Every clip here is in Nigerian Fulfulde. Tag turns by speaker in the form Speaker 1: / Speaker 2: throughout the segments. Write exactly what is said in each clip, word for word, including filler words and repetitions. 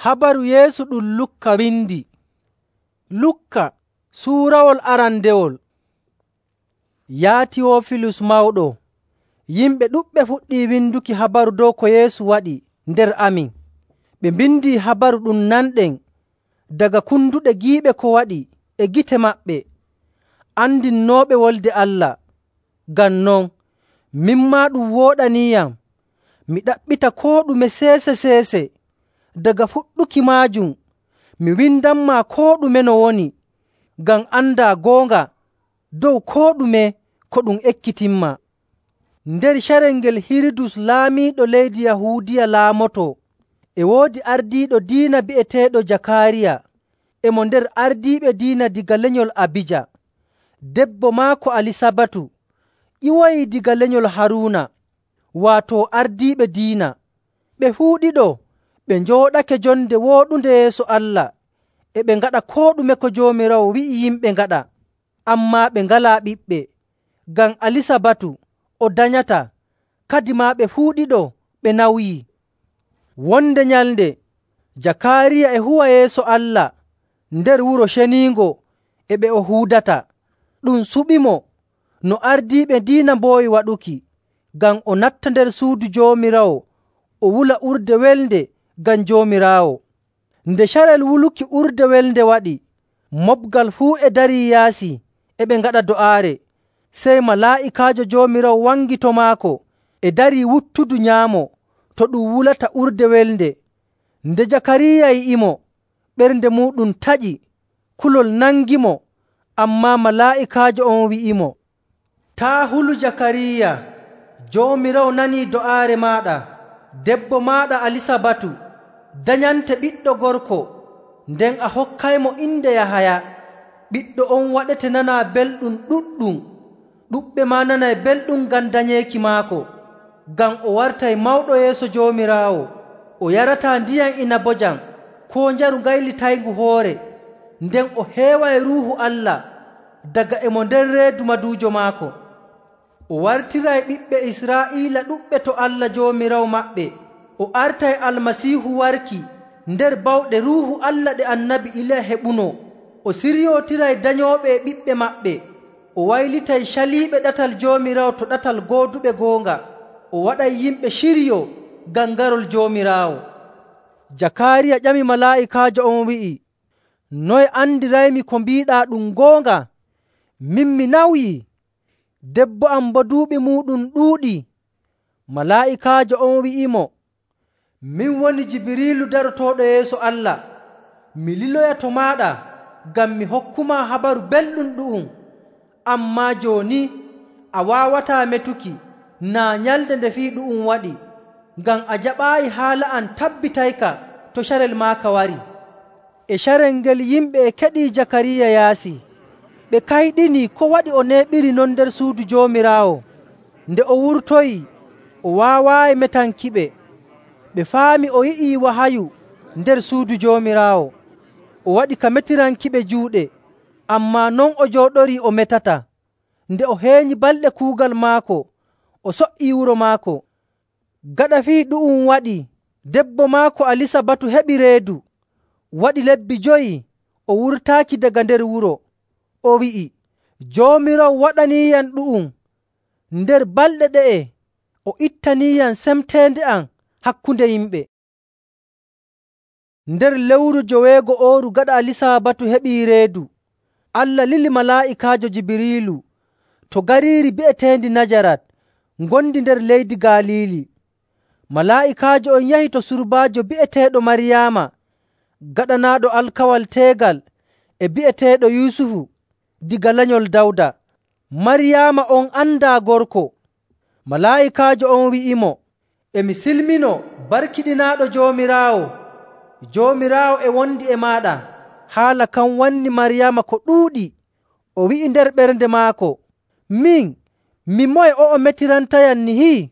Speaker 1: Habaru Yeesu ɗum Lukka windi. Lukka suurawol arandewol. Yaa Tiyoofilus mawɗo, yimɓe ɗuɗɓe fuɗɗii winduki habaru dow ko Yeesu waɗi nder amin. Ɓe mbindi habaru ɗum nanɗen daga kunduɗe giiɓe ko waɗi e gite maɓɓe, andinnooɓe Wolde Allah. Ngam non, min maa ɗum wooɗaniiyam mi ɗaɓɓita koo ɗume seese‑seese. Daga fuɗɗuki maajum mi windanmaa koo ɗume no woni, ngam andaa goonga dow koo ɗume ko ɗum ekkitinmaa. Nder carel ngel Hirudus laamiiɗo leydi Yahuudiya laamotoo, e woodi ardiiɗo diina bi'eteeɗo Jakaariya, e mo nder ardiiɓe diina daga lenyol Abija. Debbo maako Alisabatu ƴiwoyii daga lenyol Haruuna, waato ardiiɓe diina. Ɓe fuu ɗiɗo ɓe njooɗake jonde wooɗunde yeeso Allah, e ɓe ngaɗa koo ɗume ko Joomiraawo wi'i yimɓe ngaɗa. Ammaa ɓe ngalaa ɓiɓɓe, ngam Alisabatu o danyataa, kadimaa ɓe fuu ɗiɗo ɓe nawyii. Wonde nyalnde Jakaariya e huwa yeeso Allah nder Wuro Ceniingo e ɓe o huudata. Ɗum suɓimo no ardiiɓe diina mboowi waɗuki, ngam o natta nder suudu Joomiraawo o wula urde welnde ngam Joomiraawo. Nde carel wuluki urde welnde waɗi, moɓgal fuu e darii yaasi e ɓe ngaɗa do'aare. Sey malaa'ikaajo Joomiraawo wangi to maako e darii wuttudu nyaamo to ɗum wulata urde welnde. Nde Jakariya yi'imo, ɓernde muuɗum taƴi, kulol nangimo. Ammaa malaa'ikaajo on wi'imo, “Taa' hulu Jakariya, Joomiraawo nanii do'aare maaɗa. Debbo maaɗa Alisabatu danyante ɓiɗɗo gorko, nden a hokkaymo inde Yahaya. Ɓiɗɗo on waɗete nanaa belɗum ɗuɗɗum. Ɗuɗɓe maa nanay belɗum ngam danyeeki maako, ngam o wartay mawɗo yeeso Joomiraawo. O yarataa ndiyam inabojam koo njaru gaylitayngu hoore, nden o heeway Ruuhu Allah daga e mo nder reedu maduujo maako. O wartiray ɓiɓɓe Israa'iila ɗuɗɓe to Allah Joomiraawo maɓɓe. O artay Almasiihu warki nder bawɗe Ruuhu Allah ɗe Annabi Iliya heɓunoo. O siryootiray danyooɓe e ɓiɓɓe maɓɓe. O waylitay caliiɓe ɗatal Joomiraawo to ɗatal gooduɓe goonga. O waɗay yimɓe ciryoo ngam garol Joomiraawo.” Jakaariya ƴami malaa'ikaajo on wi'i, “Noye andiraymi ko mbiiɗaa ɗum goonga? Min mi nawyii, debbo am boo duuɓi muuɗum ɗuuɗii.” Malaa'ikaajo on wi'imo, “Min woni Jibiriilu darotooɗo yeeso Allah. Mi liloya to maaɗa ngam mi hokkumaa habaru belɗum ɗu'um. Ammaa jooni a waawataa metuki naa nyalnde nde fii ɗu'um waɗi, ngam a jaɓaayi haala am tabbitayka to carel maaka wari.” E carel ngel yimɓe e keɗii Jakariya yaasi. Ɓe kayɗinii ko waɗi o neeɓiri non nder suudu Joomiraawo. Nde o wurtoyii, o waawaayi metankiɓe. Ɓe faami o yi'ii wahayu nder suudu Joomiraawo. O waɗi ka metirankiɓe juuɗe, ammaa non o jooɗorii o metataa. Nde o heenyi balɗe kuugal maako, o so''ii wuro maako. Gaɗa fii ɗu'um waɗii, debbo maako Alisabatu heɓi reedu. Waɗi lebbi joyi o wurtaaki daga nder wuro. O wi'i, “Joomiraawo waɗaniiyam ɗu'um. Nder balɗe ɗe'e o ittaniiyam semteende am hakkunde yimɓe.” Nder lewru joweego'ooru gaɗa Alisabatu heɓii reedu, Allah lili malaa'ikaajo Jibiriilu to gariiri bi'eteendi Najarat, ngondi nder leydi Galiili. Malaa'ikaajo on yahi to surbaajo bi'eteeɗo Maryaama, gaɗanaaɗo alkawal teegal e bi'eteeɗo Yusufu diga lenyol Dawda. Maryaama on andaa gorko. Malaa'ikaajo on wi'imo, “E mi silminoo, barkiɗinaaɗo Joomiraawo. Joomiraawo e wondi e maaɗa.” Haala kan wanni Maryaama ko ɗuuɗi. O wi'i nder ɓernde maako, “Min, mi moye o'o metirantayam nihi?”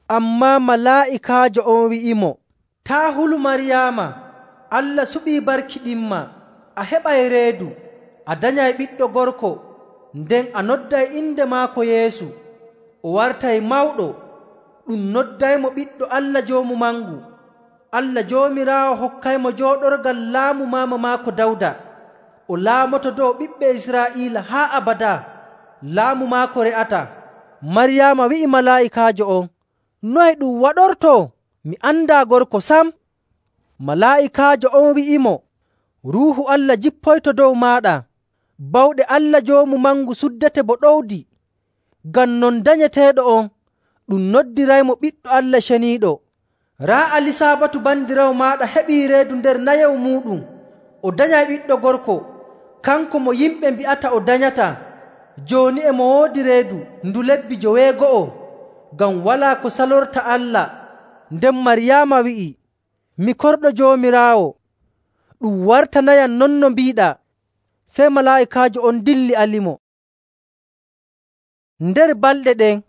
Speaker 1: Ammaa malaa'ikaajo on wi'imo, “Taa' hulu Maryaama, Allah suɓii barkiɗinma. A heɓay reedu, a danyay ɓiɗɗo gorko, nden a nodday inde maako Yeesu. O wartay mawɗo, ɗum noddaymo Ɓiɗɗo Allah Joomu Mangu. Allah Joomiraawo hokkaymo jooɗorgal laamu maama maako Dawda. O laamoto dow ɓiɓɓe Israa'iila haa abadaa. Laamu maako re'ataa.” Maryaama wi'i malaa'ikaajo on, “Noye ɗum waɗortoo? Mi andaa gorko sam.” Malaa'ikaajo on wi'imo, “Ruuhu Allah jippoyto dow maaɗa. Bawɗe Allah Joomu Mangu suddete bo ɗowdi. Ngam non danyeteeɗo on ɗum noddiraymo Ɓiɗɗo Allah Ceniiɗo. Raa Alisabatu bandiraawo maaɗa heɓii reedu nder nayewu muuɗum. O danyay ɓiɗɗo gorko, kanko mo yimɓe mbi'ata o danyataa. Jooni e mo woodi reedu ndu lebbi joweego'o, ngam walaa ko salorta Allah.” Nden Maryaama wi'i, “Mi korɗo Joomiraawo. Ɗum wartanayam non no mbiiɗaa.” Sey malaa'ikaajo on dilli alimo. Nder balɗe ɗen,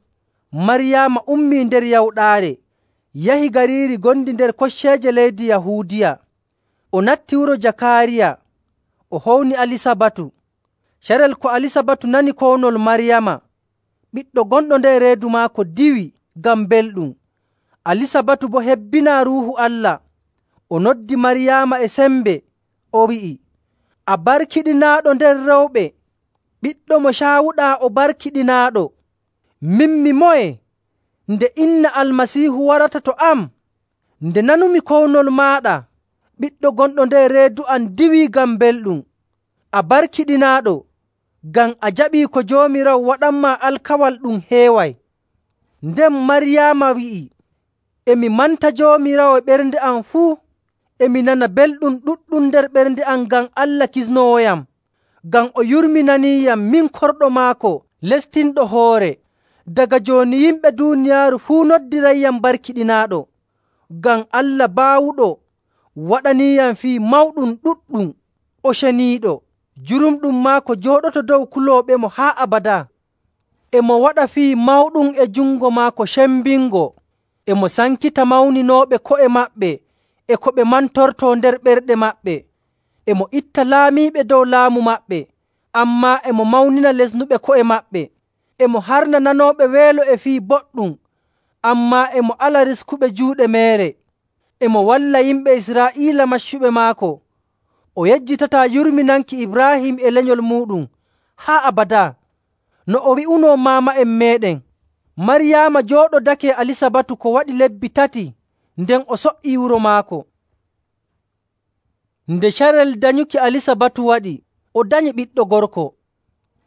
Speaker 1: Maryaama ummii nder yawɗaare, yahi gariiri gondi nder kocceeje leydi Yahuudiya. O natti wuro Jakaariya. O howni Alisabatu. Carel ko Alisabatu nani kownol Maryaama, ɓiɗɗo gonɗo nder reedu maako diwi ngam belɗum. Alisabatu boo hebbinaa Ruuhu Allah. O noddi Maryaama e sembe, o wi'i, “A barkiɗinaaɗo nder rewɓe, ɓiɗɗo mo caawuɗaa o barkiɗinaaɗo. Min mi moye nde inna Almasiihu warata to am? Nde nanumi kownol maaɗa, ɓiɗɗo gonɗo nder reedu am diwii ngam belɗum. A barkiɗinaaɗo, ngam a jaɓii ko Joomiraawo waɗanmaa alkawal ɗum heeway.” Nden Maryaama wi'i, “E mi manta Joomiraawo e ɓernde am fuu. E mi nana belɗum ɗuɗɗum nder ɓernde am ngam Allah kisnoowoyam, ngam o yurminaniiyam min korɗo maako lestinɗo hoore. Daga jooni yimɓe duuniyaaru fuu noddirayyam barkiɗinaaɗo, ngam Allah baawuɗo waɗaniiyam fii mawɗum ɗuɗɗum, o ceniiɗo. Jurumɗum maako jooɗoto dow kulooɓemo haa abadaa. E mo waɗa fii mawɗum e jungo maako cembingo. E mo sankita mawninooɓe ko'e maɓɓe e ko ɓe mantortoo nder ɓerɗe maɓɓe. E mo itta laamiiɓe dow laamu maɓɓe, ammaa e mo mawnina lesnuɓe ko'e maɓɓe. E mo harna nanooɓe weelo e fii boɗɗum, ammaa e mo ala riskuɓe juuɗe meere. E mo walla yimɓe Israa'iila maccuɓe maako. O yejjitataa yurminanki Ibraahim e lenyol muuɗum haa abadaa, no o wi'unoo maama'en meeɗen.” Maryaama jooɗodake Alisabatu ko waɗi lebbi tati, nden o so''ii wuro maako. Nde carel danyuki Alisabatu waɗi, o danyi ɓiɗɗo gorko.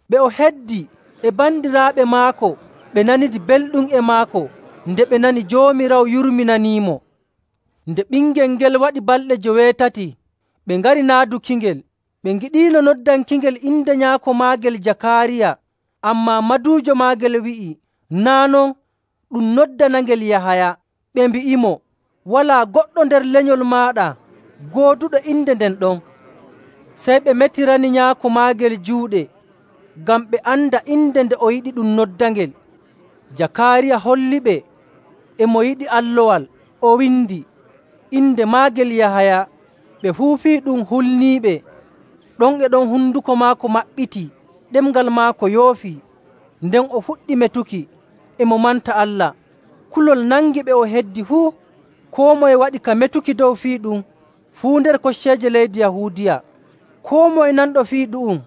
Speaker 1: Ɓe o heddi e bandiraaɓe maako ɓe nanidi belɗum e maako nde ɓe nani Joomiraawo yurminaniimo. Nde ɓingel ngel waɗi balɗe joweetati, ɓe ngari naadukingel. Ɓe ngiɗiino noddankingel inde nyaako maagel Jakaariya, ammaa maduujo maagel wi'i, “Naa' non, ɗum noddanangel Yahaya.” Ɓe mbi'imo, “Walaa goɗɗo nder lenyol maaɗa gooduɗo inde nden ɗon.” Sey ɓe metirani nyaako maagel juuɗe, ngam ɓe anda inde nde o yiɗi ɗum noddangel. Jakaariya holliɓe e mo yiɗi allowal, o windi, “Inde maagel Yahaya.” Ɓe fuu fii ɗum hulniiɓe. Ɗon e ɗon hunduko maako maɓɓiti, ɗemngal maako yoofii. Nden o fuɗɗi metuki, e mo manta Allah. Kulol nangi ɓe o heddi fuu. Koo moye waɗi ka metuki dow fii ɗum fuu nder kocceeje leydi Yahuudiya. Koo moye nanɗo fii ɗu'um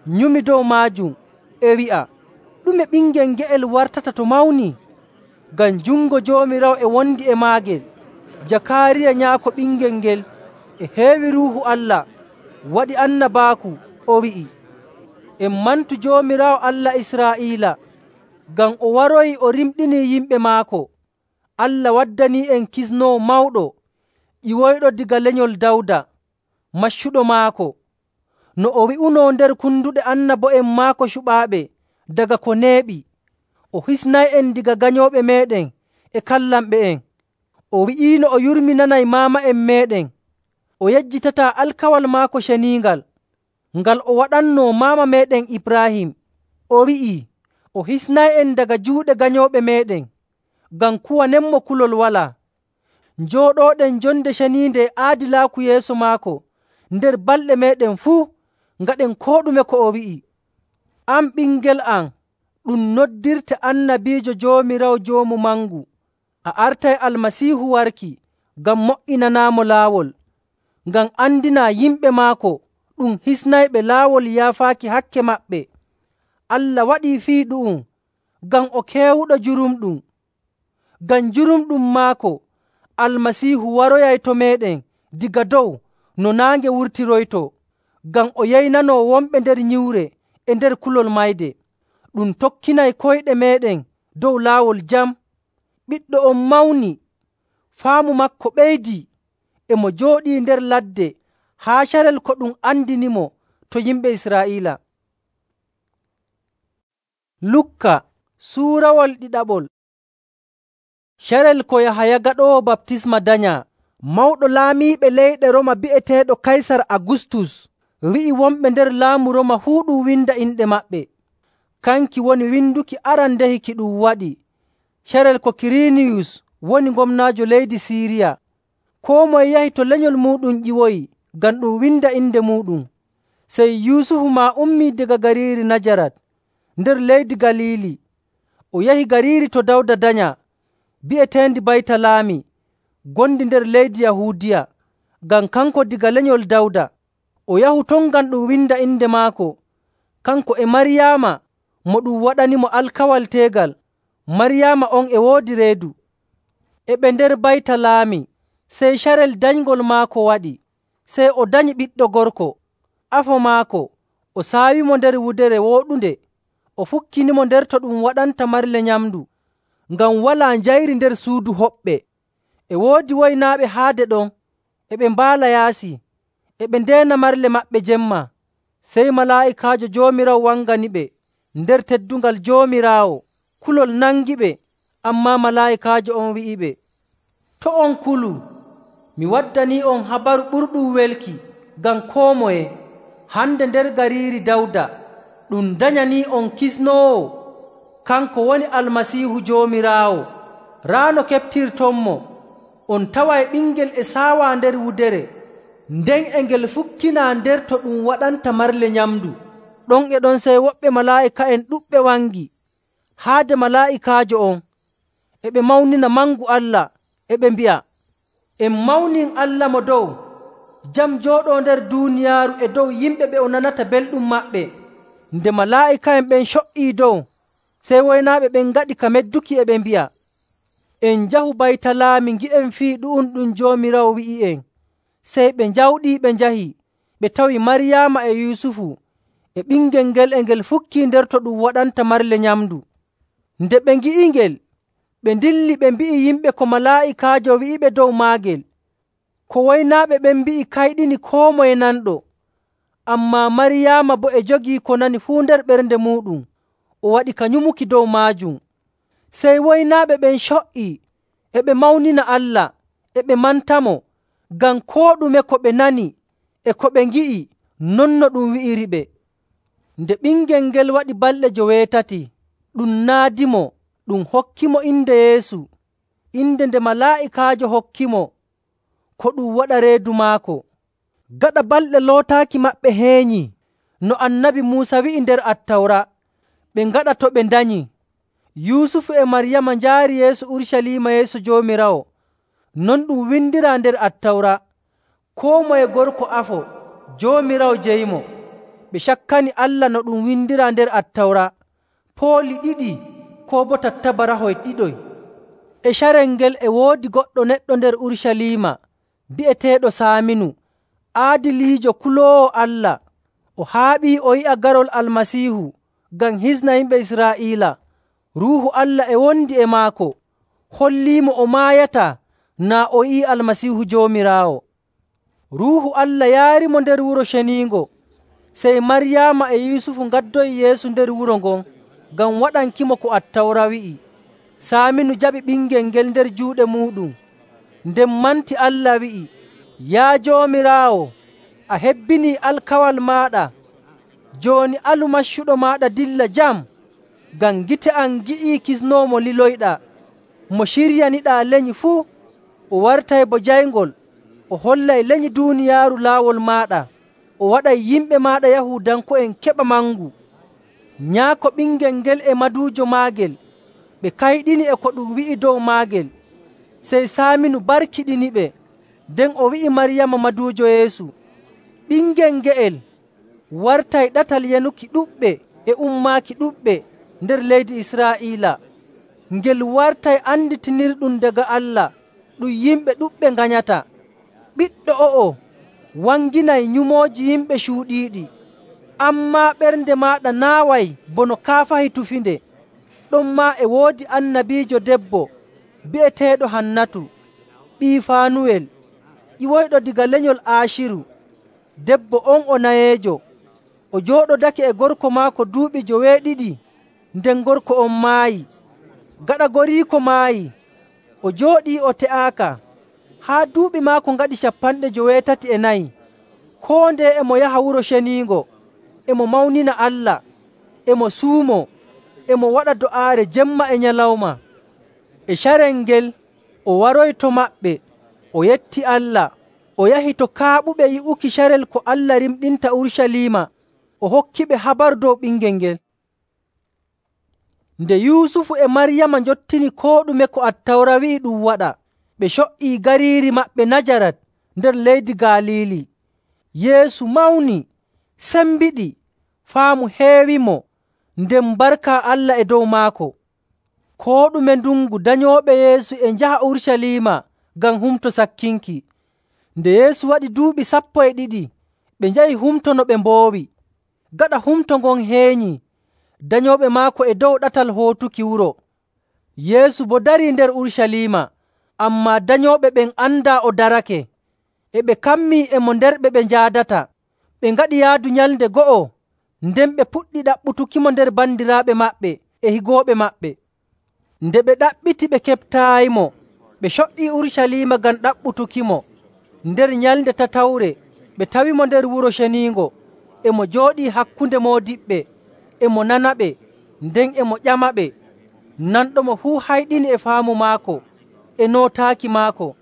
Speaker 1: nyumi dow maajum, e wi'a, “Ɗume ɓingel nge'el wartata to mawni?” Ngam jungo Joomiraawo e wondi e maagel. Jakaariya nyaako ɓingel ngel e heewi Ruuhu Allah, waɗi annabaaku, o wi'i, “En mantu Joomiraawo Allah Israa'iila, ngam o waroyi o rimɗinii yimɓe maako. Allah waddanii'en kisnoowo mawɗo, ƴiwoyɗo daga lenyol Dawda, maccuɗo maako, no o wi'unoo nder kunduɗe annabo'en maako cuɓaaɓe daga ko neeɓi. O hisnay'en daga ganyooɓe meeɗen e kallanɓe'en. O wi'iino o yurminanay maama'en meeɗen. O yejjitataa alkawal maako ceniingal, ngal o waɗannoo maama meeɗen Ibraahim. O wi'ii o hisnay'en daga juuɗe ganyooɓe meeɗen, ngam kuwanenmo kulol walaa. Njooɗooɗen jonde ceniinde e aadilaaku yeeso maako nder balɗe meeɗen fuu, ngaɗen koo ɗume ko o wi'i. An ɓingel am, ɗum noddirte annabiijo Joomiraawo Joomu Mangu. A artay Almasiihu warki, ngam mo''inanaamo laawol, ngam andinaa yimɓe maako ɗum hisnayɓe laawol yaafaaki hakke maɓɓe. Allah waɗii fii ɗu'um ngam o keewuɗo jurumɗum. Ngam jurumɗum maako, Almasiihu waroyay to meeɗen daga dow no naange wurtiroytoo, ngam o yeynanoo wonɓe nder nyiwre e nder kulol mayde. Ɗum tokkinay koyɗe meeɗen dow laawol jam. Ɓiɗɗo on mawni, faamu maako ɓeydii, e mo jooɗii nder ladde haa carel ko ɗum andinimo to yimɓe Israa'iila. Lukka suurawol ɗiɗaɓol. Carel ko Yahaya Gaɗoowo Baptisma danyaa, mawɗo laamiiɓe leyɗe Rooma bi'eteeɗo Kaysar Agustus wi'i wonɓe nder laamu Rooma fuu ɗum winda inɗe maɓɓe. Kanki woni winduki arandehi ki ɗum waɗi. Carel ko Kiriniyus woni gomnaajo leydi Siiriya. Koo moye yahi to lenyol muuɗum ƴiwoyi ngam ɗum winda inde muuɗum. Sey Yusufu maa ummii daga gariiri Najarat nder leydi Galiili, o yahi gariiri to Dawda danyaa, bi'eteendi Baytalaami, gondi nder leydi Yahuudiya, ngam kanko daga lenyol Dawda. O yahu ton ngam ɗum winda inde maako, kanko e Maryaama mo ɗum waɗanimo alkawal teegal. Maryaama on e woodi reedu. E ɓe nder Baytalaami, sey carel danyngol maako waɗi. Sey o danyi ɓiɗɗo gorko. Afo maako o saawimo nder wudere wooɗunde, o fukkinimo nder to ɗum waɗanta marle nyamndu, ngam walaa njayri nder suudu hoɓɓe. E woodi woynaaɓe haade ɗon, e ɓe mbaala yaasi, e ɓe ndeena marle maɓɓe jemma. Sey malaa'ikaajo Joomiraawo wanganiɓe nder teddungal Joomiraawo. Kulol nangiɓe, ammaa malaa'ikaajo on wi'iɓe, “To' on kulu, mi waddanii'on habaru ɓurɗum welki ngam koo moye. Hande nder gariiri Dawda ɗum danyanii'on kisnoowo, kanko woni Almasiihu Joomiraawo. Raa no keɓtirtonmo, on taway ɓingel e saawaa nder wudere, nden e ngel fukkinaa nder to ɗum waɗanta marle nyamndu.” Ɗon e ɗon sey woɓɓe malaa'ika'en ɗuɗɓe wangi haade malaa'ikaajo on, e ɓe mawnina mangu Allah, e ɓe mbi'a, “En mawnin Allah mo dow, jam jooɗoo nder duuniyaaru e dow yimɓe ɓe o nanata belɗum maɓɓe.” Nde malaa'ika'en ɓen co''ii dow, sey woynaaɓe ɓen ngaɗi ka medduki, e ɓe mbi'a, “En njahu Baytalaami ngi'en fii ɗu'um ɗum Joomiraawo wi'i'en.” Sey ɓe njawɗii ɓe njahi, ɓe tawi Maryaama e Yusufu e ɓingel ngel e ngel fukkii nder to ɗum waɗanta marle nyamndu. Nde ɓe ngi'ingel, ɓe ndilli ɓe mbi'i yimɓe ko malaa'ikaajo wi'iɓe dow maagel. Ko woynaaɓe ɓen mbi'i kayɗini koo moye nanɗo. Ammaa Maryaama boo e jogii ko nani fuu nder ɓernde muuɗum, o waɗi ka nyumuki dow maajum. Sey woynaaɓe ɓen co''ii, e ɓe mawnina Allah, e ɓe mantamo ngam koo ɗume ko ɓe nani e ko ɓe ngi'i non no ɗum wi'iriɓe. Nde ɓingel ngel waɗi balɗe joweetati, ɗum naadimo, ɗum hokkimo inde Yeesu, inde nde malaa'ikaajo hokkimo ko ɗum waɗa reedu maako. Gaɗa balɗe lootaaki maɓɓe heenyi, no Annabi Muusa wi'i nder Attawra, ɓe ngaɗa to ɓe ndanyi. Yusufu e Maryaama njaari yeeso Urucaliima yeeso Joomiraawo. Non ɗum windiraa nder Attawra, koo moye gorko afo, Joomiraawo jeyimo. Ɓe cakkani Allah no ɗum windiraa nder Attawra, pooli ɗiɗi koo boo tattabarahoy ɗiɗoy. E carel ngel e woodi goɗɗo neɗɗo nder Urucaliima bi'eteeɗo Saaminu, aadiliijo kuloowo Allah. O haaɓii o yi'a garol Almasiihu ngam hisna yimɓe Israa'iila. Ruuhu Allah e wondi e maako, holliimo o maayataa naa o yi'ii Almasiihu Joomiraawo. Ruuhu Allah yaarimo nder Wuro Ceniingo. Sey Maryaama e Yusufu ngaddoyi Yeesu nder wuro ngon ngam waɗankimo ko Attawra wi'i. Saaminu jaɓi ɓingel ngel nder juuɗe muuɗum, nden manti Allah wi'i, “Yaa Joomiraawo, a hebbinii alkawal maaɗa. Jooni alu maccuɗo maaɗa dilla jam, ngam gite am ngi'ii kisnoowo mo liloyɗaa, mo ciryaniɗaa lenyi fuu. O wartay bo jayngol, o hollay lenyi duuniyaaru laawol maaɗa, o waɗay yimɓe maaɗa Yahuudanko'en keɓa mangu.” Nyaako ɓingel ngel e maduujo maagel ɓe kayɗini e ko ɗum wi'i dow maagel. Sey Saaminu barkiɗiniɓe, nden o wi'i Maryama maduujo Yeesu, “Ɓingel nge'el wartay ɗatal yanuki ɗuɗɓe e ummaaki ɗuɗɓe nder leydi Israa'iila. Ngel wartay anditinirɗum daga Allah ɗum yimɓe ɗuɗɓe nganyata. Ɓiɗɗo o'o wanginay nyumooji yimɓe cuuɗiiɗi, ammaa ɓernde maaɗa naaway bono kaafahi tufinde. Ɗonmaa e woodi annabiijo debbo bi'eteeɗo Hannatu, ɓii Faanuwel, ƴiwoyɗo daga lenyol Aaciru. Debbo on o nayeejo, o jooɗodake e gorko maako duuɓi joweeɗiɗi nden gorko on maayi. Gaɗa goriiko maayi, o jooɗii o te'aaka haa duuɓi maako ngaɗi cappanɗe joweetati e nayi. Koo ndeye e mo yaha Wuro Ceniingo, e mo mawnina Allah, e mo suumoo, e mo waɗa do'aare jemma e nyalawma. E carel ngel o waroyi to maɓɓe, o yetti Allah, o yahi to kaaɓuɓe yi'uki carel ko Allah rimɗinta Urucaliima, o hokkiɓe habaru dow ɓingel ngel. Nde Yusufu e Maryama njottini koo ɗume ko Attawra wi'i ɗum waɗa, ɓe co''ii gariiri maɓɓe Najarat nder leydi Galiili. Yeesu mawni, sembiɗi, faamu heewimo, nden barka Allah e dow maako. Koo ɗume ndungu danyooɓe Yeesu e njaha Urucaliima ngam Humto Sakkinki. Nde Yeesu waɗi duuɓi sappo e ɗiɗi, ɓe njahi humto no ɓe mboowi. Gaɗa humto ngon heenyi, danyooɓe maako e dow ɗatal hootuki wuro. Yeesu boo darii nder Urucaliima, ammaa danyooɓe ɓen andaa o darake. E ɓe kammii e mo nder ɓe ɓe njaadata. Ɓe ngaɗi yaadu nyalnde go'o, nden ɓe puɗɗi ɗaɓɓutukimo nder bandiraaɓe maɓɓe e higooɓe maɓɓe. Nde ɓe ɗaɓɓiti ɓe keɓtaayimo, ɓe co''ii Urucaliima ngam ɗaɓɓutukimo. Nder nyalnde tatawre ɓe tawimo nder Wuro Ceniingo, e mo jooɗii hakkunde moodiɓɓe, e mo nanaɓe, nden e mo ƴamaɓe. Nanɗomo fuu hayɗini e faamu maako e nootaaki maako.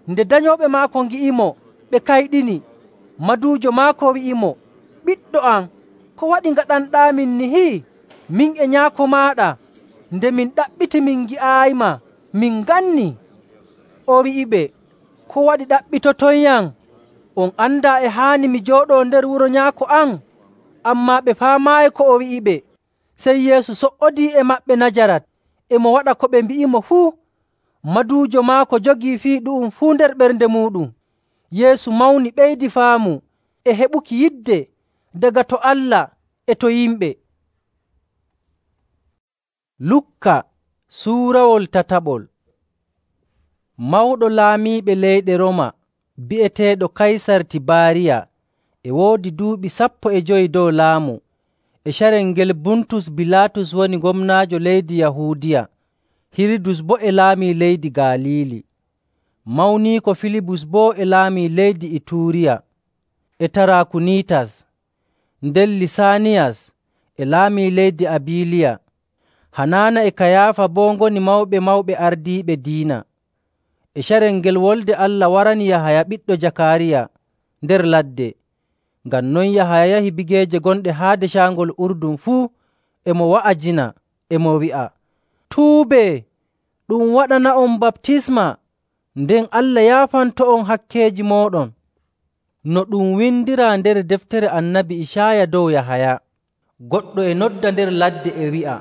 Speaker 1: Nde danyooɓe maako ngi'imo, ɓe kayɗini. Maduujo maako wi'imo, “Ɓiɗɗo am, ko waɗi ngaɗanɗaamin nihi? Min e nyaako maaɗa, nde min ɗaɓɓiti min ngi'aayima, min ngannii.” O wi'iɓe, “Ko waɗi ɗaɓɓitotonyam? On andaa e haani mi jooɗoo nder wuro nyaako am?” Ammaa ɓe faamaayi ko o wi'iɓe. Sey Yeesu so''odii e maɓɓe Najarat, e mo waɗa ko ɓe mbi'imo fuu. Maduujo maako jogii fii ɗu'um fuu nder ɓernde muuɗum. Yeesu mawni ɓeydi faamu e heɓuki yidde daga to Allah e to yimɓe. Lukka suurawol tataɓol. Mawɗo laamiiɓe leyɗe Rooma bi'eteeɗo Kaysar Tibaariya e woodi duuɓi sappo e jowi dow laamu. E carel ngel Buntus Bilaatus woni gomnaajo leydi Yahuudiya, Hirudus boo e laamii leydi Galiili. Mawniiko Filibus boo e laamii leydi Ituuriya, e Tarakuniitas. Nden Lisaaniyas e laamii leydi Abiliya. Hanaana e Kayaafa boo ngoni mawɓe mawɓe ardiiɓe diina. E carel ngel Wolde Allah warani Yahaya ɓiɗɗo Jakaariya nder ladde. Ngam non Yahaya yahi bigeeje gonɗe haade caangol Urdun fuu, e mo wa'ajina, e mo wi'a, “Tuubee, ɗum waɗana'on baptisma, nden Allah yaafanto'on hakkeeji mooɗon.” No ɗum windiraa nder deftere Annabi Icaaya dow Yahaya. Goɗɗo e nodda nder ladde e wi'a,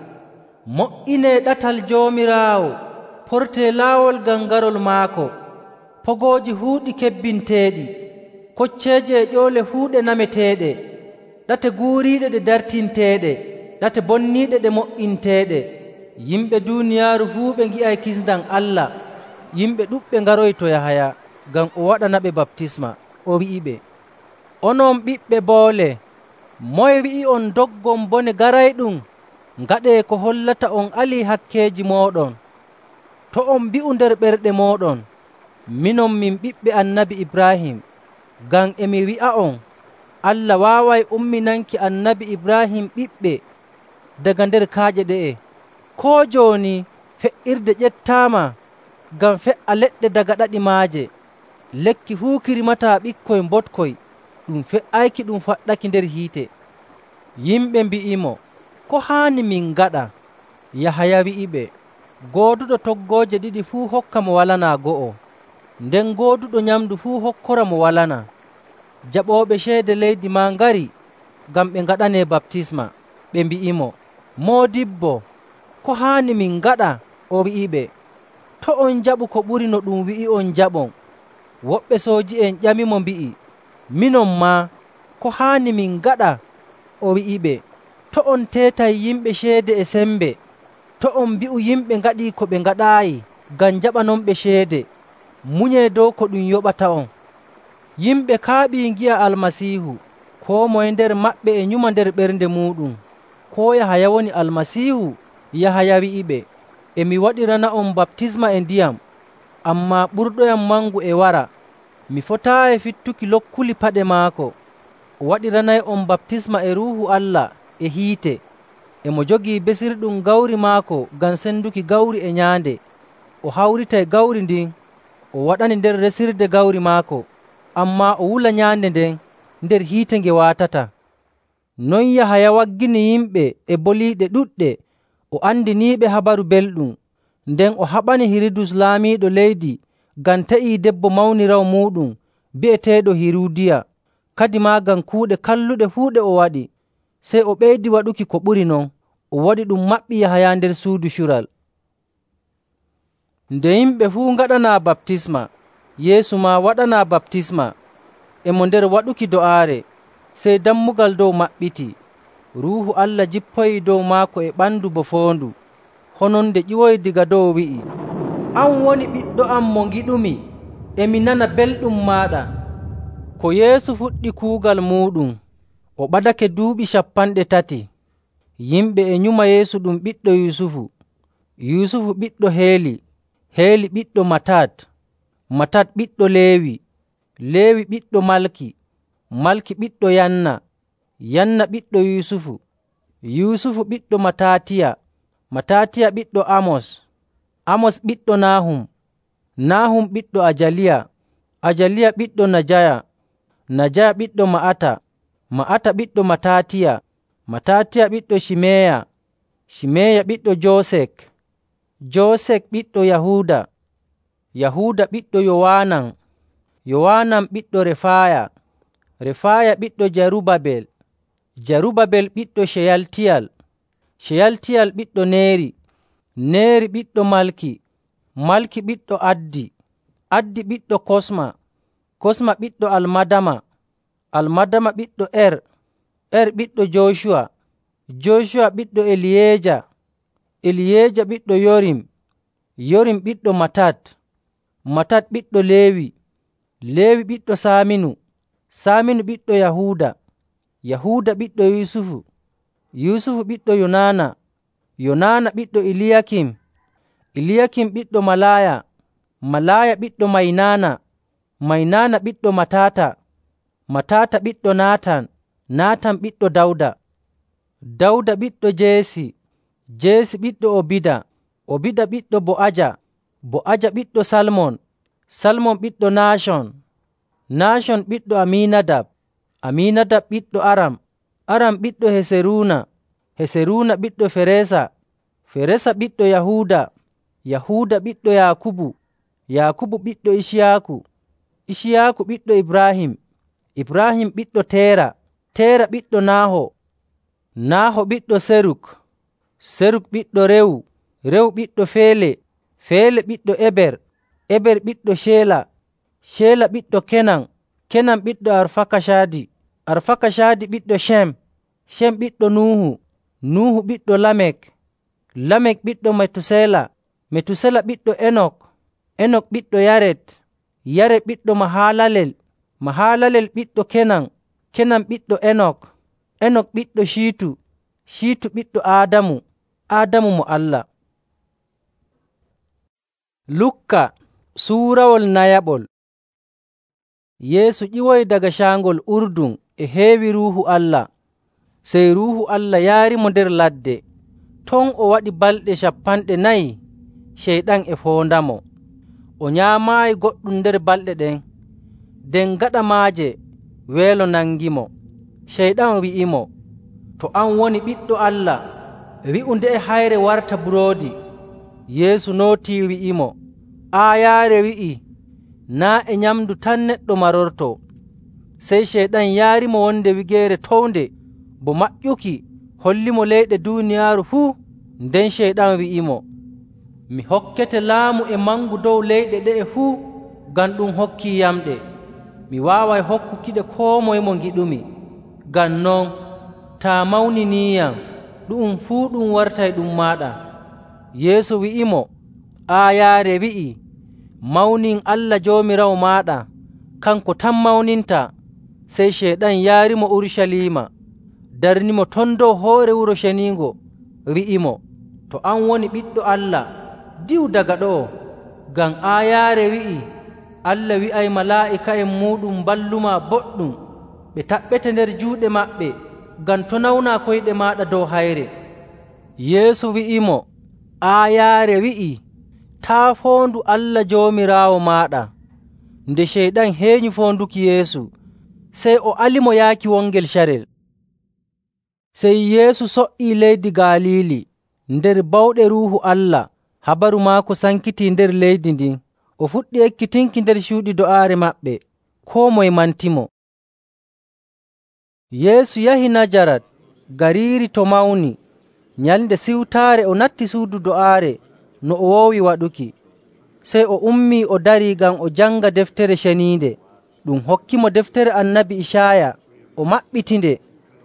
Speaker 1: “Mo''inee ɗatal Joomiraawo, portee laawol ngam garol maako. Pogooji huuɗi kebbinteeɗi, kocceeje e ƴoole fuu ɗe nameteeɗe, ɗate guuriiɗe ɗe dartinteeɗe, ɗate bonniiɗe ɗe mo''inteeɗe.” Yimɓe duuniyaaru fuu ɓe ngi'ay kisndam Allah. Yimɓe ɗuɗɓe ngaroyi to Yahaya ngam o waɗanaɓe baptisma. O wi'iɓe, “Onon ɓiɓɓe boole, moye wi'i'on doggon bone garayɗum? Ngaɗee ko hollata on alii hakkeeji mooɗon. To' on mbi'u nder ɓerɗe mooɗon, ‘Minon min ɓiɓɓe Annabi Ibrahim,’ ngam e mi wi'a'on, Allah waaway umminanki Annabi Ibrahim ɓiɓɓe daga nder kaaƴe ɗe'e. Koo jooni fe''irde ƴettaama ngam fe''a leɗɗe daga ɗaɗi maaje. Lekki fuu ki rimataa ɓikkoy mbotkoy, ɗum fe''ayki ɗum faɗɗaki nder hiite.” Yimɓe mbi'imo, “Ko haani min ngaɗa?” Yahaya wi'iɓe, Gooduɗo toggooje ɗiɗi fuu hokka mo walanaa go'o, nden gooduɗo nyamndu fuu hokkora mo walanaa. Jaɓooɓe ceede leydi maa ngari ngam ɓe ngaɗanee baptisma. Ɓe mbi'imo, “Moodibbo, ko haani min ngaɗa?” O wi'iɓe, “To' on njaɓu ko ɓuri no ɗum wi'i'on njaɓon.” Woɓɓe sooji'en ƴamimo mbi'i, “Minon maa, ko haani min ngaɗa?” O wi'iɓe, “To' on teetay yimɓe ceede e sembe. To' on mbi'u yimɓe ngaɗii ko ɓe ngaɗaayi ngam njaɓanonɓe ceede. Munyee dow ko ɗum yoɓata'on.” Yimɓe kaaɓii ngi'a Almasiihu. Koo moye nder maɓɓe e nyuma nder ɓernde muuɗum, koo Yahaya woni Almasiihu? Yahaya wi'iɓe, “E mi waɗirana'on baptisma e ndiyam, ammaa ɓurɗoyam mangu e wara. Mi fotaayi fittuki lokkuli paɗe maako. O waɗiranay'on baptisma e Ruuhu Allah e hiite. E mo jogii besirɗum gawri maako ngam senduki gawri e nyaande. O hawritay gawri ndin, o waɗani nder resirde gawri maako, ammaa o wula nyaande nden nder hiite nge waatata.” Non Yahaya waggini yimɓe e boliiɗe ɗuɗɗe, o andiniiɓe Habaru Belɗum. Nden o haɓani Hirudus laamiiɗo leydi ngam te'ii debbo mawniraawo muuɗum bi'eteeɗo Hiruudiya, kadimaa ngam kuuɗe kalluɗe fuu ɗe o waɗi. Sey o ɓeydi waɗuki ko ɓuri non, o waɗi ɗum maɓɓi Yahaya nder suudu cural. Nde yimɓe fuu ngaɗanaa baptisma, Yeesu maa waɗanaa baptisma. E mo nder waɗuki do'aare, sey dammugal dow maɓɓitii. Ruuhu Allah jippoyii dow maako e ɓandu bo foondu. Hononde ƴiwoyi daga dow wi'i, “An woni Ɓiɗɗo am mo ngiɗumi, e mi nana belɗum maaɗa.” Ko Yeesu fuɗɗi kuugal muuɗum, o ɓadake duuɓi cappanɗe tati. Yimɓe e nyuma Yeesu ɗum ɓiɗɗo Yusufu, Yusufu ɓiɗɗo Heeli, Heeli ɓiɗɗo Matat, Matat ɓiɗɗo Leewi, Leewi ɓiɗɗo Malki, Malki ɓiɗɗo Yanna, Yanna ɓiɗɗo Yusufu, Yusufu ɓiɗɗo Matatiya, Matatiya ɓiɗɗo Amos, Amos ɓiɗɗo Nahum, Nahum ɓiɗɗo Ajaliya, Ajaliya ɓiɗɗo Najaya, Najaya ɓiɗɗo Ma'ata, Ma'ata ɓiɗɗo Matatiya, Matatiya ɓiɗɗo Shimeya, Shimeya ɓiɗɗo Joosek, Joosek ɓiɗɗo Yahuuda, Yahuuda ɓiɗɗo Yowanan, Yowanan ɓiɗɗo Refaya, Refaya ɓiɗɗo Jarubabel, Jarubabel ɓiɗɗo Sheyaltiyal, Sheyaltiyal ɓiɗɗo Neeri, Neeri ɓiɗɗo Malki, Malki ɓiɗɗo Addi, Addi ɓiɗɗo Kosma, Kosma ɓiɗɗo Almadama, Almadama ɓiɗɗo Er, Er ɓiɗɗo Jooshuwa, Jooshuwa ɓiɗɗo Eliyeeja, Eliyeeja ɓiɗɗo Yorim, Yorim ɓiɗɗo Matat, Matat ɓiɗɗo Leewi, Leewi ɓiɗɗo Saaminu, Saaminu ɓiɗɗo Yahuuda, Yahuuda ɓiɗɗo Yusufu, Yusufu ɓiɗɗo Yonaana, Yonaana ɓiɗɗo Iliyakim, Iliyakim ɓiɗɗo Malaaya, Malaaya ɓiɗɗo Maynaana, Maynaana ɓiɗɗo Matata, Matata ɓiɗɗo Naatan, Naatan ɓiɗɗo Dawda, Dawda ɓiɗɗo Jeesi, Jeesi ɓiɗɗo Obida, Obida ɓiɗɗo Bo'aja, Bo'aja ɓiɗɗo Salmon, Salmon ɓiɗɗo Naashon, Naashon ɓiɗɗo Aminadab, Aminadab ɓiɗɗo Aram, Aram ɓiɗɗo Heseruuna, Heseruuna ɓiɗɗo Feresa, Feresa ɓiɗɗo Yahuuda, Yahuuda ɓiɗɗo Yaakubu, Yaakubu ɓiɗɗo Iciyaaku, Iciyaaku ɓiɗɗo Ibrahim, Ibrahim ɓiɗɗo Teera, Teera ɓiɗɗo Naaho, Naaho ɓiɗɗo Seruk, Seruk ɓiɗɗo Rewu, Rewu ɓiɗɗo Feele, Feele ɓiɗɗo Eber, Eber ɓiɗɗo Sheela, Sheela ɓiɗɗo Kenan, Kenan ɓiɗɗo Arfakasadi, Arfakasadi ɓiɗɗo Shem, Shem ɓiɗɗo Nuuhu, Nuuhu ɓiɗɗo Lamek, Lamek ɓiɗɗo Metusela, Metusela ɓiɗɗo Enok, Enok ɓiɗɗo Yaret, Yaret ɓiɗɗo Mahalalel, Mahalalel ɓiɗɗo Kenan, Kenan ɓiɗɗo Enok, Enok ɓiɗɗo Shiitu, Shiitu ɓiɗɗo Aadamu, Aadamu mo Allah. Lukka suurawol nayaɓol. Yeesu ƴiwoyi daga caangol Urdun e heewi Ruuhu Allah. Sey Ruuhu Allah yaarimo nder ladde. Ton o waɗi balɗe cappanɗe nayi Ceyɗan e foondamo. O nyaamaayi goɗɗum nder balɗe ɗen. Nden gaɗa maaje weelo nangimo. Ceyɗan wi'imo, “To an woni Ɓiɗɗo Allah, wi'u nde'e hayre warta buroodi.” Yeesu nootii wi'imo, “Aayaare wi'ii, naa' e nyamndu tan neɗɗo marortoo.” Sey Ceyɗan yaarimo wonde wigeere townde bo maƴƴuki hollimo leyɗe duuniyaaru fuu. Nden Ceyɗan wi'imo, “Mi hokkete laamu e mangu dow leyɗe ɗe'e fuu, ngam ɗum hokkiiyamɗe. Mi waaway hokkukiɗe koo moye mo ngiɗumi. Ngam non, taa mawniniiyam, ɗu'um fuu ɗum wartay ɗum maaɗa.” Yeesu wi'imo, “Aayaare wi'ii, ‘Mawnin Allah Joomiraawo maaɗa, kanko tan mawnintaa.’” Sey Ceyɗan yaarimo Urucaliima, darnimo ton dow hoore Wuro Ceniingo, wi'imo, “To an woni Ɓiɗɗo Allah, diwu daga ɗo'o. Ngam aayaare wi'ii, Allah wi'ay malaa'ika'en muuɗum mballumaa boɗɗum, ɓe taɓɓete nder juuɗe maɓɓe, ngam to' nawnaa koyɗe maaɗa dow hayre.” Yeesu wi'imo, “Aayaare wi'ii, ‘Taa' foondu Allah Joomiraawo maaɗa.’” Nde Ceyɗan heenyi foonduki Yeesu, sey o alimo yaaki wongel carel. Sey Yeesu so''ii leydi Galiili. Nder bawɗe Ruuhu Allah, habaru maako sankitii nder leydi ndin. O fuɗɗi ekkitinki nder cuuɗi do'aare maɓɓe, koo moye mantimo. Yeesu yahi Najarat, gariiri to mawni. Nyalnde Siwtaare o natti suudu do'aare no o woowi waɗuki. Sey o ummii o darii ngam o janga Deftere Ceniinde. Ɗum hokkimo deftere Annabi Icaaya. O maɓɓitinde,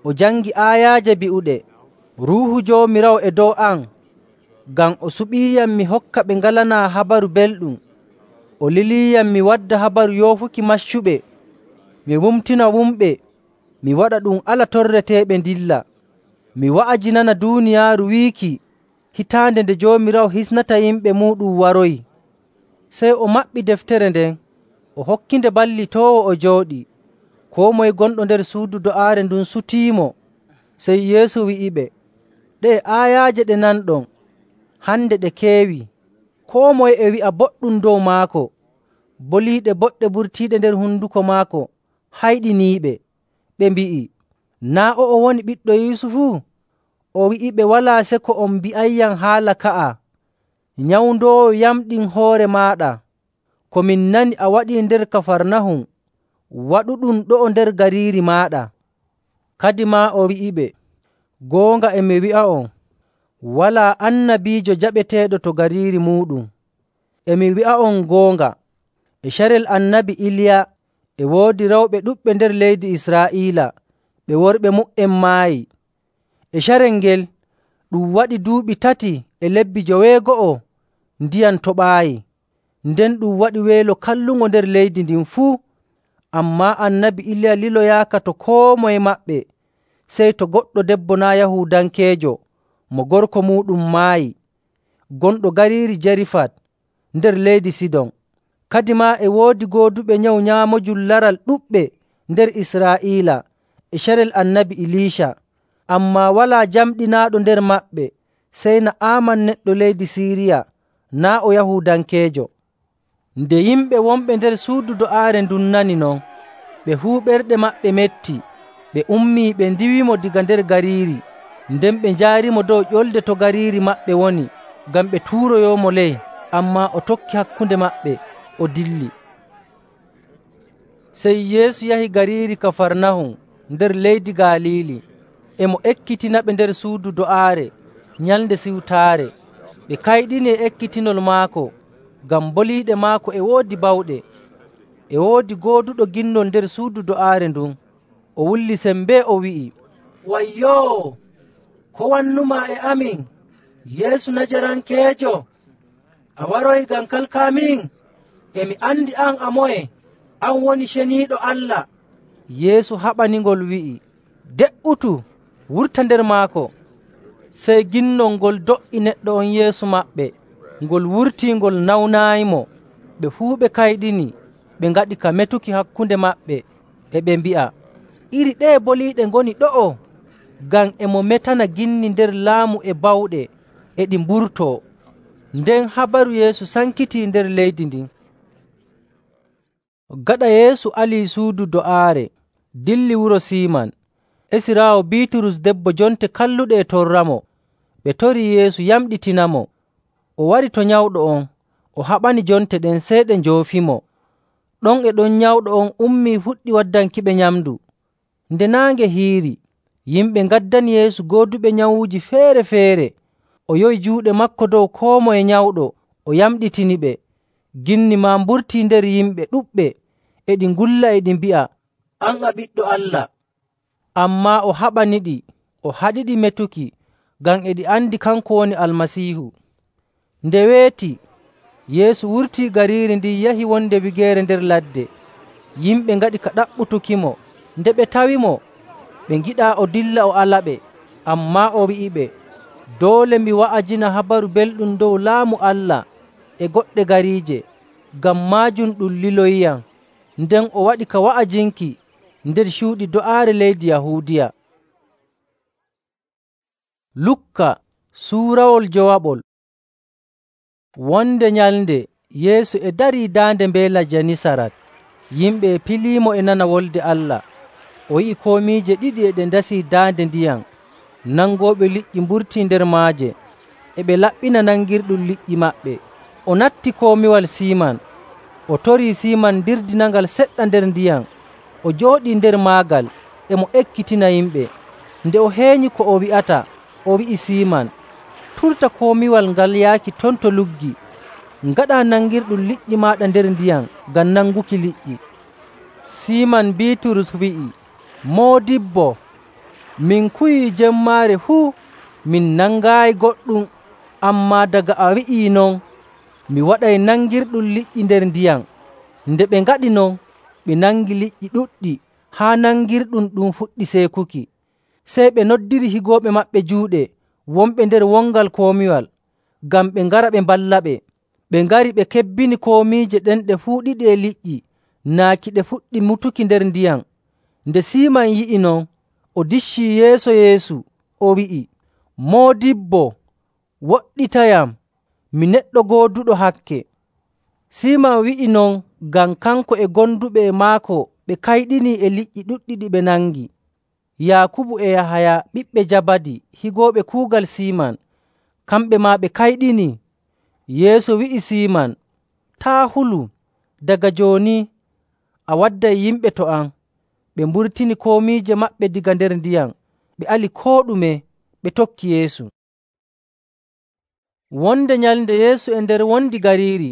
Speaker 1: o jangi aayaaje bi'uɗe, “Ruuhu Joomiraawo e dow am, ngam o suɓiiyam mi hokka ɓe ngalanaa habaru belɗum. O liliiyam mi wadda habaru yoofuki maccuɓe, mi wumtina wumɓe, mi waɗa ɗum ala torreteeɓe ndilla, mi wa'ajinana duuniyaaru wiiki hitaande nde Joomiraawo hisnata yimɓe muuɗum waroyi.” Sey o maɓɓi deftere nden, o hokkinde ballitoowo o jooɗii. Koo moye gonɗo nder suudu do'aare ndun sutiimo. Sey Yeesu wi'iɓe, “Ɗe'e aayaaje ɗe nanɗon, hande ɗe keewi.” Koo moye e wi'a boɗɗum dow maako. Boliiɗe boɗɗe ɓurtiiɗe nder honduko maako hayɗiniiɓe. Ɓe mbi'i, “Naa' o'o woni ɓiɗɗo Yusufu?” O wi'iɓe, “Walaa seko on mbi'ayyam haala ka'a. Nyawndoowo yamɗin hoore maaɗa. Ko min nani a waɗii nder Kafarnahum, waɗuɗum ɗo'o nder gariiri maaɗa.” Kadimaa o wi'iɓe, “Goonga e mi wi'a'on, walaa annabiijo jaɓeteeɗo to gariiri muuɗum. E mi wi'a'on goonga, e carel Annabi Iliya e woodi rewɓe ɗuɗɓe nder leydi Israa'iila, ɓe worɓe mu''en maayi. E carel ngel ɗum waɗi duuɓi tati e lebbi joweego'o ndiyam toɓaayi, nden ɗum waɗi weelo kallungo nder leydi ndin fuu. Ammaa Annabi Iliya liloyaaka to koo moye maɓɓe, sey to goɗɗo debbo naa' Yahuudankeejo mo gorko muuɗum maayi, gonɗo gariiri Jarifat nder leydi Sidon. Kadimaa e woodi gooduɓe nyawu nyaamojum laral ɗuɗɓe nder Israa'iila e carel Annabi Iliica. Ammaa walaa jamɗinaaɗo nder maɓɓe sey Na'aaman neɗɗo leydi Siiriya, naa' o Yahuudankeejo. Nde yimɓe wonɓe nder suudu do'aare ndun nani non, ɓe fuu ɓerɗe maɓɓe metti. Ɓe ummii ɓe ndiwimo daga nder gariiri, nden ɓe njaarimo dow ƴolde to gariiri maɓɓe woni ngam ɓe tuuroyoomo ley. Ammaa o tokki hakkunde maɓɓe, o dilli. Sey Yeesu yahi gariiri Kafarnahum nder leydi Galiili. E mo ekkitinaɓe nder suudu do'aare Nyalnde Siwtaare. Ɓe kayɗini e ekkitinol maako, ngam boliiɗe maako e woodi bawɗe. E woodi gooduɗo ginnol nder suudu do'aare ndun. O wulli sembee o wi'i, “Wayyoo! Ko wannumaa e amin, Yeesu Najarankeejo? A waroyi ngam kalkaamin? E mi andi an a moye, an woni Ceniiɗo Allah.” Yeesu haɓaningol wi'i, “De''utu, wurta nder maako.” Sey ginnol ngol do''i neɗɗo on yeeso maɓɓe, ngol wurtii ngol nawnaayimo. Ɓe fuu ɓe kayɗini, ɓe ngaɗi ka metuki hakkunde maɓɓe, e ɓe mbi'a, “Iri ɗeye boliiɗe ngoni ɗo'o?” Ngam e mo metana ginni nder laamu e bawɗe, e ɗi mburtoo. Nden habaru Yeesu sankitii nder leydi ndin. Gaɗa Yeesu alii suudu do'aare, dilli wuro Siiman. Esiraawo Biiturus debbo jonte kalluɗe e torramo. Ɓe torii Yeesu yamɗitinamo. o wari to nyawɗo on, o haɓani jonte ɗen sey ɗe njoofimo. Ɗon e ɗon nyawɗo on ummii fuɗɗi waddankiɓe nyamndu. Nde naange hiiri, yimɓe ngaddani Yeesu gooduɓe nyawuuji feere‑feere. O yowi juuɗe maako dow koo moye nyawɗo, o yamɗitiniɓe. Ginni maa mburtii nder yimɓe ɗuɗɓe, e ɗi ngulla e ɗi mbi'a, “An a Ɓiɗɗo Allah.” Ammaa o haɓaniɗi, o haɗiɗi metuki, ngam e ɗi andi kanko woni Almasiihu. Nde weeti, Yeesu wurtii gariiri ndin yahi wonde wigeere nder ladde. Yimɓe ngaɗi ka ɗaɓɓutukimo. Nde ɓe tawimo, ɓe ngiɗaa o dilla o alaɓe. Ammaa o wi'iɓe, “Doole mi wa'ajina Habaru Belɗum dow Laamu Allah e goɗɗe gariije, ngam maajum ɗum liloyiyam.” Nden o waɗi ka wa'ajinki nder cuuɗi do'aare leydi Yahuudiya. Lukka suurawol jowaɓol. Wonde nyalnde Yeesu e darii daande mbeela Janisarat. Yimɓe e piliimo e nana Wolde Allah. O yi'i komiije ɗiɗi e ɗe ndasii daande ndiyam. Nangooɓe liƴƴi mburtii nder maaje, e ɓe laɓɓina nangirɗum liƴƴi maɓɓe. O natti komiwal Siiman. O torii Siiman ndirdinangal seɗɗa nder ndiyam. O jooɗii nder maagal, e mo ekkitina yimɓe. Nde o heenyi ko o wi'ata, o wi'i Siiman, “Turta komiwal ngal yaaki ton to luggi. Ngaɗaa nangirɗum liƴƴi maaɗa nder ndiyam ngam nanguki liƴƴi.” Siiman Biiturus wi'i, “Moodibbo, min kuwii jemmaare fuu, min nangaayi goɗɗum. Ammaa daga a wi'ii non, mi waɗay nangirɗum liƴƴi nder ndiyam.” Nde ɓe ngaɗi non, ɓe nangi liƴƴi ɗuɗɗi haa nangirɗum ɗum fuɗɗi seekuki. Sey ɓe noddiri higooɓe maɓɓe juuɗe wonɓe nder wongal komiwal, ngam ɓe ngara ɓe mballaɓe. Ɓe ngari ɓe kebbini komiije ɗen ɗe fuu ɗiɗi e liƴƴi, naaki ɗe fuɗɗi mutuki nder ndiyam. Nde Siiman yi'i non, o diccii yeeso Yeesu, o wi'i, “Moodibbo, woɗɗitayam, mi neɗɗo gooduɗo hakke.” Siiman wi'i non ngam kanko e gonduɓe e maako ɓe kayɗinii e liƴƴi ɗuɗɗi ɗi ɓe nangi. Yaakubu e Yahaya ɓiɓɓe Jabadi, higooɓe kuugal Siiman, kamɓe maa ɓe kayɗinii. Yeesu wi'i Siiman, “Taa' hulu. Daga jooni a wadday yimɓe to am.” Ɓe mburtini komiije maɓɓe daga nder ndiyam, ɓe ali koo ɗume, ɓe tokki Yeesu. Wonde nyalnde Yeesu e nder wondi gariiri,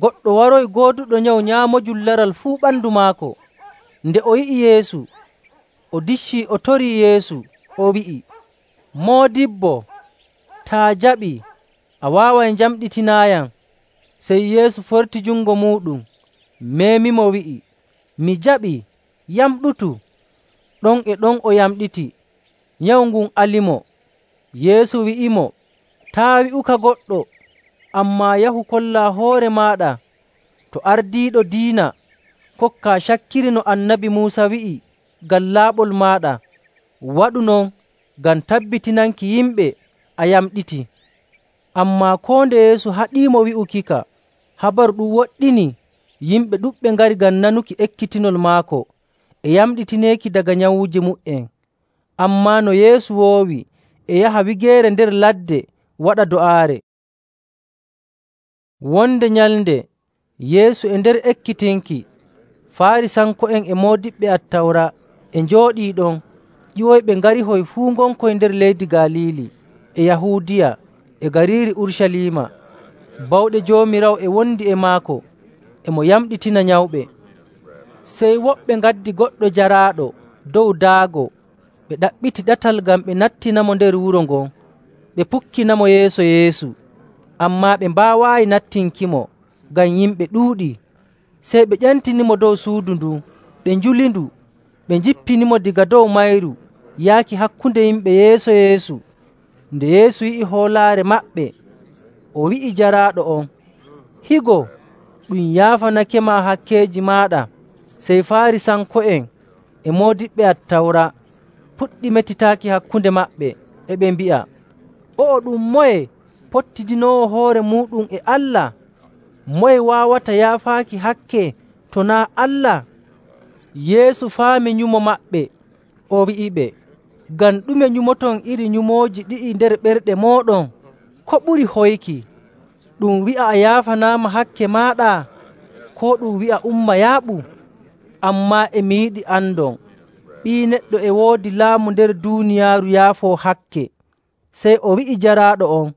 Speaker 1: goɗɗo waroyi gooduɗo nyawu nyaamojum laral fuu ɓandu maako. Nde o yi'i Yeesu, o diccii o torii Yeesu, o wi'i, “Moodibbo, taa jaɓii, a waaway njamɗitinaayam.” Sey Yeesu forti jungo muuɗum, meemimo wi'i, “Mi jaɓii, yamɗutu.” Ɗon e ɗon o yamɗiti, nyawu ngun alimo. Yeesu wi'imo, “Taa' wi'uka goɗɗo, ammaa yahu kollaa hoore maaɗa to ardiiɗo diina, kokkaa cakkiri no Annabi Muusa wi'i ngam laaɓol maaɗa. Waɗu non ngam tabbitinanki yimɓe a yamɗiti.” Ammaa koo nde Yeesu haɗiimo wi'ukika, habaru ɗum woɗɗinii. Yimɓe ɗuɗɓe ngari ngam nanuki ekkitinol maako e yamɗitineeki daga nyawuuji mu''en. Ammaa no Yeesu woowi e yaha wigeere nder ladde waɗa do'aare. Wonde nyalnde Yeesu e nder ekkitinki, Faarisanko'en e moodiɓɓe Attawra e njooɗii ɗon. Ƴiwoyɓe ngarihoy fuu ngonkoy nder leydi Galiili e Yahuudiya e gariiri Urucaliima. Bawɗe Joomiraawo e wondi e maako, e mo yamɗitina nyawɓe. Sey woɓɓe ngaddi goɗɗo jaraaɗo dow daago, ɓe ɗaɓɓiti ɗatal ngam ɓe nattinamo nder wuro ngon, ɓe pukkinamo yeeso Yeesu. Ammaa ɓe mbaawaayi nattinkimo ngam yimɓe ɗuuɗii. Sey ɓe ƴantinimo dow suudu ndun, ɓe njuli ndu, ɓe njippinimo daga dow mayru yaaki hakkunde yimɓe yeeso Yeesu. Nde Yeesu yi'i hoolaare maɓɓe, o wi'i jaraaɗo on, “Higo, ɗum yaafanakema hakkeeji maaɗa.” Sey Faarisanko'en e moodiɓɓe Attawra puɗɗi metitaaki hakkunde maɓɓe, e ɓe mbi'a, “O'o ɗum moye pottidinoowo hoore muuɗum e Allah? Moye waawata yaafaaki hakke to naa' Allah?” Yeesu faami nyumo maɓɓe, o wi'iɓe, “Ngam ɗume nyumoton iri nyumooji ɗi'i nder ɓerɗe mooɗon? Ko ɓuri hoyki, ɗum wi'a a yaafanaama hakke maaɗa, koo ɗum wi'a umma yaaɓu? Ammaa e mi yiɗi andon, Ɓii Neɗɗo e woodi laamu nder duuniyaaru yaafoo hakke.” Sey o wi'i jaraaɗo on,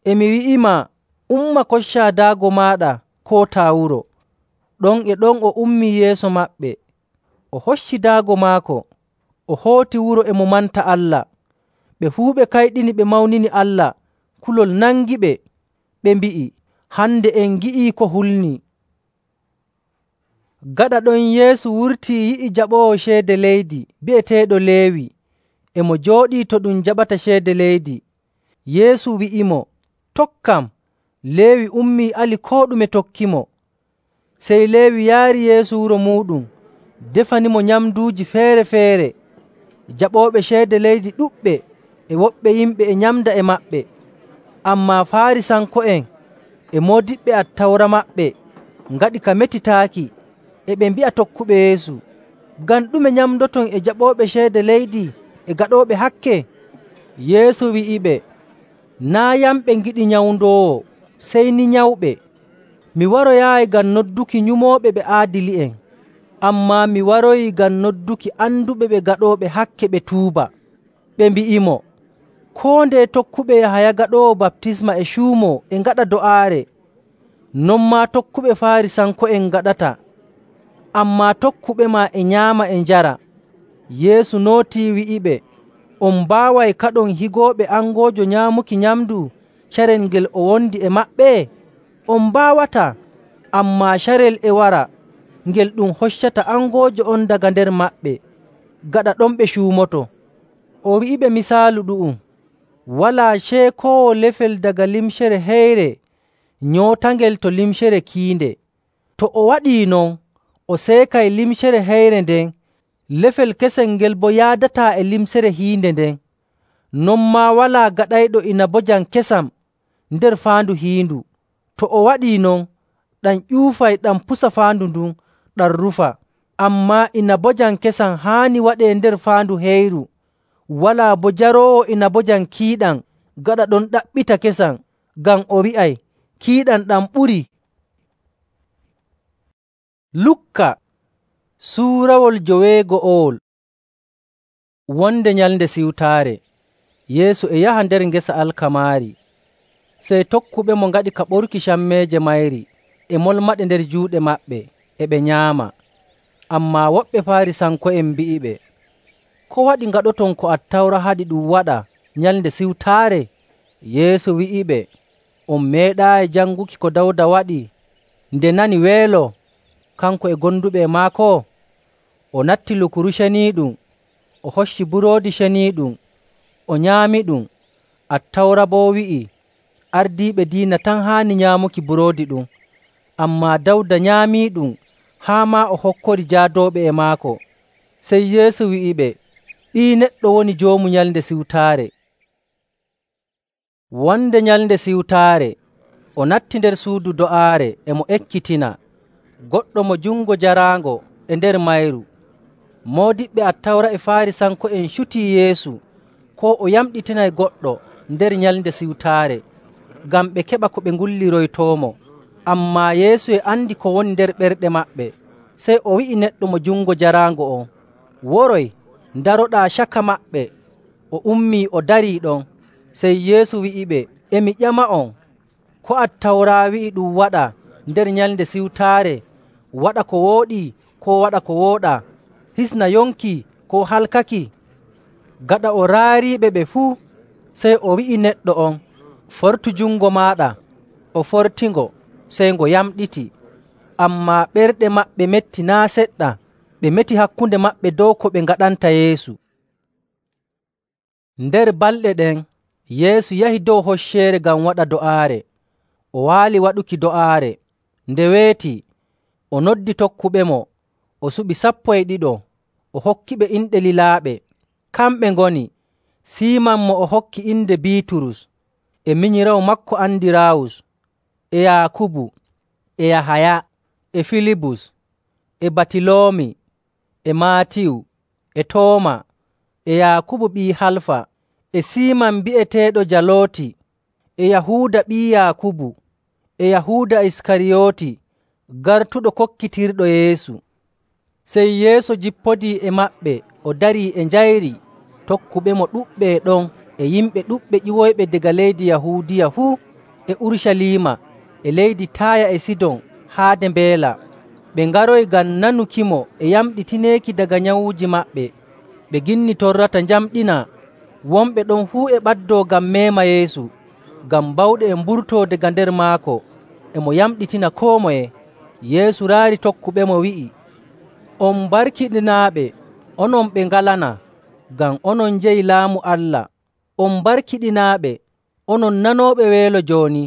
Speaker 1: “E mi wi'imaa, umma koccaa daago maaɗa, kootaa wuro.” Ɗon e ɗon o ummii yeeso maɓɓe. O hocci daago maako, o hooti wuro e mo manta Allah. Ɓe fuu ɓe kayɗini ɓe mawnini Allah. Kulol nangiɓe, ɓe mbi'i, “Hande en ngi'ii ko hulnii.” Gaɗa ɗon Yeesu wurtii yi'i jaɓoowo ceede leydi bi'eteeɗo Leewi e mo jooɗii to ɗum jaɓata ceede leydi. Yeesu wi'imo, “Tokkam.” Leewi ummii ali koo ɗume tokkimo. Sey Leewi yaari Yeesu wuro muuɗum, defanimo nyamnduuji feere‑feere. Jaɓooɓe ceede leydi ɗuɗɓe e woɓɓe yimɓe e nyamda e maɓɓe. Ammaa Faarisanko'en e moodiɓɓe Attawra maɓɓe ngaɗi ka metitaaki, e ɓe mbi'a tokkuɓe Yeesu, “Ngam ɗume nyamdoton e jaɓooɓe ceede leydi e gaɗooɓe hakke?” Yeesu wi'iɓe, “Naa' yamɓe ngiɗi nyawndoowo, sey ni nyawɓe. Mi waroyaayi ngam nodduki nyumooɓe ɓe aadili'en, ammaa mi waroyi ngam nodduki anduɓe ɓe gaɗooɓe hakke ɓe tuuba.” Ɓe mbi'imo, “Koo ndeye tokkuɓe Yahaya Gaɗoowo Baptisma e cuumoo e ngaɗa do'aare, non maa tokkuɓe Faarisanko'en ngaɗata, ammaa tokkuɓema e nyaama e njara.” Yeesu nootii wi'iɓe, “On mbaaway kaɗon higooɓe angoojo nyaamuki nyamndu carel ngel o wondi e maɓɓe? On mbaawataa, ammaa carel e wara ngel ɗum hoccata angoojo on daga nder maɓɓe, gaɗa ɗon ɓe cuumoto.” O wi'iɓe misaalu ɗu'um, “Walaa ceekoowo lefel daga limcere heyre nyootangel to limcere kiinde. To o waɗii non, o seekay limcere heyre nden, lefel kesel ngel boo yaadataa e limcere hiinde nden. Non maa walaa gaɗayɗo inabojam kesam nder faandu hiindu. To o waɗii non, ɗam ƴuufay ɗam pusa faandu ndun, ɗam rufa. Ammaa inabojam kesam haani waɗee nder faandu heyru. Walaa boo jaroowo inabojam kiiɗam gaɗa ɗon ɗaɓɓita kesam, ngam o wi'ay, ‘Kiiɗam ɗam ɓurii.’” Lukka suurawol joweego'owol. Wonde Nyalnde Siwtaare, Yeesu e yaha nder ngesa alkamaari. Sey tokkuɓemo ngaɗi ka ɓorki cammeeje mayri e molmaɗe nder juuɗe maɓɓe, e ɓe nyaama. Ammaa woɓɓe Faarisanko'en mbi'iɓe, “Ko waɗi ngaɗoton ko Attawra haɗi ɗum waɗa Nyalnde Siwtaare?” Yeesu wi'iɓe, “On meeɗaayi janguki ko Dawda waɗi nde nani weelo, kanko e gonduɓe e maako? O natti lukuru ceniiɗum, o hocci buroodi ceniiɗum, o nyaamiɗum. Attawra boo wi'i ardiiɓe diina tan haani nyaamuki buroodi ɗum, ammaa Dawda nyaamiiɗum haa maa o hokkori jaadooɓe e maako.” Sey Yeesu wi'iɓe, “Ɓii Neɗɗo woni Joomu Nyalnde Siwtaare.” Wonde Nyalnde Siwtaare, o natti nder suudu do'aare e mo ekkitina, goɗɗo mo jungo jaraango e nder mayru. Moodiɓɓe Attawra e Faarisanko'en cutii Yeesu koo o yamɗitinay goɗɗo nder Nyalnde Siwtaare, ngam ɓe keɓa ko ɓe ngulliroytoomo. Ammaa Yeesu e andi ko woni nder ɓerɗe maɓɓe, sey o wi'i neɗɗo mo jungo jaraango on, “Woroy, ndaroɗaa caka maɓɓe.” O ummii o darii ɗon. Sey Yeesu wi'iɓe, “E mi ƴama'on, ko Attawra wi'i ɗum waɗa nder Nyalnde Siwtaare, waɗa ko wooɗi koo waɗa ko wooɗaa, hisna yonki koo halkaki?” Gaɗa o raariiɓe ɓe fuu, sey o wi'i neɗɗo on, “Fortu jungo maaɗa.” O fortingo, sey ngo yamɗiti. Ammaa ɓerɗe maɓɓe metti naa' seɗɗa, ɓe meti hakkunde maɓɓe dow ko ɓe ngaɗanta Yeesu. Nder balɗe ɗen, Yeesu yahi dow hocceere ngam waɗa do'aare. O waali waɗuki do'aare. Nde weetii, o noddi tokkuɓemo, o suɓi sappo e ɗiɗo, o hokkiɓe inɗe lilaaɓe. Kamɓe ngoni Siiman mo o hokki inde Biiturus, e minyiraawo maako Andiraawus, e Yaakubu, e Yahaya, e Filibus, e Batiloomi, e Maatiyu, e Tooma, e Yaakubu ɓii Halfa, e Siiman bi'eteeɗo Jalooti, e Yahuuda ɓii Yaakubu, e Yahuuda Iskariyooti gartuɗo kokkitirɗo Yeesu. Sey Yeesu jippodii e maɓɓe o darii e njayri. Tokkuɓemo ɗuɗɓe e ɗon e yimɓe ɗuɗɓe ƴiwoyɓe daga leydi Yahuudiya fuu e Urucaliima e leydi Taaya e Sidon haade mbeela. Ɓe ngaroyi ngam nanukimo e yamɗitineeki daga nyawuuji maɓɓe. Ɓe ginni torrata njamɗinaa. Wonɓe ɗon fuu e ɓaddoo ngam meema Yeesu, ngam bawɗe e mburtoo daga nder maako, e mo yamɗitina koo moye. Yeesu raari tokkuɓemo wi'i, “On barkiɗinaaɓe, onon ɓe ngalanaa, ngam onon njeyi Laamu Allah. On barkiɗinaaɓe, onon nanooɓe weelo jooni,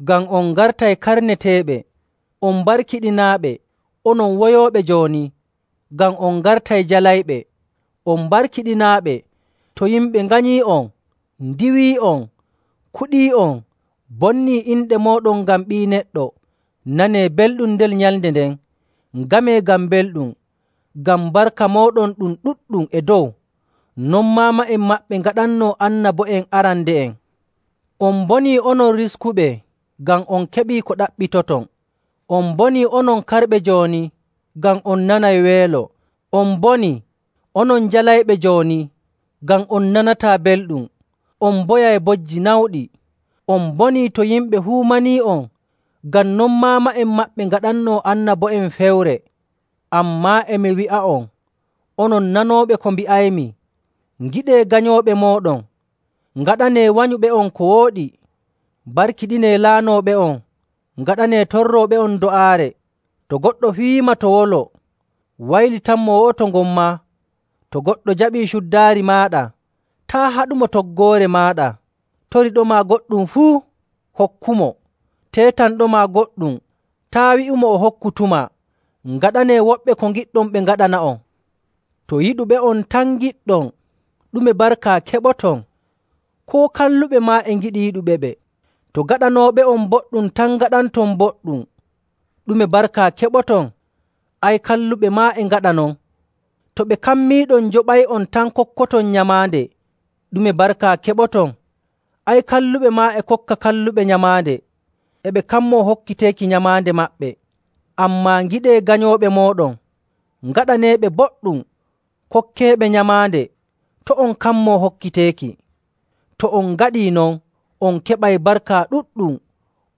Speaker 1: ngam on ngartay karneteeɓe. On barkiɗinaaɓe, onon woyooɓe jooni, ngam on ngartay jalayɓe. On barkiɗinaaɓe to yimɓe nganyii'on, ndiwii'on, kuɗii'on, bonnii inɗe mooɗon ngam Ɓii Neɗɗo. Nanee belɗum ndel nyalnde nden. Ngamee ngam belɗum, ngam barka mooɗon ɗum ɗuɗɗum e dow, non maama'en maɓɓe ngaɗannoo annabo'en arande'en. On mbonii onon riskuɓe, ngam on keɓii ko ɗaɓɓitoton. On mbonii onon karɓe jooni, ngam on nanay weelo. On mbonii onon jalayɓe jooni, ngam on nanataa belɗum. On mboyay bojji nawɗi. On mbonii to yimɓe huumanii'on, ngam non maama'en maɓɓe ngaɗannoo annabo'en fewre. Ammaa e mi wi'a'on, onon nanooɓe ko mbi'aymi, ngiɗee ganyooɓe mooɗon, ngaɗanee wanyuɓe'on ko wooɗi, barkiɗinee laanooɓe'on, ngaɗanee torrooɓe'on do'aare. To goɗɗo fiyiima to wolo, waylitanmo wo'oto ngon maa. To goɗɗo jaɓii cuddaari maaɗa, taa' haɗumo toggoore maaɗa. Toriɗomaa goɗɗum fuu, hokkumo. Teetanɗomaa goɗɗum, taa' wi'umo o hokkutumaa. Ngaɗanee woɓɓe ko ngiɗɗon ɓe ngaɗana'on. To yiɗuɓe'on tan ngiɗɗon, ɗume barka keɓoton? Koo kalluɓe maa e ngiɗi yiɗuɓeɓe. To gaɗanooɓe'on boɗɗum tan ngaɗanton boɗɗum, ɗume barka keɓoton? Ay, kalluɓe maa e ngaɗa non. To ɓe kammiiɗon njoɓay'on tan kokkoton nyamaande, ɗume barka keɓoton? Ay, kalluɓe maa e kokka kalluɓe nyamaande, e ɓe kammoo hokkiteeki nyamaande maɓɓe. Ammaa ngiɗee ganyooɓe mooɗon, ngaɗaneeɓe boɗɗum, kokkeeɓe nyamaande, to' on kammoo hokkiteeki. To on ngaɗii non, on keɓay barka ɗuɗɗum,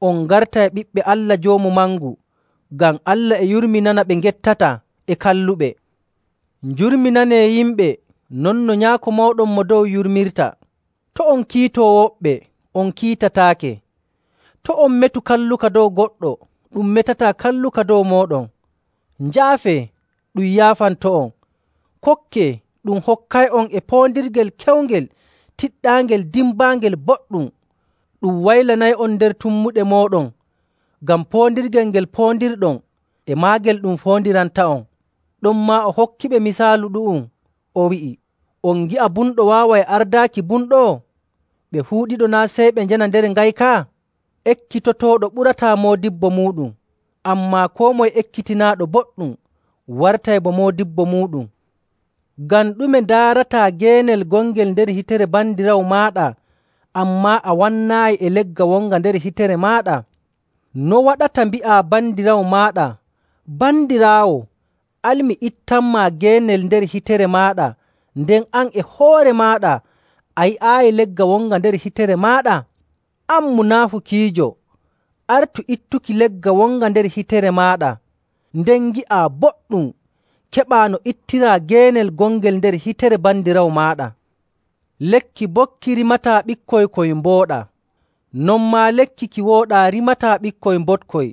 Speaker 1: on ngartay ɓiɓɓe Allah Joomu Mangu, ngam Allah e yurminana ɓe ngettata e kalluɓe. Njurminanee yimɓe non no Nyaako mooɗon Mo Dow yurmirta. To' on kiitoo woɓɓe, on kiitataake. To' on metu kalluka dow goɗɗo, ɗum metataa kalluka dow mooɗon. Njaafee, ɗum yaafanto'on. Kokkee, ɗum hokkay'on e poondirgel kewngel, tiɗɗaangel, dimbaangel, boɗɗum. Ɗum waylanay'on nder tummuɗe mooɗon, ngam poondirgel ngel poondirɗon, e maagel ɗum foondiranta'on. Ɗonmaa o hokkiɓe misaalu ɗu'um, o wi'i, “On ngi'a bumɗo waaway ardaaki bumɗo? Ɓe fuu ɗiɗo naa' sey ɓe njana nder ngayka? Ekkitotooɗo ɓurataa moodibbo muuɗum, ammaa koo moye ekkitinaaɗo boɗɗum wartay bo moodibbo muuɗum.” Ngam ɗume ndaarataa geenel gongel nder hitere bandiraawo maaɗa, ammaa a wannaayi e legga wonga nder hitere maaɗa? No waɗata mbi'aa bandiraawo maaɗa, “Bandiraawo, al mi ittanmaa geenel nder hitere maaɗa,” nden an e hoore maaɗa a yi'aayi legga wonga nder hitere maaɗa? An munaafukiijo, artu ittuki legga wonga nder hitere maaɗa, nden ngi'aa boɗɗum keɓaa no ittiraa geenel gongel nder hitere bandiraawo maaɗa. Lekki bokki rimataa ɓikkoy koy mbooɗa, non maa lekki ki wooɗaa rimataa ɓikkoy mbotkoy,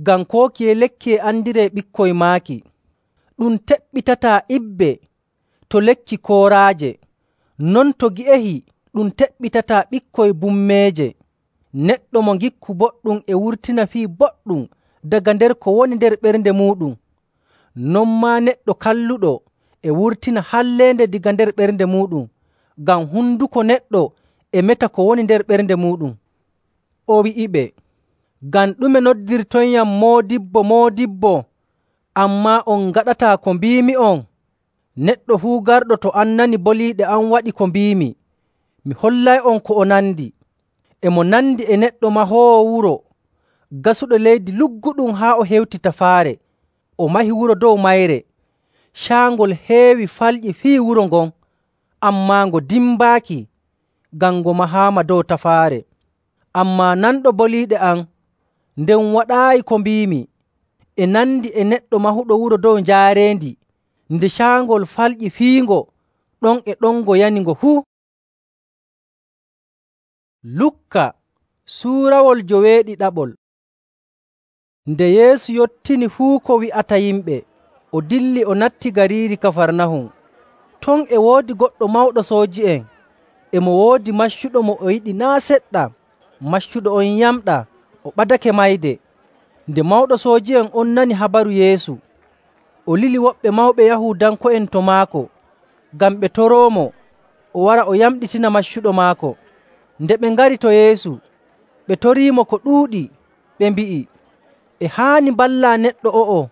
Speaker 1: ngam koo kiye lekki e andiree ɓikkoy maaki. Ɗum teɓɓitataa ibbe to lekki kooraaje, non to gi'ehi ɗum teɓɓitataa ɓikkoy bummeeje. Neɗɗo mo ngikku boɗɗum e wurtina fii boɗɗum daga nder ko woni nder ɓernde muuɗum. Non maa neɗɗo kalluɗo e wurtina halleende daga nder ɓernde muuɗum, ngam hunduko neɗɗo e meta ko woni nder ɓernde muuɗum. O wi'iɓe, “Ngam ɗume noddirtoyam moodibbo, moodibbo, ammaa on ngaɗataa ko mbiimi'on? Neɗɗo fuu garɗo to an nani boliiɗe am waɗi ko mbiimi, mi hollay'on ko o nandi. E mo nandi e neɗɗo mahoowo wuro gasuɗo leydi lugguɗum haa o hewti tafaare, o mahi wuro dow mayre. Caangol heewi falƴi fii wuro ngon, ammaa ngo dimbaaki, ngam ngo mahaama dow tafaare. Ammaa nanɗo boliiɗe am, nden waɗaayi ko mbiimi, e nandi e neɗɗo mahuɗo wuro dow njaarendi. Nde caangol falƴi fiingo, ɗon e ɗon ngo yani ngo fuu. Lukka suurawol joweeɗiɗaɓol. Nde Yeesu yottini fuu ko wi'ata yimɓe, o dilli o natti gariiri Kafarnahum. Ton e woodi goɗɗo mawɗo sooji'en, e mo woodi maccuɗo mo o yiɗi naa' seɗɗa. Maccuɗo on yamɗaa, o ɓadake mayde. Nde mawɗo sooji'en on nani habaru Yeesu, o lili woɓɓe mawɓe Yahuudanko'en to maako, ngam ɓe toroomo o wara o yamɗitina maccuɗo maako. Nde ɓe ngari to Yeesu, ɓe toriimo ko ɗuuɗi, ɓe mbi'i, “E haani mballaa neɗɗo o'o,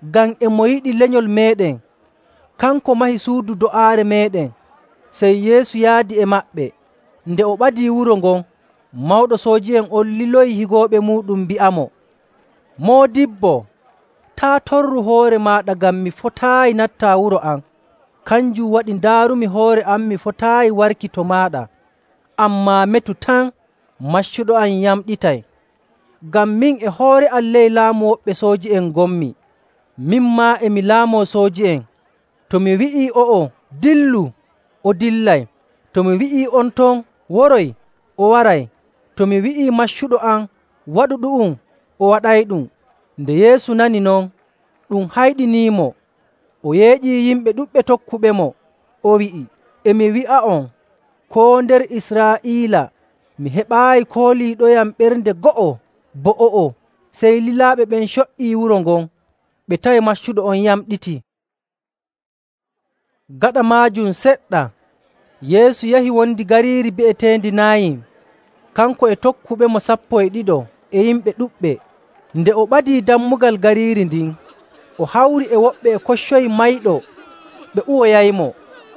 Speaker 1: ngam e mo yiɗi lenyol meeɗen. Kanko mahi suudu do'aare meeɗen.” Sey Yeesu yaadi e maɓɓe. Nde o ɓadii wuro ngon, mawɗo sooji'en on liloyi higooɓe muuɗum mbi'amo, “Moodibbo, taa' torru hoore maaɗa, ngam mi fotaayi nattaa wuro am. Kanjum waɗi ndaarumi hoore am mi fotaayi warki to maaɗa. Ammaa metu tan maccuɗo am yamɗitay, ngam min e hoore am ley laamu woɓɓe sooji'en ngonmi. Min maa e mi laamoo sooji'en. To mi wi'ii o'o, ‘Dillu,’ o dillay. To mi wi'ii on ton, ‘Woroy,’ o waray. To mi wi'ii maccuɗo am, ‘Waɗu ɗu'um,’ o waɗayɗum.” Nde Yeesu nani non, ɗum hayɗiniimo. O yeeƴii yimɓe ɗuɗɓe tokkuɓemo. O wi'i, “E mi wi'a'on, koo nder Israa'iila mi heɓaayi kooliiɗoyam ɓernde go'o bo o'o.” Sey lilaaɓe ɓen co''ii wuro ngon, ɓe tawi maccuɗo on yamɗitii. Gaɗa maajum seɗɗa, Yeesu yahi wondi gariiri bi'eteendi Naayin, kanko e tokkuɓemo sappo e ɗiɗo e yimɓe ɗuɗɓe. Nde o ɓadii dammugal gariiri ndin, o hawri e woɓɓe e koccoyi mayɗo ɓe uwoyaymo.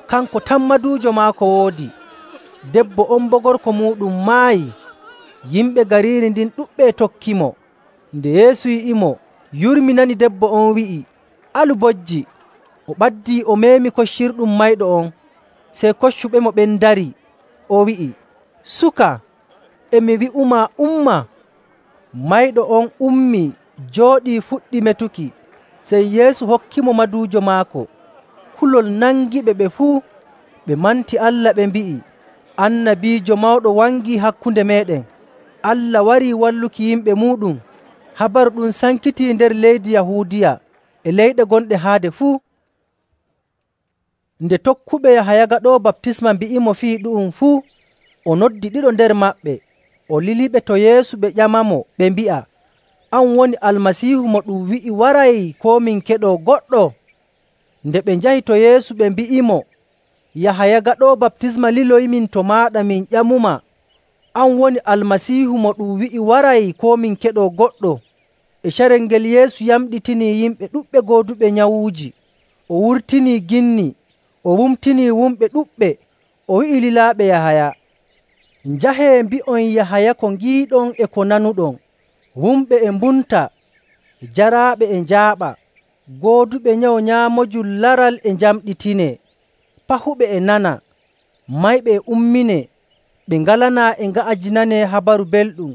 Speaker 1: Kanko tan maduujo maako woodi. Debbo on boo gorko muuɗum maayi. Yimɓe gariiri ndin ɗuɗɓe tokkimo. Nde Yeesu yi'imo, yurminani debbo on wi'i, “Alu bojji!” O ɓaddii o meemi koccirɗum mayɗo on. Sey koccuɓemo ɓen ndarii. O wi'i, “Suka, e mi wi'umaa, umma!” Mayɗo on ummii, jooɗii, fuɗɗi metuki. Sey Yeesu hokkimo maduujo maako. Kulol nangiɓe ɓe fuu. Ɓe manti Allah ɓe mbi'i, “Annabiijo mawɗo wangii hakkunde meeɗen. Allah warii walluki yimɓe muuɗum.” Habaru ɗum sankitii nder leydi Yahuudiya e leyɗe gonɗe haade fuu. Nde tokkuɓe Yahaya Gaɗoowo Baptisma mbi'imo fii ɗu'um fuu, o noddi ɗiɗo nder maɓɓe, o liliɓe to Yeesu ɓe ƴamamo, ɓe mbi'a, “An woni Almasiihu mo ɗum wi'i waray, koo min keɗoo goɗɗo?” Nde ɓe njahi to Yeesu ɓe mbi'imo, “Yahaya Gaɗoowo Baptisma liloyimin to maaɗa min ƴamuma, ‘An woni Almasiihu mo ɗum wi'i waray, koo min keɗoo goɗɗo?’” E carel ngel Yeesu yamɗitinii yimɓe ɗuɗɓe gooduɓe nyawuuji. O wurtinii ginni, o wumtinii wumɓe ɗuɗɓe. O wi'i lilaaɓe Yahaya, “Njahee mbi'on Yahaya ko ngiiɗon e ko nanuɗon: wumɓe e mbumta, jaraaɓe e njaaɓa, gooduɓe nyawu nyaamojum laral e njamɗitinee, pahuɓe e nana, mayɓe e umminee, ɓe ngalanaa e nga'ajinanee habaru belɗum.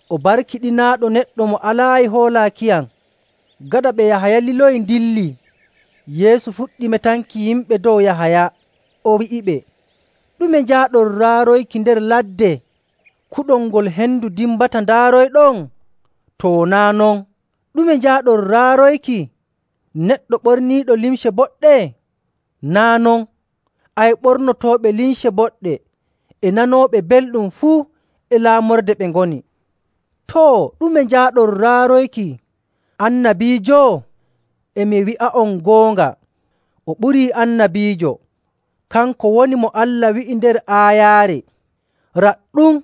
Speaker 1: O barkiɗinaaɗo neɗɗo mo alaayi hoolaakiyam.” Gaɗa ɓe Yahaya liloyi ndilli, Yeesu fuɗɗi metanki yimɓe dow Yahaya. O wi'iɓe, “Ɗume njaaɗon raaroyki nder ladde? Kuɗol ngol hendu dimbata ndaaroyɗon? Too, naa' non. Ɗume njaaɗon raaroyki? Neɗɗo ɓorniiɗo limce boɗɗe? Naa' non. Ay, ɓornotooɓe limce boɗɗe e nanooɓe belɗum fuu e laamorde ɓe ngoni. Too, ɗume njaaɗon raaroyki annabiijo? E mi wi'a'on goonga, o ɓurii annabiijo. Kanko woni mo Allah wi'i nder aayaare, “Raɗɗum,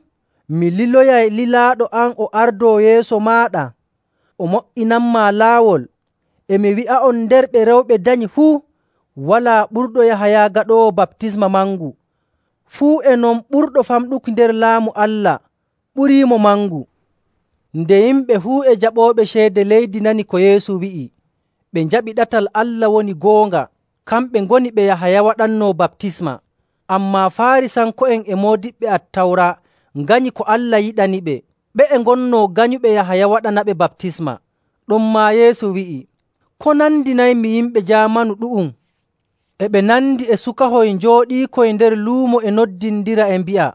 Speaker 1: mi liloyay lilaaɗo am o ardoo yeeso maaɗa, o mo''inanmaa laawol.” E mi wi'a'on, nder ɓe rewɓe danyi fuu, walaa ɓurɗo Yahaya Gaɗoowo Baptisma mangu. Fuu e non ɓurɗo famɗuki nder Laamu Allah ɓuriimo mangu. Nde yimɓe fuu e jaɓooɓe ceede leydi nani ko Yeesu wi'i, ɓe njaɓi ɗatal Allah woni goonga, kamɓe ngoni ɓe Yahaya waɗannoo baptisma. Ammaa Faarisanko'en e moodiɓɓe Attawra nganyi ko Allah yiɗaniɓe, ɓe'e ngonnoo ganyuɓe Yahaya waɗanaɓe baptisma. Ɗonmaa Yeesu wi'i, “Ko nandinaymi yimɓe jaamanu ɗu'um?” E ɓe nandi e sukahoy njooɗiikoy nder luumo e noddindira e mbi'a,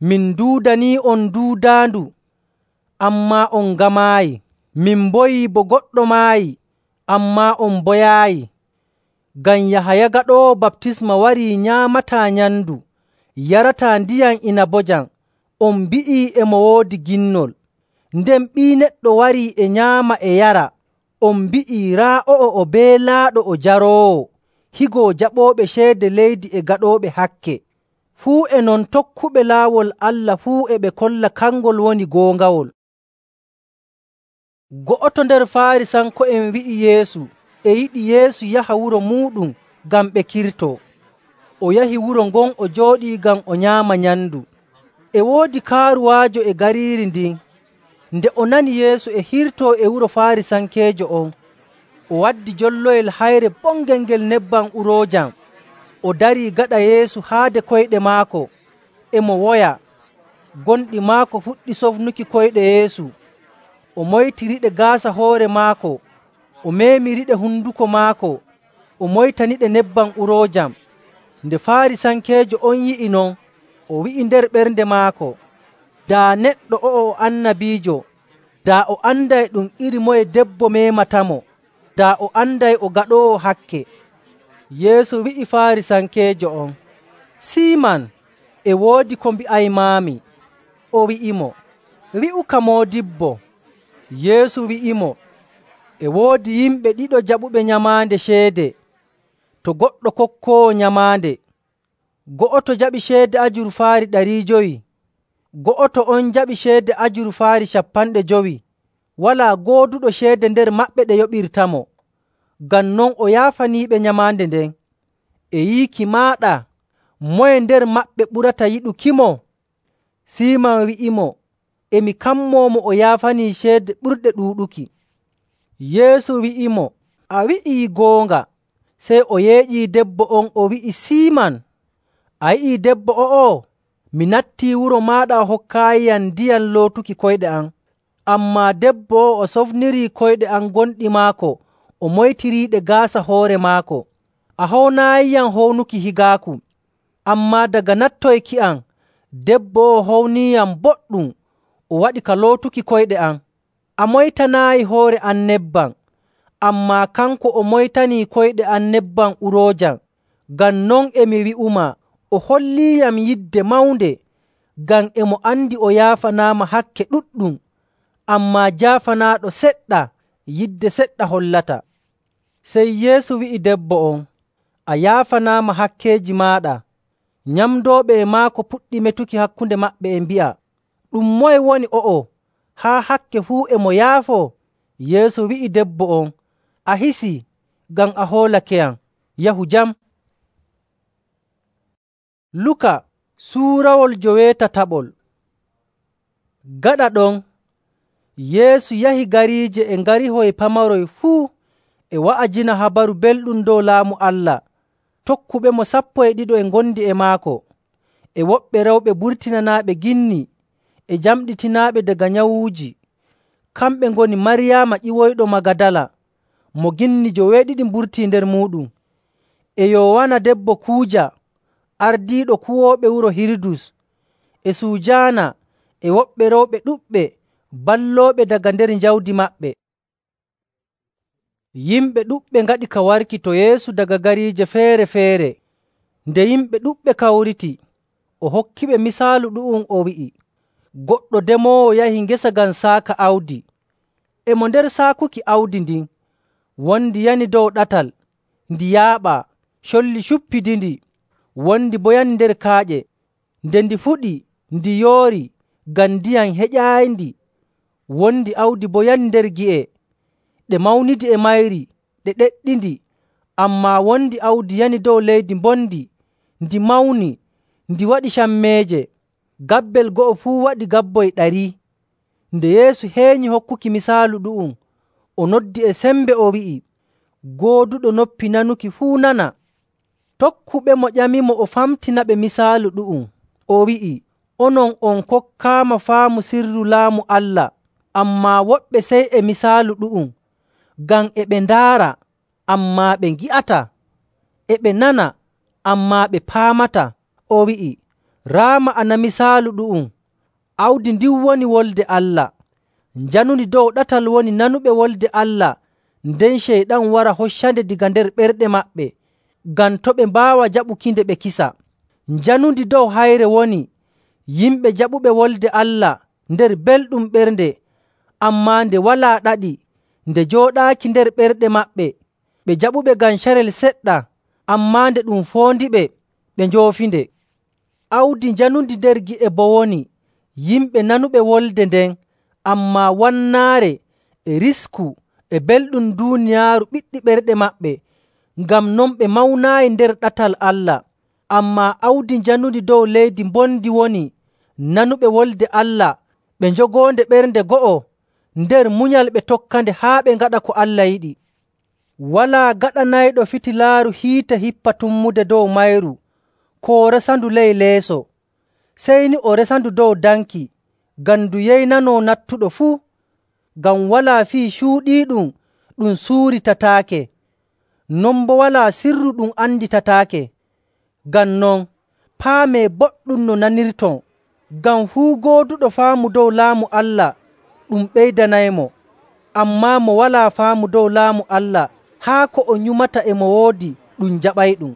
Speaker 1: “Min nduudanii'on duudaandu, ammaa on ngamaayi. Min mboyii bo goɗɗo maayi, ammaa on mboyaayi.” Ngam Yahaya Gaɗoowo Baptisma warii nyaamataa nyamndu, yarataa ndiyam inabojam, on mbi'ii e mo woodi ginnol. Nden Ɓii Neɗɗo warii e nyaama e yara, on mbi'ii raa o'o o beelaaɗo o jaroowo, higo jaɓooɓe ceede leydi e gaɗooɓe hakke. Fuu e non tokkuɓe laawol Allah fuu e ɓe kolla kangol woni goongawol. Go'oto nder Faarisanko'en wi'i Yeesu e yiɗi Yeesu yaha wuro muuɗum ngam ɓe kirtoo. O yahi wuro ngon o jooɗii ngam o nyaama nyamndu. E woodi kaaruwaajo e gariiri ndin. Nde o nani Yeesu e hirtoo e wuro Faarisankeejo on, o waddi jolloyel hayre bongel ngel nebbam uroojam, o darii gaɗa Yeesu haade koyɗe maako, e mo woya. Gonɗi maako fuɗɗi sofnuki koyɗe Yeesu. O moytiriɗe gaasa hoore maako, o meemiriɗe hunduko maako, o moytaniɗe nebbam uroojam. Nde Faarisankeejo on yi'i non, o wi'i nder ɓernde maako, “Daa neɗɗo o'o o annabiijo, daa o anday ɗum iri moye debbo meematamo, daa o anday o gaɗoowo hakke.” Yeesu wi'i Faarisankeejo on, “Siiman, e woodi ko mbi'aymaami.” O wi'imo, “Wi'uka moodibbo.” Yeesu wi'imo, “E woodi yimɓe ɗiɗo jaɓuɓe nyamaande ceede to goɗɗo kokkoowo nyamaande. Go'oto jaɓi ceede ajurfaari ɗari jowi, go'oto on jaɓi ceede ajurfaari cappanɗe jowi. Walaa gooduɗo ceede nder maɓɓe ɗe yoɓirtamo. Ngam non o yaafaniiɓe nyamaande nden. E yiiki maaɗa, moye nder maɓɓe ɓurata yiɗukimo?” Siiman wi'imo, “E mi kammoomo o yaafanii ceede ɓurɗe ɗuuɗuki.” Yeesu wi'imo, “A wi'ii goonga.” Sey o yeeƴii debbo on o wi'i, “Siiman, a yi'ii debbo o'o? Mi nattii wuro maaɗa a hokkaayiyam ndiyam lootuki koyɗe am. Ammaa debbo o'o o sofnirii koyɗe am gonɗi maako, o moytiriiɗe gaasa hoore maako. A hownaayiyam hownuki higaaku. Ammaa daga nattoyki am, debbo o'o howniiyam boɗɗum, o waɗi ka lootuki koyɗe am. A moytanaayi hoore am nebbam, ammaa kanko o moytanii koyɗe am nebbam uroojam. Ngam non e mi wi'umaa, o holliiyam yidde mawnde, ngam e mo andi o yaafanaama hakke ɗuɗɗum. Ammaa jaafanaaɗo seɗɗa, yidde seɗɗa hollata.” Sey Yeesu wi'i debbo on, “A yaafanaama hakkeeji maaɗa.” Nyamdooɓe e maako puɗɗi metuki hakkunde maɓɓe e mbi'a, “Ɗum moye woni o'o, haa hakke fuu e mo yaafoo?” Yeesu wi'i debbo on, “A hisii ngam a hoolakeyam. Yahu jam.” Luka suurawol joweetataɓol. Gaɗa ɗon, Yeesu yahi gariije e ngarihoy pamaroy fuu e wa'ajina habaru belɗum dow Laamu Allah. Tokkuɓemo sappo e ɗiɗo e ngondi e maako, e woɓɓe rewɓe burtinanaaɓe ginni e jamɗitinaaɓe daga nyawuuji. Kamɓe ngoni Maryaama ƴiwoyɗo Magadala, mo ginni joweeɗiɗi mburtii nder muuɗum, e Yowaana debbo Kuuja, ardiiɗo kuwooɓe wuro Hirudus, e Sujaana, e woɓɓe rewɓe ɗuɗɓe ballooɓe daga nder jawdi maɓɓe. Yimɓe ɗuɗɓe ngaɗi ka warki to Yeesu daga gariije feere‑feere. Nde yimɓe ɗuɗɓe kawriti, o hokkiɓe misaalu ɗu'um o wi'i, “Goɗɗo demoowo yahi ngesa ngam saaka awdi. E mo nder saakuki awdi ndin, wondi yani dow ɗatal, ndi yaaɓaa, colli cuppidindi, wondi bo yani nder kaaƴe. Nde ndi fuɗi, ndi yoori ngam ndiyam heƴaayindi. Wondi awdi bo yani nder gi'e, ɗe mawnidi e mayri, ɗe ɗeɗɗindi. Ammaa wondi awdi yani dow leydi mbondi, ndi mawni, ndi waɗi cammeeje. Gabbel go'o fuu waɗi gabboy ɗari.” Nde Yeesu heenyi hokkuki misaalu ɗu'um, o noddi e sembe o wi'i, “Gooduɗo noppi nanuki fuu nana.” Tokkuɓemo ƴamimo o famtinaɓe misaalu ɗu'um. O wi'i, “Onon on kokkaama faamu sirru Laamu Allah, ammaa woɓɓe sey e misaalu ɗu'um. Ngam e ɓe ndaara, ammaa ɓe ngi'ataa. E ɓe nana, ammaa ɓe paamataa.” O wi'i, “Raa ma'ana misaalu ɗu'um. Awdi ndin woni Wolde Allah. Njanundi dow ɗatal woni nanuɓe Wolde Allah, nden Ceyɗan wara hoccande daga nder ɓerɗe maɓɓe, ngam to' ɓe mbaawa jaɓukinde ɓe kisa. Njanundi dow hayre woni yimɓe jaɓuɓe Wolde Allah nder belɗum ɓernde, ammaa nde walaa ɗaɗi nde jooɗaaki nder ɓerɗe maɓɓe. Ɓe jaɓuɓe ngam carel seɗɗa, ammaa nde ɗum foondiɓe, ɓe njoofinde. Awdi njanundi nder gi'e boo woni yimɓe nanuɓe wolde nden, ammaa wannaare e risku e belɗum duuniyaaru ɓiɗɗi ɓerɗe maɓɓe. Ngam non ɓe mawnaayi nder ɗatal Allah. Ammaa awdi njanundi dow leydi mbondi woni nanuɓe Wolde Allah, ɓe njogoonde ɓernde go'o, nder munyal ɓe tokkande haa ɓe ngaɗa ko Allah yiɗi. Walaa gaɗanayɗo fitilaaru hiite hippa tummude dow mayru koo resandu ley leeso, sey ni o resandu dow danki, ngam ndu yeynanoo nattuɗo fuu. Ngam walaa fii cuuɗiiɗum ɗum suuritataake, non boo walaa sirru ɗum anditataake. Ngam non, paamee boɗɗum no nanirton, ngam fuu gooduɗo faamu dow Laamu Allah ɗum ɓeydanaymo. Ammaa mo walaa faamu dow Laamu Allah, haa ko o nyumata e mo woodi ɗum jaɓayɗum.”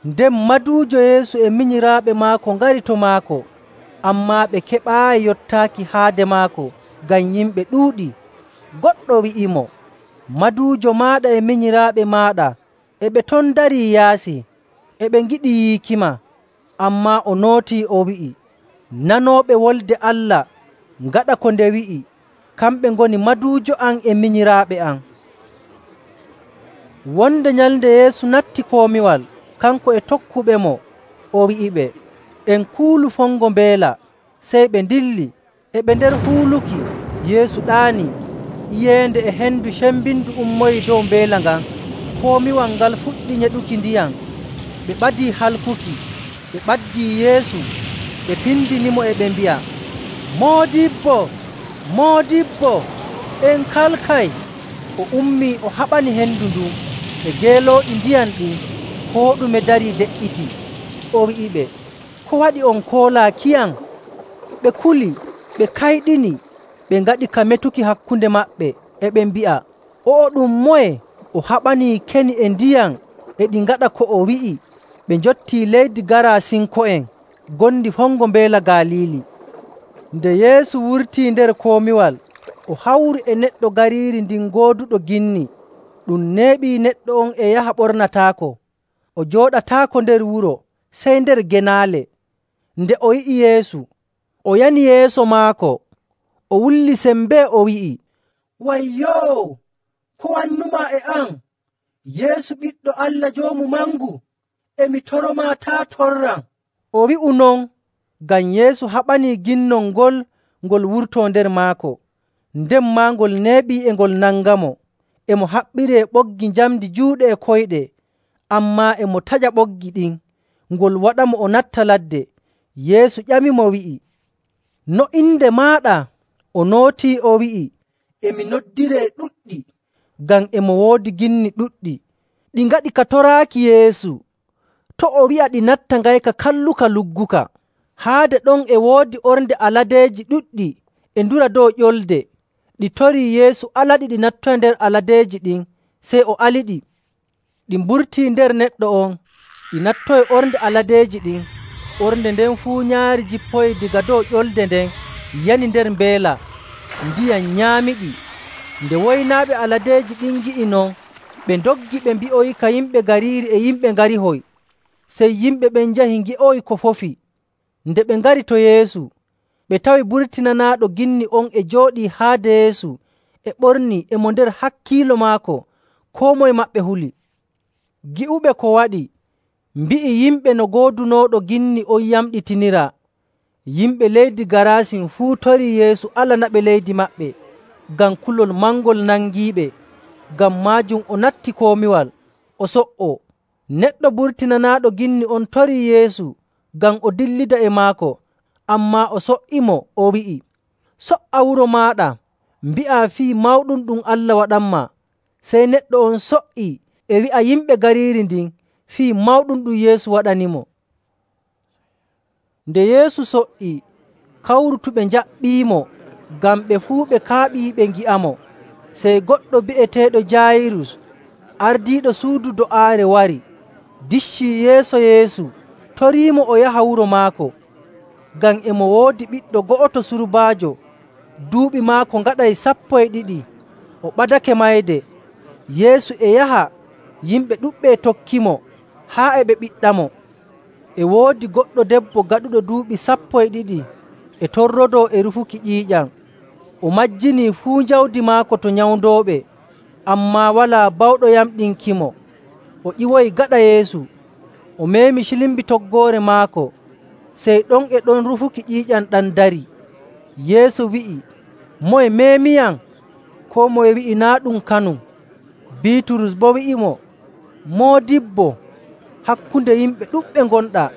Speaker 1: Nden maduujo Yeesu e minyiraaɓe maako ngari to maako, ammaa ɓe keɓaayi yottaaki haade maako ngam yimɓe ɗuuɗi. Goɗɗo wi'imo, “Maduujo maaɗa e minyiraaɓe maaɗa e ɓe ton darii yaasi, e ɓe ngiɗi yiikima.” Ammaa o nootii o wi'i, “Nanooɓe Wolde Allah ngaɗa ko nde wi'i, kamɓe ngoni maduujo am e minyiraaɓe am.” Wonde nyalnde Yeesu natti komiwal, kanko e tokkuɓemo, o wi'iɓe, “En kuulu fongo mbeela.” Sey ɓe ndilli. E ɓe nder huuluki, Yeesu ɗaanii. Iyeende e hendu cembindu ummoyii dow mbeela ngan. Komiwal ngal fuɗɗi nyeɗuki ndiyam. Ɓe ɓadii halkuki. Ɓe ɓaddii Yeesu, ɓe pindinimo e ɓe mbi'a, “Moodibbo, Moodibbo, en kalkay!” O ummii o haɓani hendu ndun e geelooɗi ndiyam ɗin, koo ɗume darii de''iti. O wi'iɓe, “Ko waɗi on koolaakiyam?” Ɓe kuli, ɓe kayɗini, ɓe ngaɗi ka metuki hakkunde maɓɓe, e ɓe mbi'a, “O'o ɗum moye? O haɓanii keni e ndiyam e ɗi ngaɗa ko o wi'i.” Ɓe njottii leydi Garasinko'en ngondi fongo mbeela Galiili. Nde Yeesu wurtii nder komiwal, o hawri e neɗɗo gariiri ndin gooduɗo ginni. Ɗum neeɓii neɗɗo on e yaha ɓornataako. O jooɗataako nder wuro, sey nder genaale. Nde o yi'i Yeesu, o yani yeeso maako, o wulli sembee o wi'i, “Wayyoo! Ko wannumaa e am, Yeesu Ɓiɗɗo Allah Joomu Mangu? E mi toromaa taa' torram.” O wi'u non ngam Yeesu haɓanii ginnol ngol ngol wurtoo nder maako, nden maa ngol neeɓii e ngol nangamo. E mo haɓɓiree ɓoggi njamndi juuɗe e koyɗe, ammaa e mo taƴa ɓoggi ɗin, ngol waɗamo o natta ladde. Yeesu ƴamimo wi'i, “No inde maaɗa?” O nootii o wi'i, “E mi noddiree ɗuɗɗi,” ngam e mo woodi ginni ɗuɗɗi. Ɗi ngaɗi ka toraaki Yeesu. To' o wi'a ɗi natta ngayka kalluka lugguka. Haade ɗon e woodi ornde aladeeji ɗuɗɗi e ndura dow ƴolde. Ɗi torii Yeesu alaɗi ɗi nattoya nder aladeeji ɗin, sey o aliɗi. Ɗi mburtii nder neɗɗo on, ɗi nattoyi ornde aladeeji ɗin. Ornde nden fuu nyaari jippoyi daga dow ƴolde nden yani nder mbeela, ndiyam nyaamiɗi. Nde woynaaɓe aladeeji ɗin ngi'i non, ɓe ndoggi ɓe mbi'oyika yimɓe gariiri e yimɓe ngarihoy. Sey yimɓe ɓen njahi ngi'oyi ko fofi. Nde ɓe ngari to Yeesu, ɓe tawi burtinanaaɗo ginni on e jooɗii haade Yeesu e ɓornii e mo nder hakkiilo maako, koo moye maɓɓe huli. Gi'uɓe ko waɗi, mbi'i yimɓe no goodunooɗo ginni on yamɗitiniraa. Yimɓe leydi Garasin fuu torii Yeesu alanaɓe leydi maɓɓe ngam kulol mangol nangiiɓe. Ngam maajum o natti komiwal, o so''oo. Neɗɗo burtinanaaɗo ginni on torii Yeesu ngam o dillida e maako, ammaa o so''imo, o wi'i, “So''a wuro maaɗa, mbi'aa fii mawɗum ɗum Allah waɗanmaa.” Sey neɗɗo on so''ii e wi'a yimɓe gariiri ndin fii mawɗum ɗum Yeesu waɗanimo. Nde Yeesu so''ii, kawrutuɓe njaɓɓiimo ngam ɓe fuu ɓe kaaɓii ɓe ngi'amo. Sey goɗɗo bi'eteeɗo Jaayirus, ardiiɗo suudu do'aare wari, diccii yeeso Yeesu, toriimo o yaha wuro maako. Ngam e mo woodi ɓiɗɗo go'oto surbaajo, duuɓi maako ngaɗay sappo e ɗiɗi, o ɓadake mayde. Yeesu e yaha, yimɓe ɗuɗɓe e tokkimo, haa e ɓe ɓiɗɗamo. E woodi goɗɗo debbo gaɗuɗo duuɓi sappo e ɗiɗi e torrodoo e rufuki ƴiiƴam. O majjinii fuu jawdi maako to nyawndooɓe, ammaa walaa bawɗo yamɗinkimo. O ƴiwoyi gaɗa Yeesu, o meemi cilimbi toggoore maako, sey ɗon e ɗon rufuki ƴiiƴam ɗam darii. Yeesu wi'i, “Moye meemiyam?” Koo moye wi'i, “Naa' ɗum kanum.” Biiturus boo wi'imo, “Moodibbo, hakkunde yimɓe ɗuɗɓe ngonɗaa,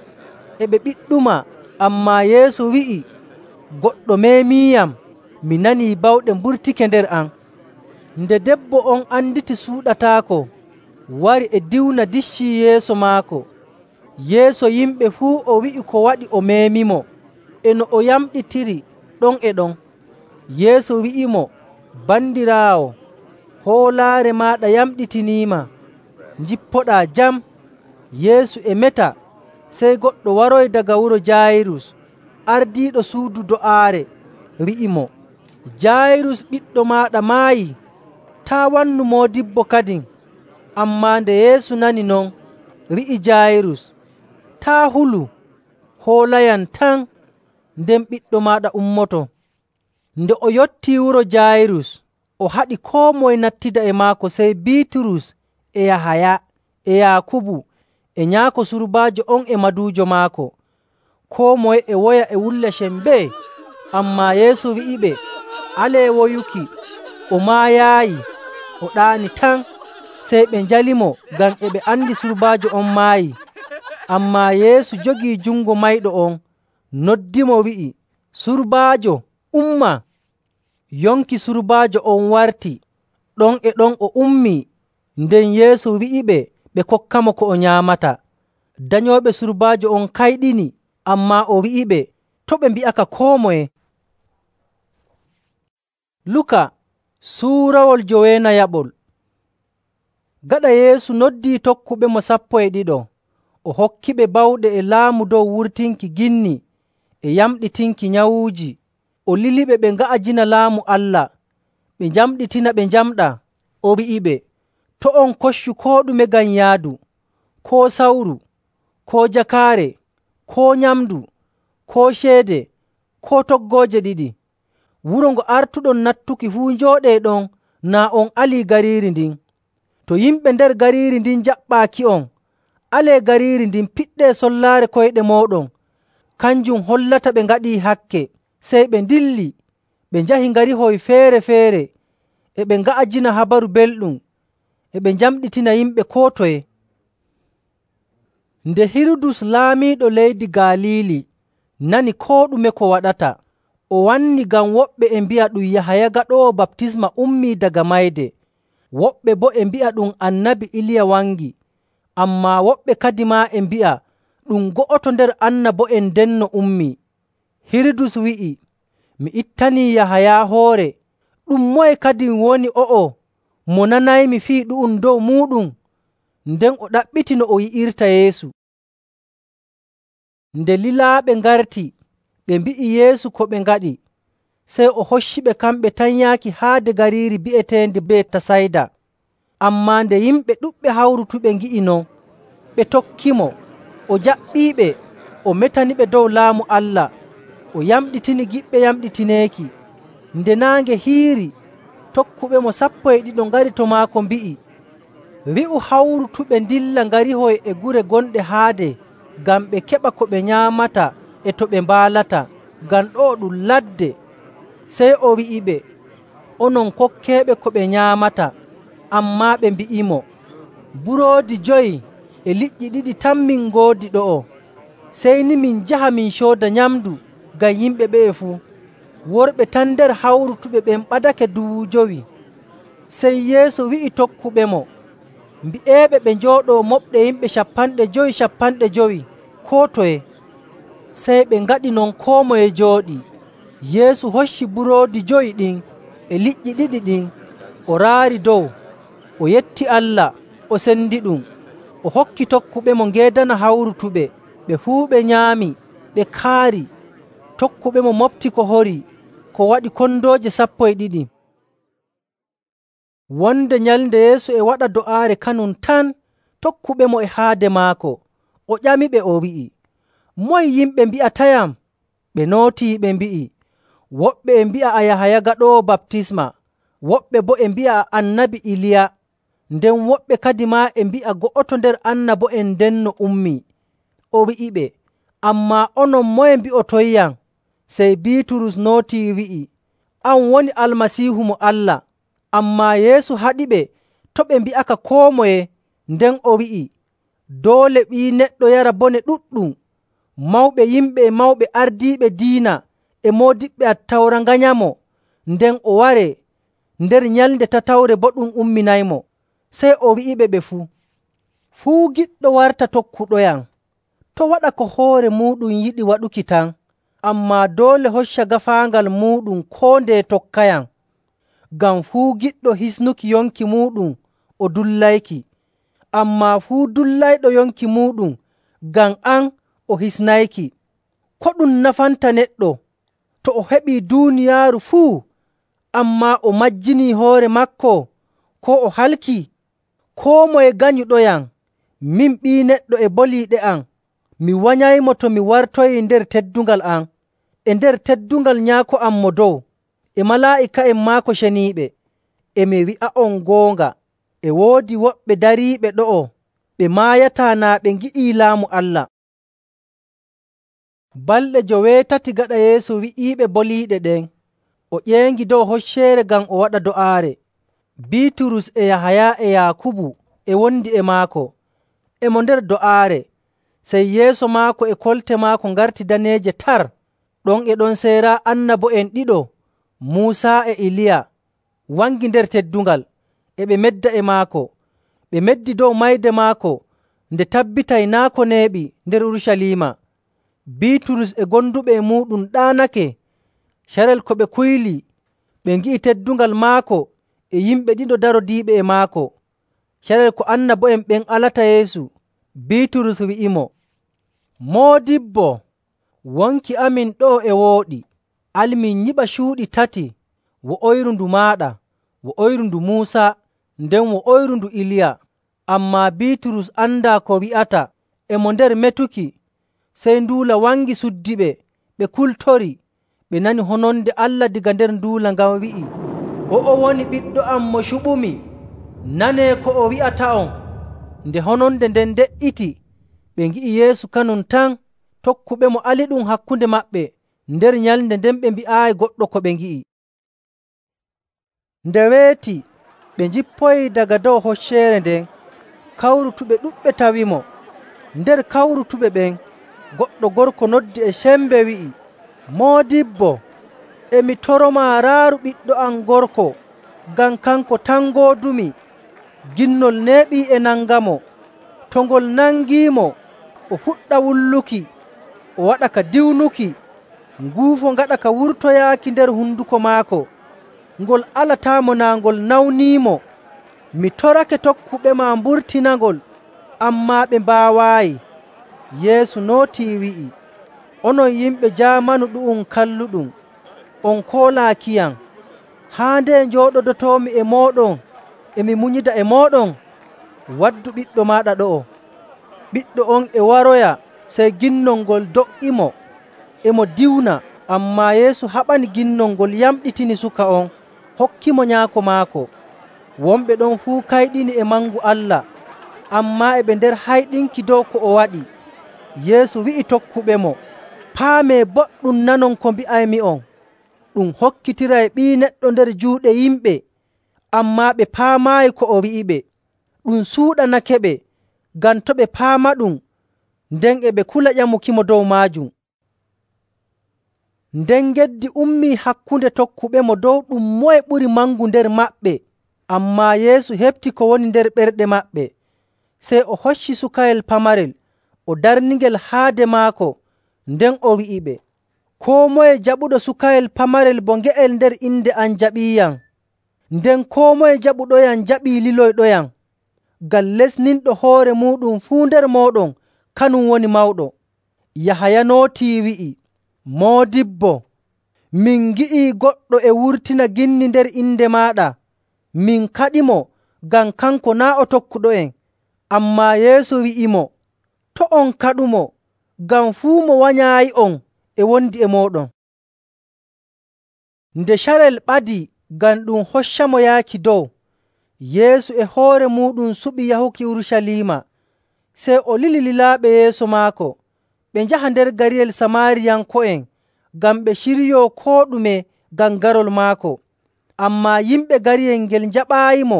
Speaker 1: e ɓe ɓiɗɗumaa.” Ammaa Yeesu wi'i, “Goɗɗo meemiiyam, mi nanii bawɗe mburtike nder am.” Nde debbo on anditi suuɗataako, wari e diwna diccii yeeso maako. Yeeso yimɓe fuu o wi'i ko waɗi o meemimo, e no o yamɗitiri ɗon e ɗon. Yeesu wi'imo, “Bandiraawo, hoolaare maaɗa yamɗitiniima. Njippoɗaa jam.” Yeesu e meta, sey goɗɗo waroyi daga wuro Jaayirus, ardiiɗo suudu do'aare, wi'imo, “Jaayirus, ɓiɗɗo maaɗa maayii. Taa' wannu moodibbo kadin.” Ammaa nde Yeesu nani non, wi'i Jaayirus, “Taa' hulu, hoolayam tan, nden ɓiɗɗo maaɗa ummoto.” Nde o yottii wuro Jaayirus, o haɗi koo moye nattida e maako sey Biiturus e Yahaya e Yaakubu e nyaako surbaajo on e maduujo maako. Koo moye e woya e wulla sembee. Ammaa Yeesu wi'iɓe, “Alee woyuki, o maayaayi, o ɗaani tan.” Sey ɓe njalimo ngam e ɓe andi surbaajo on maayii. Ammaa Yeesu jogii jungo mayɗo on, noddimo wi'i, “Surbaajo, umma!” Yonki surbaajo on warti. Ɗon e ɗon o ummii. Nden Yeesu wi'iɓe ɓe kokkamo ko o nyaamata. Danyooɓe surbaajo on kayɗini, ammaa o wi'iɓe to' ɓe mbi'aka koo moye. Luka suurawol joweenayaɓol. Gaɗa Yeesu noddii tokkuɓemo sappo e ɗiɗo, o hokkiɓe bawɗe e laamu dow wurtinki ginni e yamɗitinki nyawuuji. O liliɓe ɓe nga'ajina Laamu Allah, ɓe njamɗitina ɓe njamɗaa. O wi'iɓe, “To' on koccu koo ɗume ngam yaadu, koo sawru, koo jakaare, koo nyamndu, koo ceede, koo toggooje ɗiɗi. Wuro ngo artuɗon nattuki fuu njooɗee ɗon naa on alii gariiri ndin. To yimɓe nder gariiri ndin njaɓɓaaki'on, alee gariiri ndin piɗɗee sollaare koyɗe mooɗon, kanjum hollata ɓe ngaɗii hakke.” Sey ɓe ndilli, ɓe njahi ngarihoy feere‑feere, e ɓe nga'ajina Habaru Belɗum, e ɓe njamɗitina yimɓe koo toye. Nde Hirudus laamiiɗo leydi Galiili nani koo ɗume ko waɗata, o wanni ngam woɓɓe e mbi'a ɗum Yahaya Gaɗoowo Baptisma ummii daga mayde, woɓɓe boo e mbi'a ɗum Annabi Iliya wangi, ammaa woɓɓe kadimaa e mbi'a ɗum go'oto nder annabo'en ndenno ummii. Hirudus wi'i, “Mi ittanii Yahaya hoore. Ɗum moye kadin woni o'o mo nanaymi fii ɗu'um dow muuɗum?” Nden o ɗaɓɓiti no o yi'irta Yeesu. Nde lilaaɓe ngarti, ɓe mbi'i Yeesu ko ɓe ngaɗi, sey o hocciɓe kamɓe tan yaaki haade gariiri bi'eteendi Betasayda. Ammaa nde yimɓe ɗuɗɓe hawrutuɓe ngi'i non, ɓe tokkimo. O jaɓɓiiɓe, o metaniɓe dow Laamu Allah, o yamɗitini giɓɓe yamɗitineeki. Nde naange hiiri, tokkuɓemo sappo e ɗiɗo ngari to maako mbi'i, “Wi'u hawrutuɓe ndilla ngarihoy e gure gonɗe haade ngam ɓe keɓa ko ɓe nyaamata e to ɓe mbaalata.” ngam ɗo'o ɗum ladde. Sey o wi'iɓe, “Onon kokkeeɓe ko ɓe nyaamata.” Ammaa ɓe mbi'imo, “Buroodi jowi e liƴƴi ɗiɗi tan min ngoodi ɗo'o. Sey ni min njaha min cooda nyamndu ngam yimɓe ɓe'e fuu.” Worɓe tan nder hawrutuɓe ɓen ɓadake duuɓu jowi. Sey Yeesu wi'i tokkuɓemo, mbi'eeɓe ɓe njooɗoo moɓɗe yimɓe capanɗe jowi capanɗe jowi koo toye. Sey ɓe ngaɗi non koo moye jooɗii. Yeesu hocci buroodi jowi ɗin e liƴƴi ɗiɗi ɗin, o raari dow, o yetti Allah, o sendiɗum, o hokki tokkuɓemo ngeedana hawrutuɓe. Ɓe fuu ɓe nyaami, ɓe kaari. Tokkuɓemo moɓti ko horii, ko waɗi kondooje sappo e ɗiɗi. Wonde nyalnde Yeesu e waɗa do'aare kanum tan, tokkuɓemo e haade maako. O ƴamiɓe o wi'i, “Moye yimɓe mbi'atayam?” Ɓe nootii ɓe mbi'i, “Woɓɓe e mbi'a a Yahaya Gaɗoowo Baptisma, woɓɓe boo e mbi'a a Annabi Iliya, nden woɓɓe kadi maa e mbi'a go'oto nder annabo'en ndenno ummii.” O wi'iɓe, “Ammaa onon moye mbi'otoyyam?” Sey Biiturus nootii wi'i, “An woni Almasiihu mo Allah.” Ammaa Yeesu haɗiɓe to' ɓe mbi'aka koo moye. Nden o wi'i, “Doole Ɓii Neɗɗo yara bone ɗuɗɗum. Mawɓe yimɓe e mawɓe ardiiɓe diina e moodiɓɓe Attawra nganyamo, nden o waree, nder nyalnde tatawre boo ɗum umminaymo.” Sey o wi'iɓe ɓe fuu, “Fuu giɗɗo warta tokkuɗoyam, to' waɗa ko hoore muuɗum yiɗi waɗuki tan, ammaa doole hocca gaafaangal muuɗum koo ndeye tokkayam. Ngam fuu giɗɗo hisnuki yonki muuɗum o dullayki, ammaa fuu dullayɗo yonki muuɗum ngam am o hisnayki. Ko ɗum nafanta neɗɗo to o heɓii duuniyaaru fuu, ammaa o majjinii hoore maako koo o halkii? Koo moye ganyuɗoyam, min Ɓii Neɗɗo e boliiɗe am, mi wanyaymo to mi wartoyii nder teddungal am, e nder teddungal Nyaako am Mo Dow, e malaa'ika'en maako ceniiɓe. E mi wi'a'on goonga, e woodi woɓɓe dariiɓe ɗo'o ɓe maayataa naa ɓe ngi'ii Laamu Allah.” Balɗe joweetati gaɗa Yeesu wi'iiɓe boliiɗe ɗen, o ƴeengi dow hocceere ngam o waɗa do'aare. Biiturus e Yahaya e Yaakubu e wondi e maako, e mo nder do'aare. Sey yeeso maako e kolte maako ngarti daneeje tar. Ɗon e ɗon sey raa annabo'en ɗiɗo, Muusa e Iliya, wangi nder teddungal, e ɓe medda e maako. Ɓe meddi dow mayde maako nde tabbitay naa' ko neeɓi nder Urucaliima. Biiturus e gonduɓe e muuɗum ɗaanake. Carel ko ɓe kuyli, ɓe ngi'i teddungal maako e yimɓe ɗiɗo darodiiɓe e maako. Carel ko annabo'en ɓen alata Yeesu, Biiturus wi'imo, “Moodibbo, wonki amin ɗo'o e wooɗi. Al min nyiɓa cuuɗi tati, wo'oyru ndu maaɗa, wo'oyru ndu Muusa, nden wo'oyru ndu Iliya.” Ammaa Biiturus andaa ko wi'ata, e mo nder metuki. Sey nduula wangi suddiɓe, ɓe kultori. Ɓe nani hononde Allah daga nder nduula ngan wi'i, “O'o woni Ɓiɗɗo am mo cuɓumi. Nanee ko o wi'ata'on.” Nde hononde nden de''iti, ɓe ngi'i Yeesu kanum tan. Tokkuɓemo aliɗum hakkunde maɓɓe. Nder nyalnde nden ɓe mbi'aayi goɗɗo ko ɓe ngi'i. Nde weeti, ɓe njippoyii daga dow hocceere nden. Kawrutuɓe ɗuɗɓe tawimo. Nder kawrutuɓe ɓen, goɗɗo gorko noddi e sembe wi'i, “Moodibbo, e mi toromaa raaru ɓiɗɗo am gorko, ngam kanko tan ngoodumi. Ginnol neeɓii e nangamo. To ngol nangiimo, o fuɗɗa wulluki, o waɗa ka diwnuki, nguufo ngaɗa ka wurtoyaaki nder honduko maako. Ngol alataamo naa ngol nawniimo. Mi torake tokkuɓema mburtinangol, ammaa ɓe mbaawaayi.” Yeesu nootii wi'i, “Onon yimɓe jaamanu ɗu'um kalluɗum, on koolaakiyam. Haa nde njooɗodotoomi e mooɗon e mi munyida e mooɗon? Waddu ɓiɗɗo maaɗa ɗo'o.” Ɓiɗɗo on e waroya, sey ginnol ngol do''imo, e mo diwna. Ammaa Yeesu haɓani ginnol ngol, yamɗitini suka on, hokkimo nyaako maako. Wonɓe ɗon fuu kayɗini e mangu Allah, ammaa e ɓe nder hayɗinki dow ko o waɗi. Yeesu wi'i tokkuɓemo, Paamee boɗɗum nanon ko mbi'aymi'on. Ɗum hokkitiray Ɓii Neɗɗo nder juuɗe yimɓe, ammaa ɓe paamaayi ko o wi'iɓe. Ɗum suuɗanakeɓe ngam to' ɓe paamaɗum, nden e ɓe kula ƴamukimo dow maajum. Nden geddi ummii hakkunde tokkuɓemo dow ɗum moye ɓuri mangu nder maɓɓe. Ammaa Yeesu heɓti ko woni nder ɓerɗe maɓɓe, sey o hocci sukayel pamarel o darningel haade maako, nden o wi'iɓe, “Koo moye jaɓuɗo sukayel pamarel bo nge'el nder inde am jaɓiiyam. Nden koo moye jaɓuɗoyam jaɓii liloyɗoyam. Ngam lesninɗo hoore muuɗum fuu nder mooɗon kanum woni mawɗo.” Yahaya nootii wi'i, “Moodibbo, min ngi'ii goɗɗo e wurtina ginni nder inde maaɗa. Min kaɗimo ngam kanko naa' o tokkuɗo'en.” Ammaa Yeesu wi'imo, “To' on kaɗumo, ngam fuu mo wanyaayi'on e wondi e mooɗon.” Nde carel ɓadii ngam ɗum hoccamo yaaki dow, Yeesu e hoore muuɗum suɓi yahuki Urucaliima. Sey o lili lilaaɓe yeeso maako ɓe njaha nder gariyel Samaariyanko'en ngam ɓe ciryoo koo ɗume ngam garol maako. Ammaa yimɓe gariyel ngel njaɓaayimo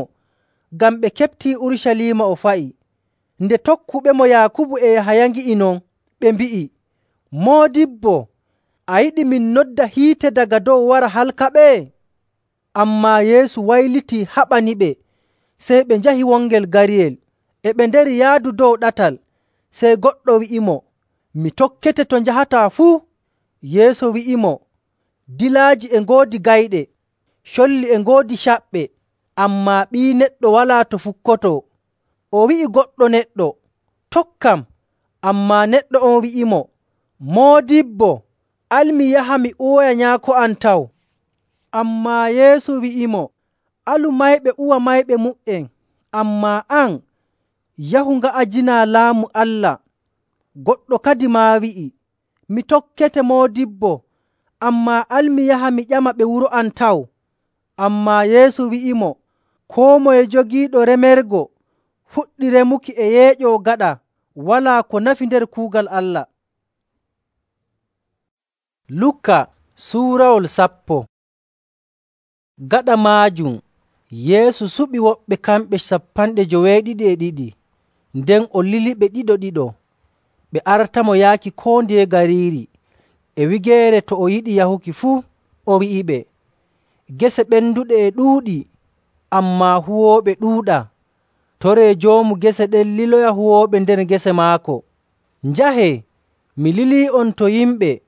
Speaker 1: ngam ɓe keɓtii Urucaliima o fa'i. Nde tokkuɓemo Yaakubu e Yahaya ngi'i non, ɓe mbi'i, “Moodibbo, a yiɗi min nodda hiite daga dow wara halkaɓe?” Ammaa Yeesu waylitii haɓaniɓe. Sey ɓe njahi wongel gariyel. E ɓe ndari yaadu dow ɗatal, sey goɗɗo wi'imo, “Mi tokkete to njahataa fuu.” Yeesu wi'imo, “Dilaaji e ngoodi gayɗe, colli e ngoodi caɓɓe, ammaa Ɓii Neɗɗo walaa to fukkotoo.” O wi'i goɗɗo neɗɗo, “Tokkam.” Ammaa neɗɗo on wi'imo, “Moodibbo, al mi yaha mi uwoya nyaako am taw.” Ammaa Yeesu wi'imo, “Alu mayɓe uwa mayɓe mu''en, ammaa an, yahu nga'ajinaa Laamu Allah.” Goɗɗo kadimaa wi'i, “Mi tokkete, Moodibbo, ammaa al mi yaha mi ƴama ɓe wuro am taw.” Ammaa Yeesu wi'imo, “Koo moye jogiiɗo remergo fuɗɗi remuki e yeeƴoo gaɗa walaa ko nafi nder kuugal Allah.” Luka suurawol sappo. Gaɗa maajum Yeesu suɓi woɓɓe kamɓe sappanɗe joweeɗiɗi e ɗiɗi, nden o liliɓe ɗiɗo‑ɗiɗo. Ɓe artamo yaaki koo ndeye gariiri e wigeere to o yiɗi yahuki fuu. O wi'iɓe, “Gese ɓenduɗe e ɗuuɗi, ammaa huwooɓe ɗuuɗaa. Toree joomu gese ɗen liloya huwooɓe nder gese maako. Njahee, mi lilii'on to yimɓe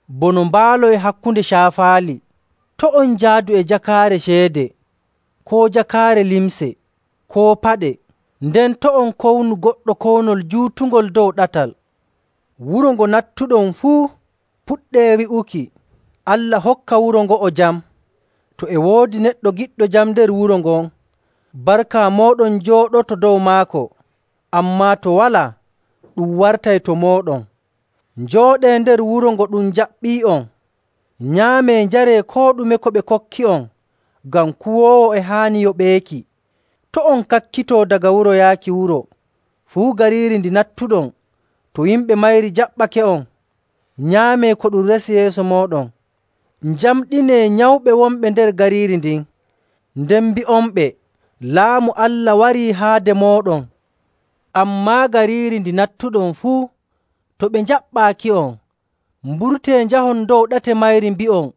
Speaker 1: bono mbaalo e hakkunde caafaali. To' on njaadu e jakaare ceede, koo jakaare limce, koo paɗe. Nden to' on kownu goɗɗo kownol juutungol dow ɗatal. Wuro ngo nattuɗon fuu, puɗɗee wi'uki, ‘Allah hokka wuro ngo'o jam.’ To e woodi neɗɗo giɗɗo jam nder wuro ngon, barka mooɗon jooɗoto dow maako. Ammaa to walaa, ɗum wartay to mooɗon. Njooɗee nder wuro ngo ɗum jaɓɓii'on. Nyaamee njaree koo ɗume ko ɓe kokki'on, ngam kuwoowo e haani yoɓeeki. To' on kakkitoo daga wuro yaaki wuro. Fuu gariiri ndi nattuɗon, to yimɓe mayri jaɓɓake'on, nyaamee ko ɗum resi yeeso mooɗon. Njamɗinee nyawɓe wonɓe nder gariiri ndin, nden mbi'onɓe, ‘Laamu Allah warii haade mooɗon.’ Ammaa gariiri ndi nattuɗon fuu, to ɓe njaɓɓaaki'on, mburtee njahon dow ɗate mayri mbi'on,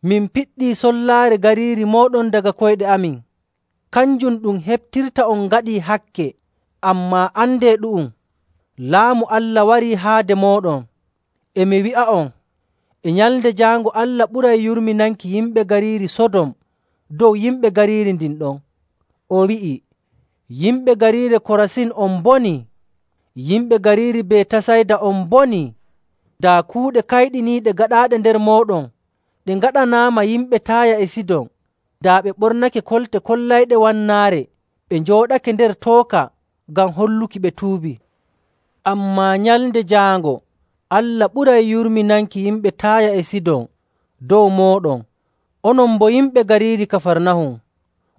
Speaker 1: ‘Min piɗɗii sollaare gariiri mooɗon daga koyɗe amin.’ Kanjum ɗum heɓtirta on ngaɗii hakke. Ammaa andee ɗu'um, Laamu Allah warii haade mooɗon. E mi wi'a'on, e Nyalnde Jaango Allah ɓuray yurminanki yimɓe gariiri Sodom dow yimɓe gariiri ndin ɗon.” O wi'i, “Yimɓe gariiri Korasin on mbonii! Yimɓe gariiri Betasayda on mbonii! Daa kuuɗe kayɗiniiɗe gaɗaaɗe nder mooɗon ɗe ngaɗanaama yimɓe Taaya e Sidon, daa ɓe ɓornake kolte kollayɗe wannaare, ɓe njooɗake nder tooka ngam holluki ɓe tuubii. Ammaa Nyalnde Jaango Allah ɓuray yurminanki yimɓe Taaya e Sidon dow mooɗon. Onon boo yimɓe gariiri Kafarnahum,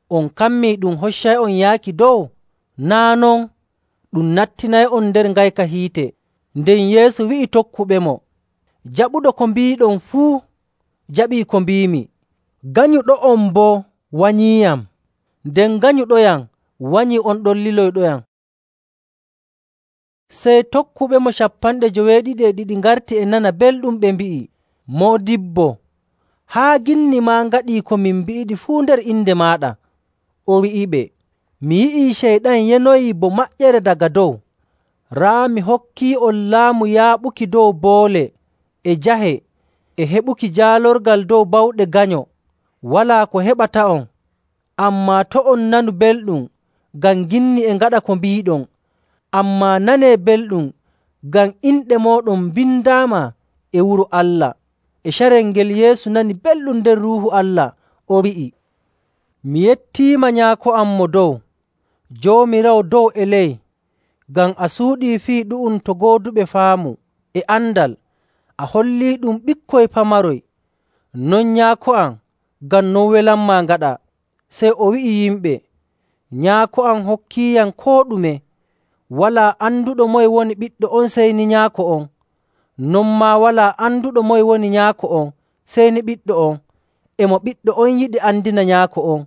Speaker 1: on kammii ɗum hoccay'on yaaki dow? Naa' non, ɗum nattinay'on nder ngayka hiite.” Nden Yeesu wi'i tokkuɓemo, Jaɓuɗo ko mbiiɗon fuu jaɓii ko mbiimi. Ganyuɗo'on boo wanyiiyam, nden ganyuɗoyam wanyii on ɗon liloyɗoyam.” Sey tokkuɓemo cappanɗe joweeɗiɗi e ɗiɗi ngarti e nana belɗum, ɓe mbi'i, “Moodibbo, haa ginni maa ngaɗii ko min mbi'iɗi fuu nder inde maaɗa.” O wi'iɓe, “Mi yi'ii Ceyɗan yenoyii bo maƴƴere daga dow. Raa mi hokkii'on laamu yaaɓuki dow boole e jahe e heɓuki jaalorgal dow bawɗe ganyo. Walaa ko heɓata'on, ammaa to' on nanu belɗum ngam ginni e ngaɗa ko mbiiɗon, ammaa nanee belɗum ngam inɗe mooɗon mbindaama e wuro Allah.” E carel ngel Yeesu nani belɗum nder Ruuhu Allah, o wi'i, “Mi yettiima, Nyaako am Mo Dow, Joomiraawo dow e ley, ngam a suuɗii fii ɗu'um to gooduɓe faamu e andal. A holliiɗum ɓikkoy pamaroy. Non, Nyaako am, ngam non welanmaa ngaɗa.” Sey o wi'i yimɓe, “Nyaako am hokkiiyam koo ɗume. Walaa anduɗo moye woni Ɓiɗɗo on sey ni Nyaako on. Non maa walaa anduɗo moye woni Nyaako on sey ni Ɓiɗɗo on, e mo Ɓiɗɗo on yiɗi andina Nyaako on.”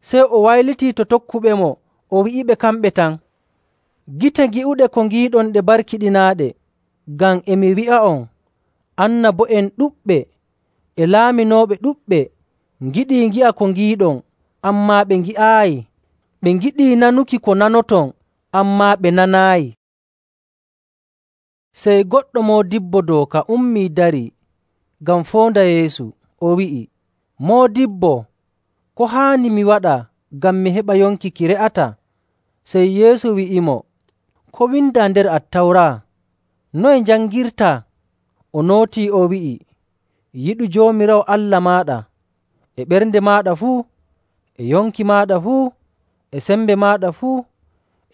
Speaker 1: Sey o waylitii to tokkuɓemo, o wi'iɓe kamɓe tan, “Gite ngi'uɗe ko ngiiɗon ɗe barkiɗinaaɗe, ngam e mi wi'a'on, annabo'en ɗuɗɓe e laaminooɓe ɗuɗɓe ngiɗii ngi'a ko ngiiɗon, ammaa ɓe ngi'aayi. Ɓe ngiɗii nanuki ko nanoton, ammaa ɓe nanaayi.” Sey goɗɗo moodibbo dooka ummii darii ngam foonda Yeesu. O wi'i, “Moodibbo, ko haani mi waɗa ngam mi heɓa yonki ki re'ataa?” Sey Yeesu wi'imo, “Ko windaa nder Attawra? Noye njangirtaa?” O nootii o wi'i, “Yiɗu Joomiraawo Allah maaɗa e ɓernde maaɗa fuu, e yonki maaɗa fuu, e sembe maaɗa fuu,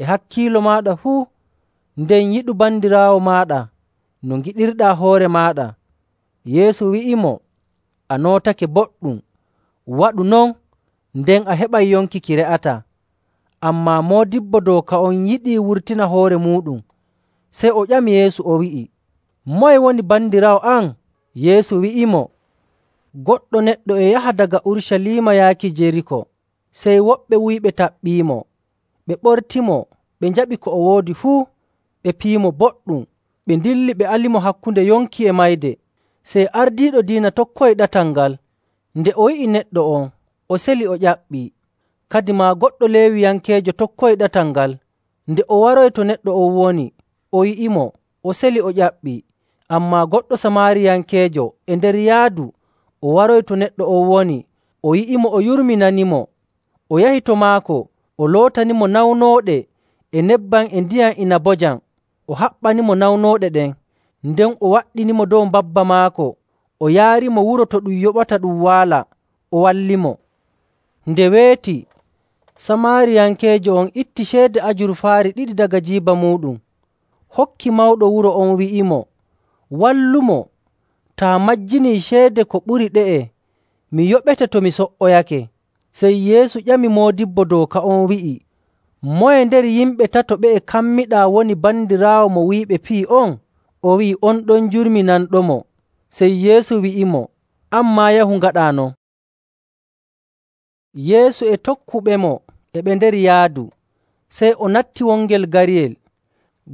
Speaker 1: e hakkiilo maaɗa fuu, nden yiɗu bandiraawo maaɗa no ngiɗirɗaa hoore maaɗa.” Yeesu wi'imo, “A nootake boɗɗum. Waɗu non, nden a heɓay yonki ki re'ataa.” Ammaa moodibbo dooka on yiɗii wurtina hoore muuɗum. Sey o ƴami Yeesu, o wi'i, “Moye woni bandiraawo am?” Yeesu wi'imo, “Goɗɗo neɗɗo e yaha daga Urucaliima yaaki Jeriko. Sey woɓɓe wuyɓe taɓɓiimo, ɓe ɓortimo, ɓe njaɓi ko o woodi fuu, ɓe piyimo boɗɗum, ɓe ndilli ɓe alimo hakkunde yonki e mayde. Sey ardiiɗo diina tokkoyi ɗatal ngal. Nde o yi'i neɗɗo on, o seli o ƴaɓɓii. Kadimaa goɗɗo Leewiyankeejo tokkoyi ɗatal ngal. Nde o waroyi to neɗɗo on woni, o yi'imo, o seli o ƴaɓɓii. Ammaa goɗɗo Samaariyankeejo e nder yaadu o waroyi to neɗɗo on woni, o yi'imo, o yurminanimo. O yahi to maako, o lootanimo nawnooɗe e nebbam e ndiyam inabojam. O haɓɓanimo nawnooɗe ɗen, nden o waɗɗinimo dow mbabba maako, o yaarimo wuro to ɗum yoɓata ɗum waala, o wallimo. Nde weeti, Samaariyankeejo on itti ceede ajurfaari ɗiɗi daga jiiba muuɗum, hokki mawɗo wuro on, wi'imo, “Wallumo, taa majjinii ceede ko ɓuri ɗe'e, mi yoɓete to mi so''oyake.” Sey Yeesu ƴami moodibbo dooka on wi'i, “Moye nder yimɓe tato ɓe'e kammiɗaa woni bandiraawo mo wuyɓe piyi on?” O wi'i, “On ɗon jurminanɗomo.” Sey Yeesu wi'imo, “An maa yahu ngaɗaa non.” Yeesu e tokkuɓemo e ɓe nder yaadu, sey o natti wongel gariyel.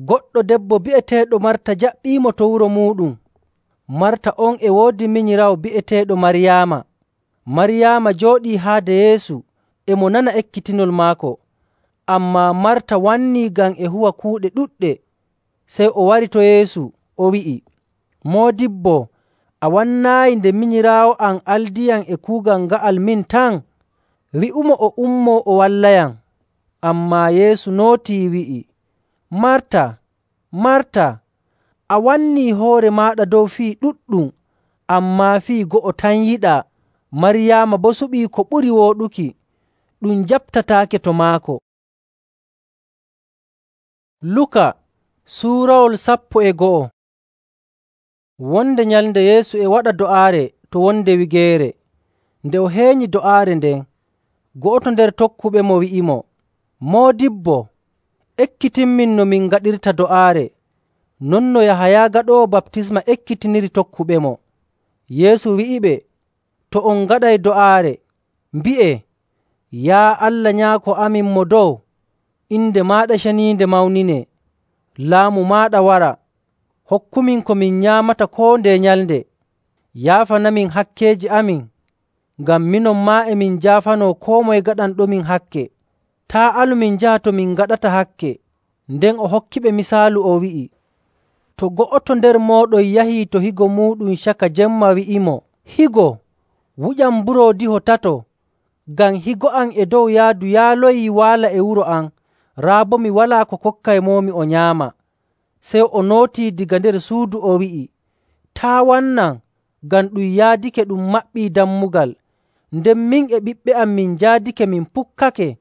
Speaker 1: Goɗɗo debbo bi'eteeɗo Marta jaɓɓiimo to wuro muuɗum. Marta on e woodi minyiraawo bi'eteeɗo Maryaama. Maryaama jooɗii haade Yeesu e mo nana ekkitinol maako. Ammaa Marta wannii ngam e huwa kuuɗe ɗuɗɗe. Sey o wari to Yeesu, o wi'i, “Moodibbo, a wannaayi nde minyiraawo am aldiyam e kuugal nga'al min tan? Wi'umo o ummoo o wallayam.” Ammaa Yeesu nootii wi'i, “Marta, Marta, a wannii hoore maaɗa dow fii ɗuɗɗum, ammaa fii go'o tan yiɗaa. Maryaama boo suɓii ko ɓuri wooɗuki, ɗum jaɓtataake to maako.” Luka suurawol sappo e go'o. Wonde nyalnde Yeesu e waɗa do'aare to wonde wigeere. Nde o heenyi do'aare nden, go'oto nder tokkuɓemo wi'imo, “Moodibbo, ekkitinmin no min ngaɗirta do'aare.” Non no Yahaya gaɗoowo baptisma ekkitiniri tokkuɓemo. Yeesu wi'iɓe, “To on ngaɗay do'aare, mbi'ee, Yaa Allah Nyaako amin Mo Dow, inde maaɗa ceniinde mawninee. Laamu maaɗa wara. Hokkumin ko min nyaamata koo ndeye nyalnde. Yaafanamin hakkeeji amin, ngam minon maa e min njaafanoo koo moye gaɗanɗomin hakke. Taa' alu min njaha to min ngaɗata hakke.” Nden o hokkiɓe misaalu o wi'i, “To go'oto nder mooɗon yahii to higo muuɗum caka jemma wi'imo, ‘Higo, wuƴam buroodiho tato, ngam higo am e dow yaadu yaaloyii waala e wuro am, raa boo mi walaa ko kokkaymomi o nyaama.’ Sey o nootii daga nder suudu o wi'i, ‘Taa' wannam, ngam ɗum yaadake ɗum maɓɓii dammugal, nden min e ɓiɓɓe am min njaadake min pukkake.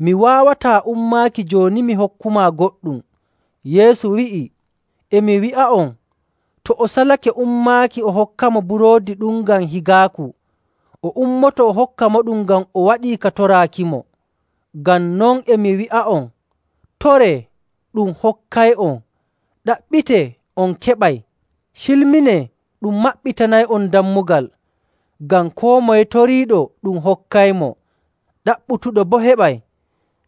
Speaker 1: Mi waawataa ummaaki jooni mi hokkumaa goɗɗum.’ Yeesu wi'i, “E mi wi'a'on, to o salake ummaaki o hokkamo buroodi ɗum ngam higaaku, o ummoto o hokkamoɗum ngam o waɗii ka toraakimo. Ngam non e mi wi'a'on, toree, ɗum hokkay'on; ɗaɓɓitee, on keɓay; cilminee, ɗum maɓɓitanay'on dammugal. Ngam koo moye toriiɗo ɗum hokkaymo, ɗaɓɓutuɗo boo heɓay,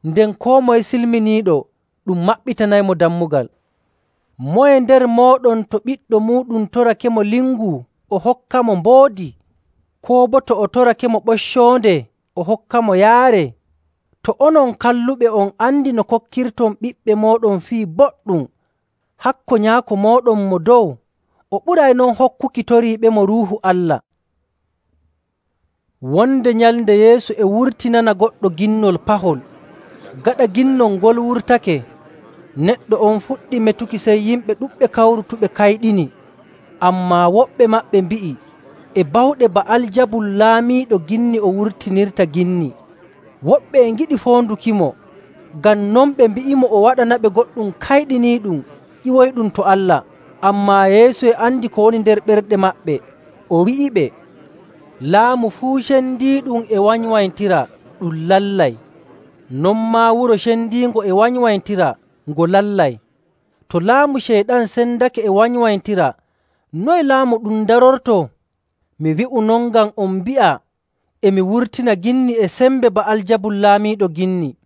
Speaker 1: nden koo moye silminiiɗo ɗum maɓɓitanaymo dammugal. Moye nder mooɗon to ɓiɗɗo muuɗum torakemo lingu o hokkamo mboodi? Koo boo to o torakemo ɓoccoonde o hokkamo yaare? To onon kalluɓe on andi no kokkirton ɓiɓɓe mooɗon fii boɗɗum, hakko Nyaako mooɗon Mo Dow o ɓuray non hokkuki toriiɓemo Ruuhu Allah.” Wonde nyalnde Yeesu e wurtinana goɗɗo ginnol pahol. Gaɗa ginnol ngol wurtake, neɗɗo on fuɗɗi metuki, sey yimɓe ɗuɗɓe kawrutuɓe kayɗini. Ammaa woɓɓe maɓɓe mbi'i, “E bawɗe Ba'aljabul laamiiɗo ginni o wurtinirta ginni.” Woɓɓe e ngiɗi foondukimo, ngam non ɓe mbi'imo o waɗanaɓe goɗɗum kayɗiniiɗum ƴiwoyɗum to Allah. Ammaa Yeesu e andi ko woni nder ɓerɗe maɓɓe, o wi'iɓe, “Laamu fuu cendiiɗum e wanywanytira, ɗum lallay. Non maa wuro cendiingo e wanywanytira, ngo lallay. To laamu Ceyɗan sendake e wanywanytira, noye laamu ɗum darortoo? Mi wi'u non ngam on mbi'a e mi wurtina ginni e sembe Ba'aljabul laamiiɗo ginni.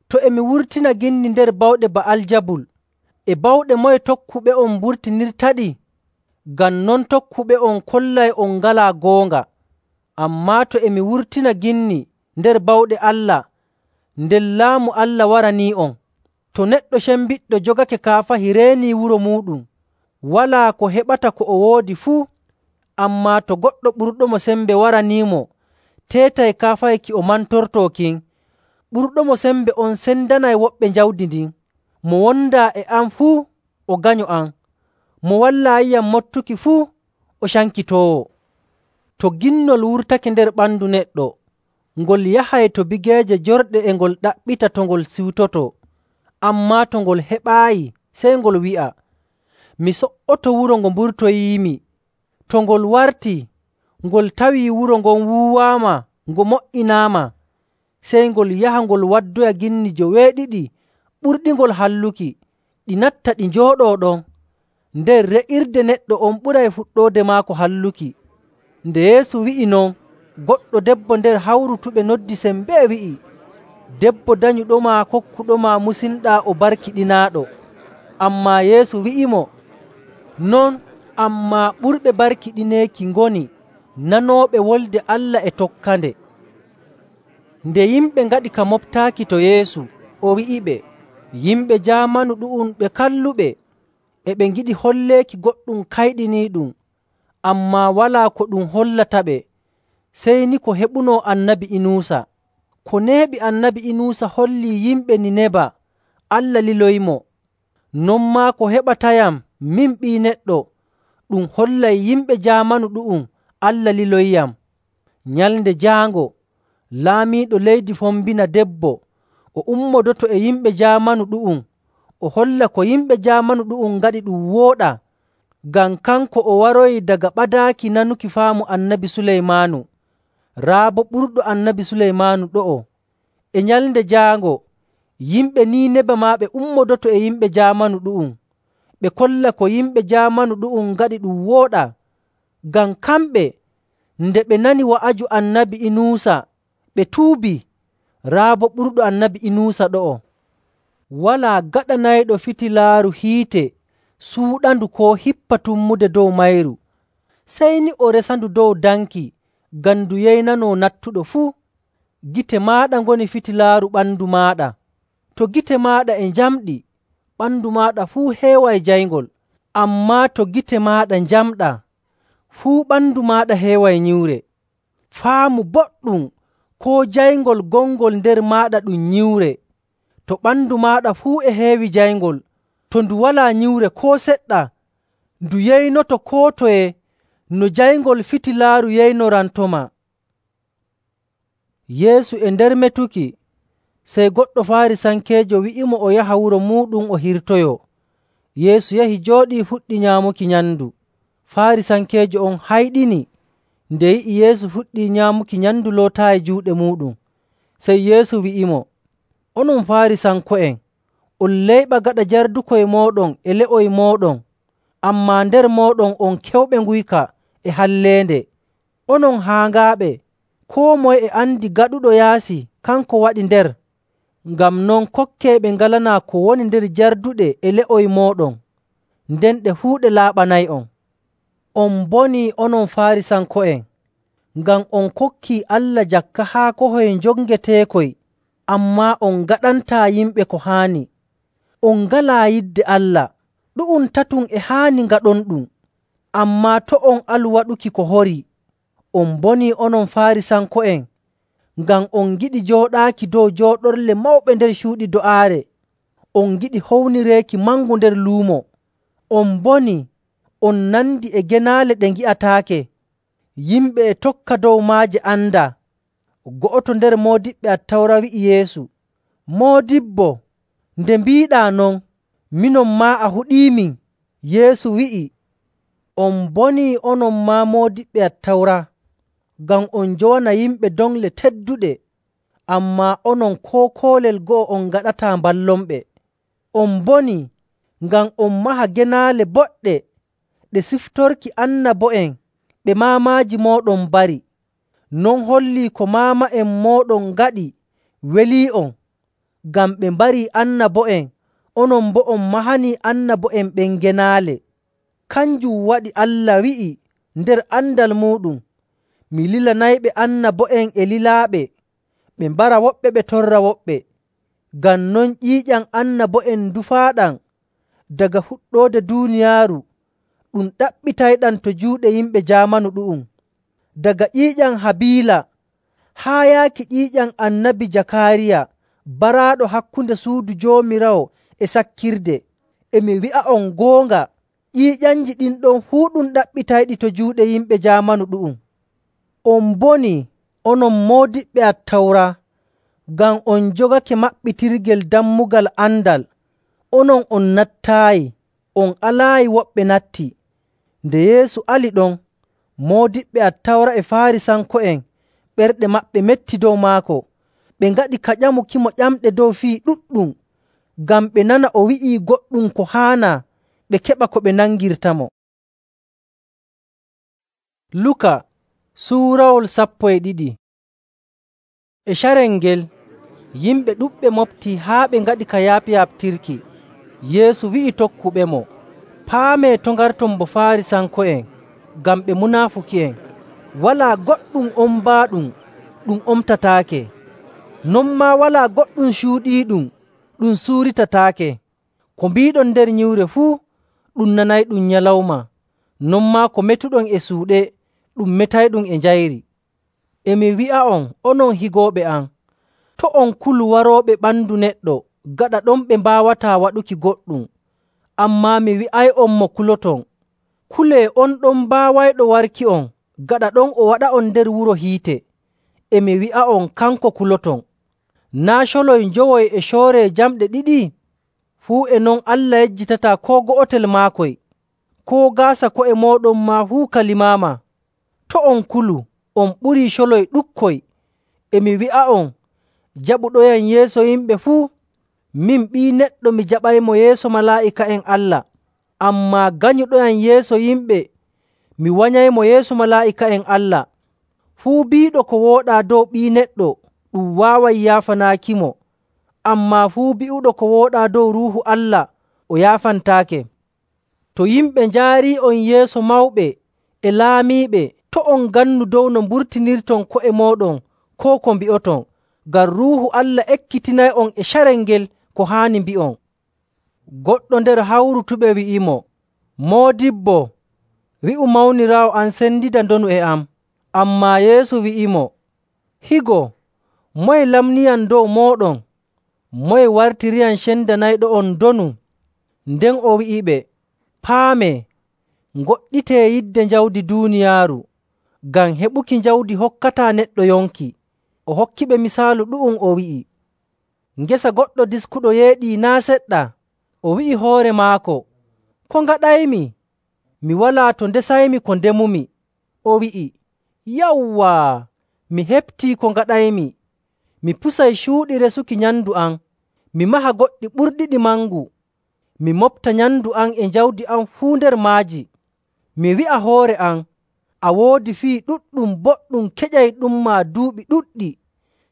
Speaker 1: To e mi wurtina ginni nder bawɗe Ba'aljabul, e bawɗe moye tokkuɓe'on mburtinirtaɗi? Ngam non tokkuɓe'on kollay on ngalaa goonga. Ammaa to e mi wurtina ginni nder bawɗe Allah, nden laamu Allah waranii'on. To neɗɗo cembiɗɗo jogake kaafahi reenii wuro muuɗum, walaa ko heɓata ko o woodi fuu. Ammaa to goɗɗo ɓurɗomo sembe waraniimo, teetay kaafahi ki o mantortoo kin, ɓurɗomo sembe on sendanay woɓɓe jawdi ndin. Mo wondaa e am fuu, o ganyo am. Mo wallaayiyam mottuki fuu, o cankitoowo. To ginnol wurtake nder ɓandu neɗɗo, ngol yahay to bigeeje jorɗe e ngol ɗaɓɓita to ngol siwtoto. Ammaa to ngol heɓaayi, sey ngol wi'a, ‘Mi so''oto wuro ngo mburtoyiimi.’ To ngol wartii, ngol tawii wuro ngon wuuwaama, ngo mo''inaama, sey ngol yaha ngol waddoya ginni joweeɗiɗi ɓurɗingol halluki, ɗi natta ɗi njooɗoo ɗon. Nden re'irde neɗɗo on ɓuray fuɗɗoode maako halluki.” Nde Yeesu wi'i non, goɗɗo debbo nder hawrutuɓe noddi sembee wi'i, “Debbo danyuɗomaa kokkuɗomaa musinɗaa o barkiɗinaaɗo.” Ammaa Yeesu wi'imo, “Non, ammaa ɓurɓe barkiɗineeki ngoni nanooɓe wolde Allah e tokkande.” Nde yimɓe ngaɗi ka moɓtaaki to Yeesu, o wi'iɓe, “Yimɓe jaamanu ɗu'um ɓe kalluɓe, e ɓe ngiɗi holleeki goɗɗum kayɗiniiɗum, ammaa walaa ko ɗum hollataɓe, sey ni ko heɓunoo Annabi Inuusa. Ko neeɓi Annabi Inuusa hollii yimɓe Nineba Allah liloyimo. Non maa ko heɓatayam min Ɓii Neɗɗo, ɗum hollay yimɓe jaamanu ɗu'um Allah liloyiyam. Nyalnde jaango, laamiiɗo leydi fombina debbo, o ummodoto e yimɓe jaamanu ɗu'um, o holla ko yimɓe jaamanu ɗu'um ngaɗi ɗum wooɗaa, ngam kanko o waroyi daga ɓadaaki nanuki faamu Annabi Suleymaanu, raa boo ɓurɗo Annabi Suleymaanu ɗo'o. E nyalnde jaango, yimɓe Niineba maa ɓe ummodoto e yimɓe jaamanu ɗu'um, ɓe kolla ko yimɓe jaamanu ɗu'um ngaɗi ɗum wooɗaa. Ngam kamɓe nde ɓe nani wa'aju Annabi Inuusa, ɓe tuubii. Raa boo ɓurɗo Annabi Inuusa ɗo'o. Walaa gaɗanayɗo fitilaaru hiite suuɗandu koo hippa tummude dow mayru, sey ni o resandu dow danki ngam ndu yeynanoo nattuɗo fuu. Gite maaɗa ngoni fitilaaru ɓandu maaɗa. To gite maaɗa e njamɗi, ɓandu maaɗa fuu heeway jayngol. Ammaa to gite maaɗa njamɗaa, fuu ɓandu maaɗa heeway nyiwre. Faamu boɗɗum koo jayngol gongol nder maaɗa ɗum nyiwre. To ɓandu maaɗa fuu e heewi jayngol, to ndu walaa nyiwre koo seɗɗa, ndu yeynoto koo toye no jayngol fitilaaru yeynorantoma. Yeesu e nder metuki, sey goɗɗo Faarisankeejo wi'imo o yaha wuro muuɗum o hirtoyoo. Yeesu yahi jooɗii fuɗɗi nyaamuki nyamndu. Faarisankeejo on hayɗini nde yi'i Yeesu fuɗɗii nyaamuki nyamndu lootaayi juuɗe muuɗum. Sey Yeesu wi'imo, “Onon Faarisanko'en, on layɓa gaɗa jardukoy mooɗon e le'oy mooɗon, ammaa nder mooɗon on kewɓe nguyka e halleende. Onon haaŋaaɓe, koo moye e andi gaɗuɗo yaasi kanko waɗi nder. Ngam non kokkee ɓe ngalanaa ko woni nder jarduɗe e le'oy mooɗon, nden ɗe fuu ɗe laaɓanay'on. On mbonii onon Faarisanko'en, ngam on kokkii Allah jakka haakohoy njongeteekoy, ammaa on ngaɗantaa yimɓe ko haani. On ngalaa yidde Allah. Ɗu'um tatum e haani ngaɗonɗum, ammaa to' on alu waɗuki ko horii. On mbonii onon Faarisanko'en, ngam on ngiɗi jooɗaaki dow jooɗorle mawɓe nder cuuɗi do'aare. On ngiɗi hownireeki mangu nder luumo. On mbonii, on nandi e genaale ɗe ngi'ataake. Yimɓe e tokka dow maaje andaa.” Go'oto nder moodiɓɓe Attawra wi'i Yeesu, “Moodibbo, nde mbiiɗaa non, minon maa a huɗiimin.” Yeesu wi'i, “On mbonii onon maa moodiɓɓe Attawra, ngam on njowana yimɓe dongle tedduɗe, ammaa onon koo koolel go'o on ngaɗataa mballonɓe. On mbonii, ngam on maha genaale boɗɗe ɗe siftorki annabo'en ɓe maamaaji mooɗon mbari. Non hollii ko maama'en mooɗon ngaɗi welii'on, ngam ɓe mbarii annabo'en, onon boo on mahanii annabo'en ɓen genaale. Kanjum waɗi Allah wi'i nder andal muuɗum, ‘Mi lilanayɓe annabo'en e lilaaɓe, ɓe mbara woɓɓe ɓe torra woɓɓe.’ Ngam non ƴiiƴam annabo'en ndufaaɗam daga fuɗɗoode duuniyaaru, ɗum ɗaɓɓitayɗam to juuɗe yimɓe jaamanu ɗu'um. Daga ƴiiƴam Habiila haa yaaki ƴiiƴam Annabi Jakaariya baraaɗo hakkunde suudu Joomiraawo e sakkirde. E mi wi'a'on goonga, ƴiiƴamji ɗin ɗon fuu ɗum ɗaɓɓitayɗi to juuɗe yimɓe jaamanu ɗu'um. On mbonii, onon moodiɓɓe Attawra, ngam on njogake maɓɓitirgel dammugal andal. Onon on nattaayi, on alaayi woɓɓe natti.” Nde Yeesu ali ɗon, moodiɓɓe Attawra e Faarisanko'en ɓerɗe maɓɓe metti dow maako. Ɓe ngaɗi ka ƴamukimo ƴamɗe dow fii ɗuɗɗum, ngam ɓe nana o wi'ii goɗɗum ko haanaa, ɓe keɓa ko ɓe nangirtamo. Luka suurawol sappo e ɗiɗi. E carel ngel, yimɓe ɗuɗɓe moftii haa ɓe ngaɗi ka yaafi-yaaɓtirki. Yeesu wi'i tokkuɓemo, “Paamee to' ngarton bo Faarisanko'en, ngam ɓe munaafuki'en. Walaa goɗɗum ombaaɗum ɗum omtataake, non maa walaa goɗɗum cuuɗiiɗum ɗum suuritataake. Ko mbiiɗon nder nyiwre fuu, ɗum nanayɗum nyalawma, non maa ko metuɗon e suuɗe, ɗum metayɗum e njayri. E mi wi'a'on, onon higooɓe am, to' on kulu warooɓe ɓandu neɗɗo, gaɗa ɗon ɓe mbaawataa waɗuki goɗɗum. Ammaa mi wi'ay'on mo kuloton, kulee on ɗon mbaawayɗo warki'on, gaɗa ɗon o waɗa'on nder wuro hiite. E mi wi'a'on, kanko kuloton. Naa' coloy njowoy e cooree jamɗe ɗiɗi? Fuu e non Allah yejjitataa koo go'otel maakoy. Koo gaasa ko'e mooɗon maa fuu ka limaama. To' on kulu, on ɓurii coloy ɗukkoy. E mi wi'a'on, jaɓuɗoyam yeeso yimɓe fuu, min Ɓii Neɗɗo mi jaɓaymo yeeso malaa'ika'en Allah. Ammaa ganyuɗoyam yeeso yimɓe, mi wanyaymo yeeso malaa'ika'en Allah. Fuu biiɗo ko wooɗaa dow Ɓii Neɗɗo ɗum waaway yaafanaakimo, ammaa fuu bi'uɗo ko wooɗaa dow Ruuhu Allah o yaafantaake. To yimɓe njaarii'on yeeso mawɓe e laamiiɓe, to' on ngannu dow no mburtinirton ko'e mooɗon koo ko mbi'oton, ngam Ruuhu Allah ekkitinay'on e carel ngel ko haani mbi'on.” Goɗɗo nder hawrutuɓe wi'imo, “Moodibbo, wi'u mawniraawo am sendida ndonu e am.” Ammaa Yeesu wi'imo, “Higo, moye lamniyam dow mooɗon? Moye wartiriyam cendanayɗo'on ndonu?” Nden o wi'iɓe, “Paamee, ngoɗɗitee yidde jawdi duuniyaaru, ngam heɓuki jawdi hokkataa neɗɗo yonki.” O hokkiɓe misaalu ɗu'um, o wi'i, “Ngesa goɗɗo diskuɗo yeeɗii naa' seɗɗa. O wi'i hoore maako, ‘Ko ngaɗaymi? Mi walaa to ndesaymi ko ndemumi.’ O wi'i, ‘Yawwaa, mi heɓtii ko ngaɗaymi. Mi pusay cuuɗi resuki nyamndu am, mi maha goɗɗi ɓurɗiɗi mangu. Mi moɓta nyamndu am e jawdi am fuu nder maaji. Mi wi'a hoore am, a woodi fii ɗuɗɗum boɗɗum keƴayɗummaa duuɓi ɗuɗɗi.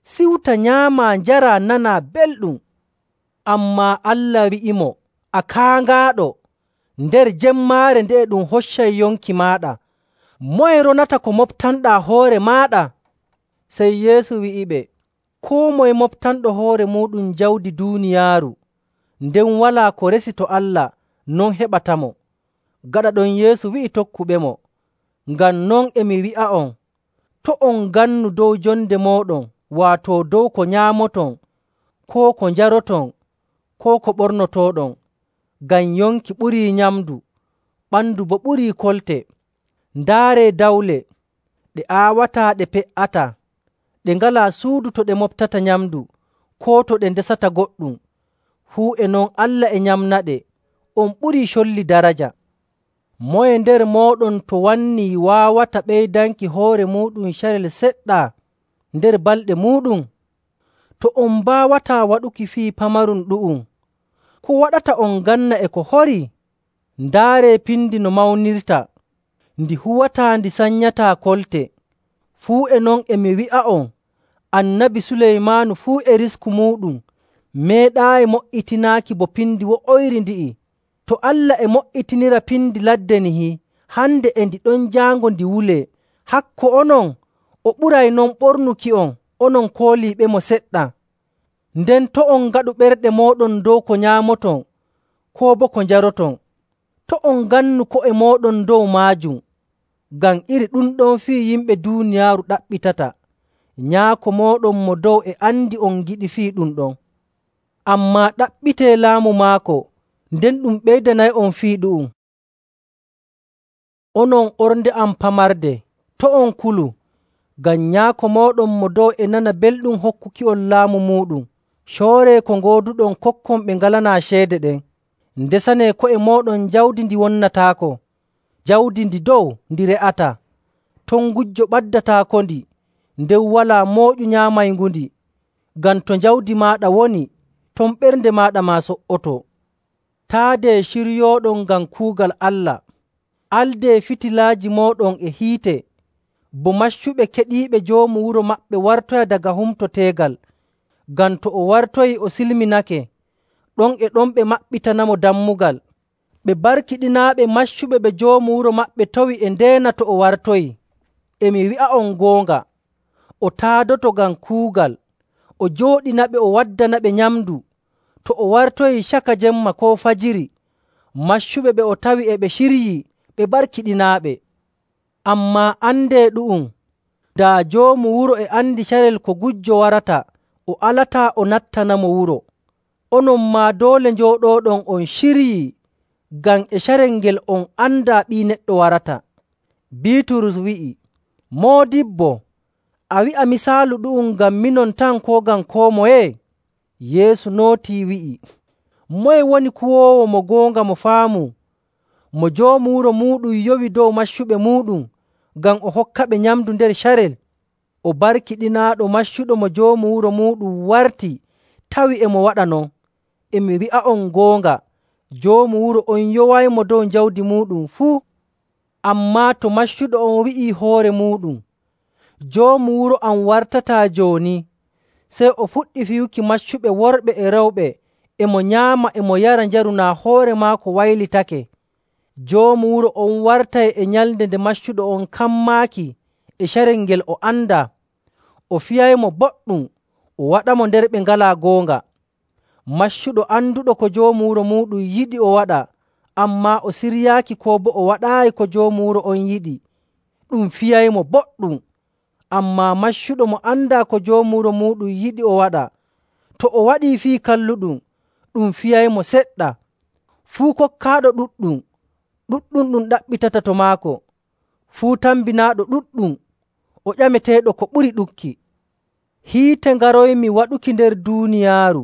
Speaker 1: Siwta, nyaamaa, njaraa, nanaa belɗum.’ Ammaa Allah wi'imo, ‘A kaaŋaaɗo! Nder jemmaare nde'e ɗum hoccay yonki maaɗa. Moye ronata ko moɓtanɗaa hoore maaɗa?” Sey Yeesu wi'iɓe, “Koo moye moɓtanɗo hoore muuɗum jawdi duuniyaaru, nden walaa ko resi to Allah, non heɓatamo.” Gaɗa ɗon Yeesu wi'i tokkuɓemo, “Ngam non e mi wi'a'on, to' on ngannu dow jonde mooɗon, waato dow ko nyaamoton, koo ko njaroton, koo ko ɓornotooɗon. Ngam yonki ɓurii nyamndu, ɓandu boo ɓurii kolte. Ndaaree dawle, ɗe aawataa ɗe pe''ataa, ɗe ngalaa suudu to ɗe moɓtata nyamndu, koo to ɗe ndesata goɗɗum. Fuu e non Allah e nyamnaɗe. On ɓurii colli daraja. Moye nder mooɗon to wannii waawata ɓeydanki hoore muuɗum carel seɗɗa nder balɗe muuɗum? To on mbaawataa waɗuki fii pamarum ɗu'um, ko waɗata on nganna e ko horii? Ndaaree pindi no mawnirta, ndi huwataa ndi sanyataa kolte. Fuu e non e mi wi'a'on, Annabi Suleymaanu fuu e risku muuɗum meeɗaayi mo''itinaaki bo pindi wo'oyri ndi'i. To Allah e mo''itinira pindi ladde nihi, hande e ndi ɗon jaango ndi wulee. Hakko onon, o ɓuray non ɓornuki'on, onon kooliiɓemo seɗɗa. Nden to' on ngaɗu ɓerɗe mooɗon dow ko nyaamoton, koo boo ko njaroton. To' on ngannu ko'e mooɗon dow maajum, ngam iri ɗum ɗon fii yimɓe duuniyaaru ɗaɓɓitata. Nyaako mooɗon mo dow e andi on ngiɗi fii ɗum ɗon. Ammaa ɗaɓɓitee laamu maako, nden ɗum ɓeydanay'on fii ɗu'um. Onon ornde am pamarde, to' on kulu, ngam Nyaako mooɗon mo dow e nana belɗum hokkuki'on laamu muuɗum. Cooree ko ngooduɗon kokkon ɓe ngalanaa ceede ɗen. Ndesanee ko'e mooɗon jawdi ndi wonnataako, jawdi ndi dow ndi re'ataa. Ton ngujjo ɓaddataakondi, nden walaa mooƴu nyaamaygundi. Ngam to jawdi maaɗa woni, ton ɓernde maaɗa maa so''otoo. Taadee ciryooɗon ngam kuugal Allah. Aldee fitilaaji mooɗon e hiite, bo maccuɓe keɗiiɓe joomu wuro maɓɓe wartoya daga humto teegal. Ngam to o wartoyii o silminake, ɗon e ɗon ɓe maɓɓitanamo dammugal. Ɓe barkiɗinaaɓe maccuɓe ɓe joomu wuro maɓɓe towi e ndeena to o wartoyii. E mi wi'a'on goonga, o taadoto ngam kuugal, o jooɗinaɓe o waddanaɓe nyamndu. To o wartoyii caka jemma koo fajiri, maccuɓe ɓe o tawi e ɓe ciryii, ɓe barkiɗinaaɓe. Ammaa andee ɗu'um, daa joomu wuro e andi carel ko gujjo warata, o alataa o nattanamo wuro. Onon maa doole njooɗooɗon on ciryii, ngam e carel ngel on andaa Ɓii Neɗɗo warata.” Biiturus wi'i, “Moodibbo, a wi'a misaalu ɗu'um ngam minon tan koo ngam koo moye?” Yeesu nootii wi'i, “Moye woni kuwoowo mo goonga mo faamu, mo joomu wuro muuɗum yowi dow maccuɓe muuɗum ngam o hokkaɓe nyamndu nder carel? O barkiɗinaaɗo maccuɗo mo joomu wuro muuɗum warti tawi e mo waɗa non. E mi wi'a'on goonga, Joomu wuro on yowaymo dow jawdi muuɗum fuu. Ammaa to maccuɗo on wi'ii hoore muuɗum, ‘Joomu wuro am wartataa jooni,’ sey o fuɗɗi fiyuki maccuɓe worɓe e rewɓe e mo nyaama e mo yara njaru naa hoore maako waylitake, joomu wuro on wartay e nyalnde nde maccuɗo on kammaaki e carel ngel o andaa. O fiyaymo boɗɗum, o waɗamo nder ɓe ngalaa goonga. Maccuɗo anduɗo ko joomu wuro muuɗum yiɗi o waɗa, ammaa o siryaaki koo boo o waɗaayi ko joomu wuro on yiɗi, ɗum fiyaymo boɗɗum. Ammaa maccuɗo mo andaa ko joomu wuro muuɗum yiɗi o waɗa, to o waɗii fii kalluɗum, ɗum fiyaymo seɗɗa. Fuu kokkaaɗo ɗuɗɗum, ɗuɗɗum ɗum ɗaɓɓitata to maako. Fuu tambinaaɗo ɗuɗɗum, o ƴameteeɗo ko ɓuri ɗuɗki. Hiite ngaroymi waɗuki nder duuniyaaru,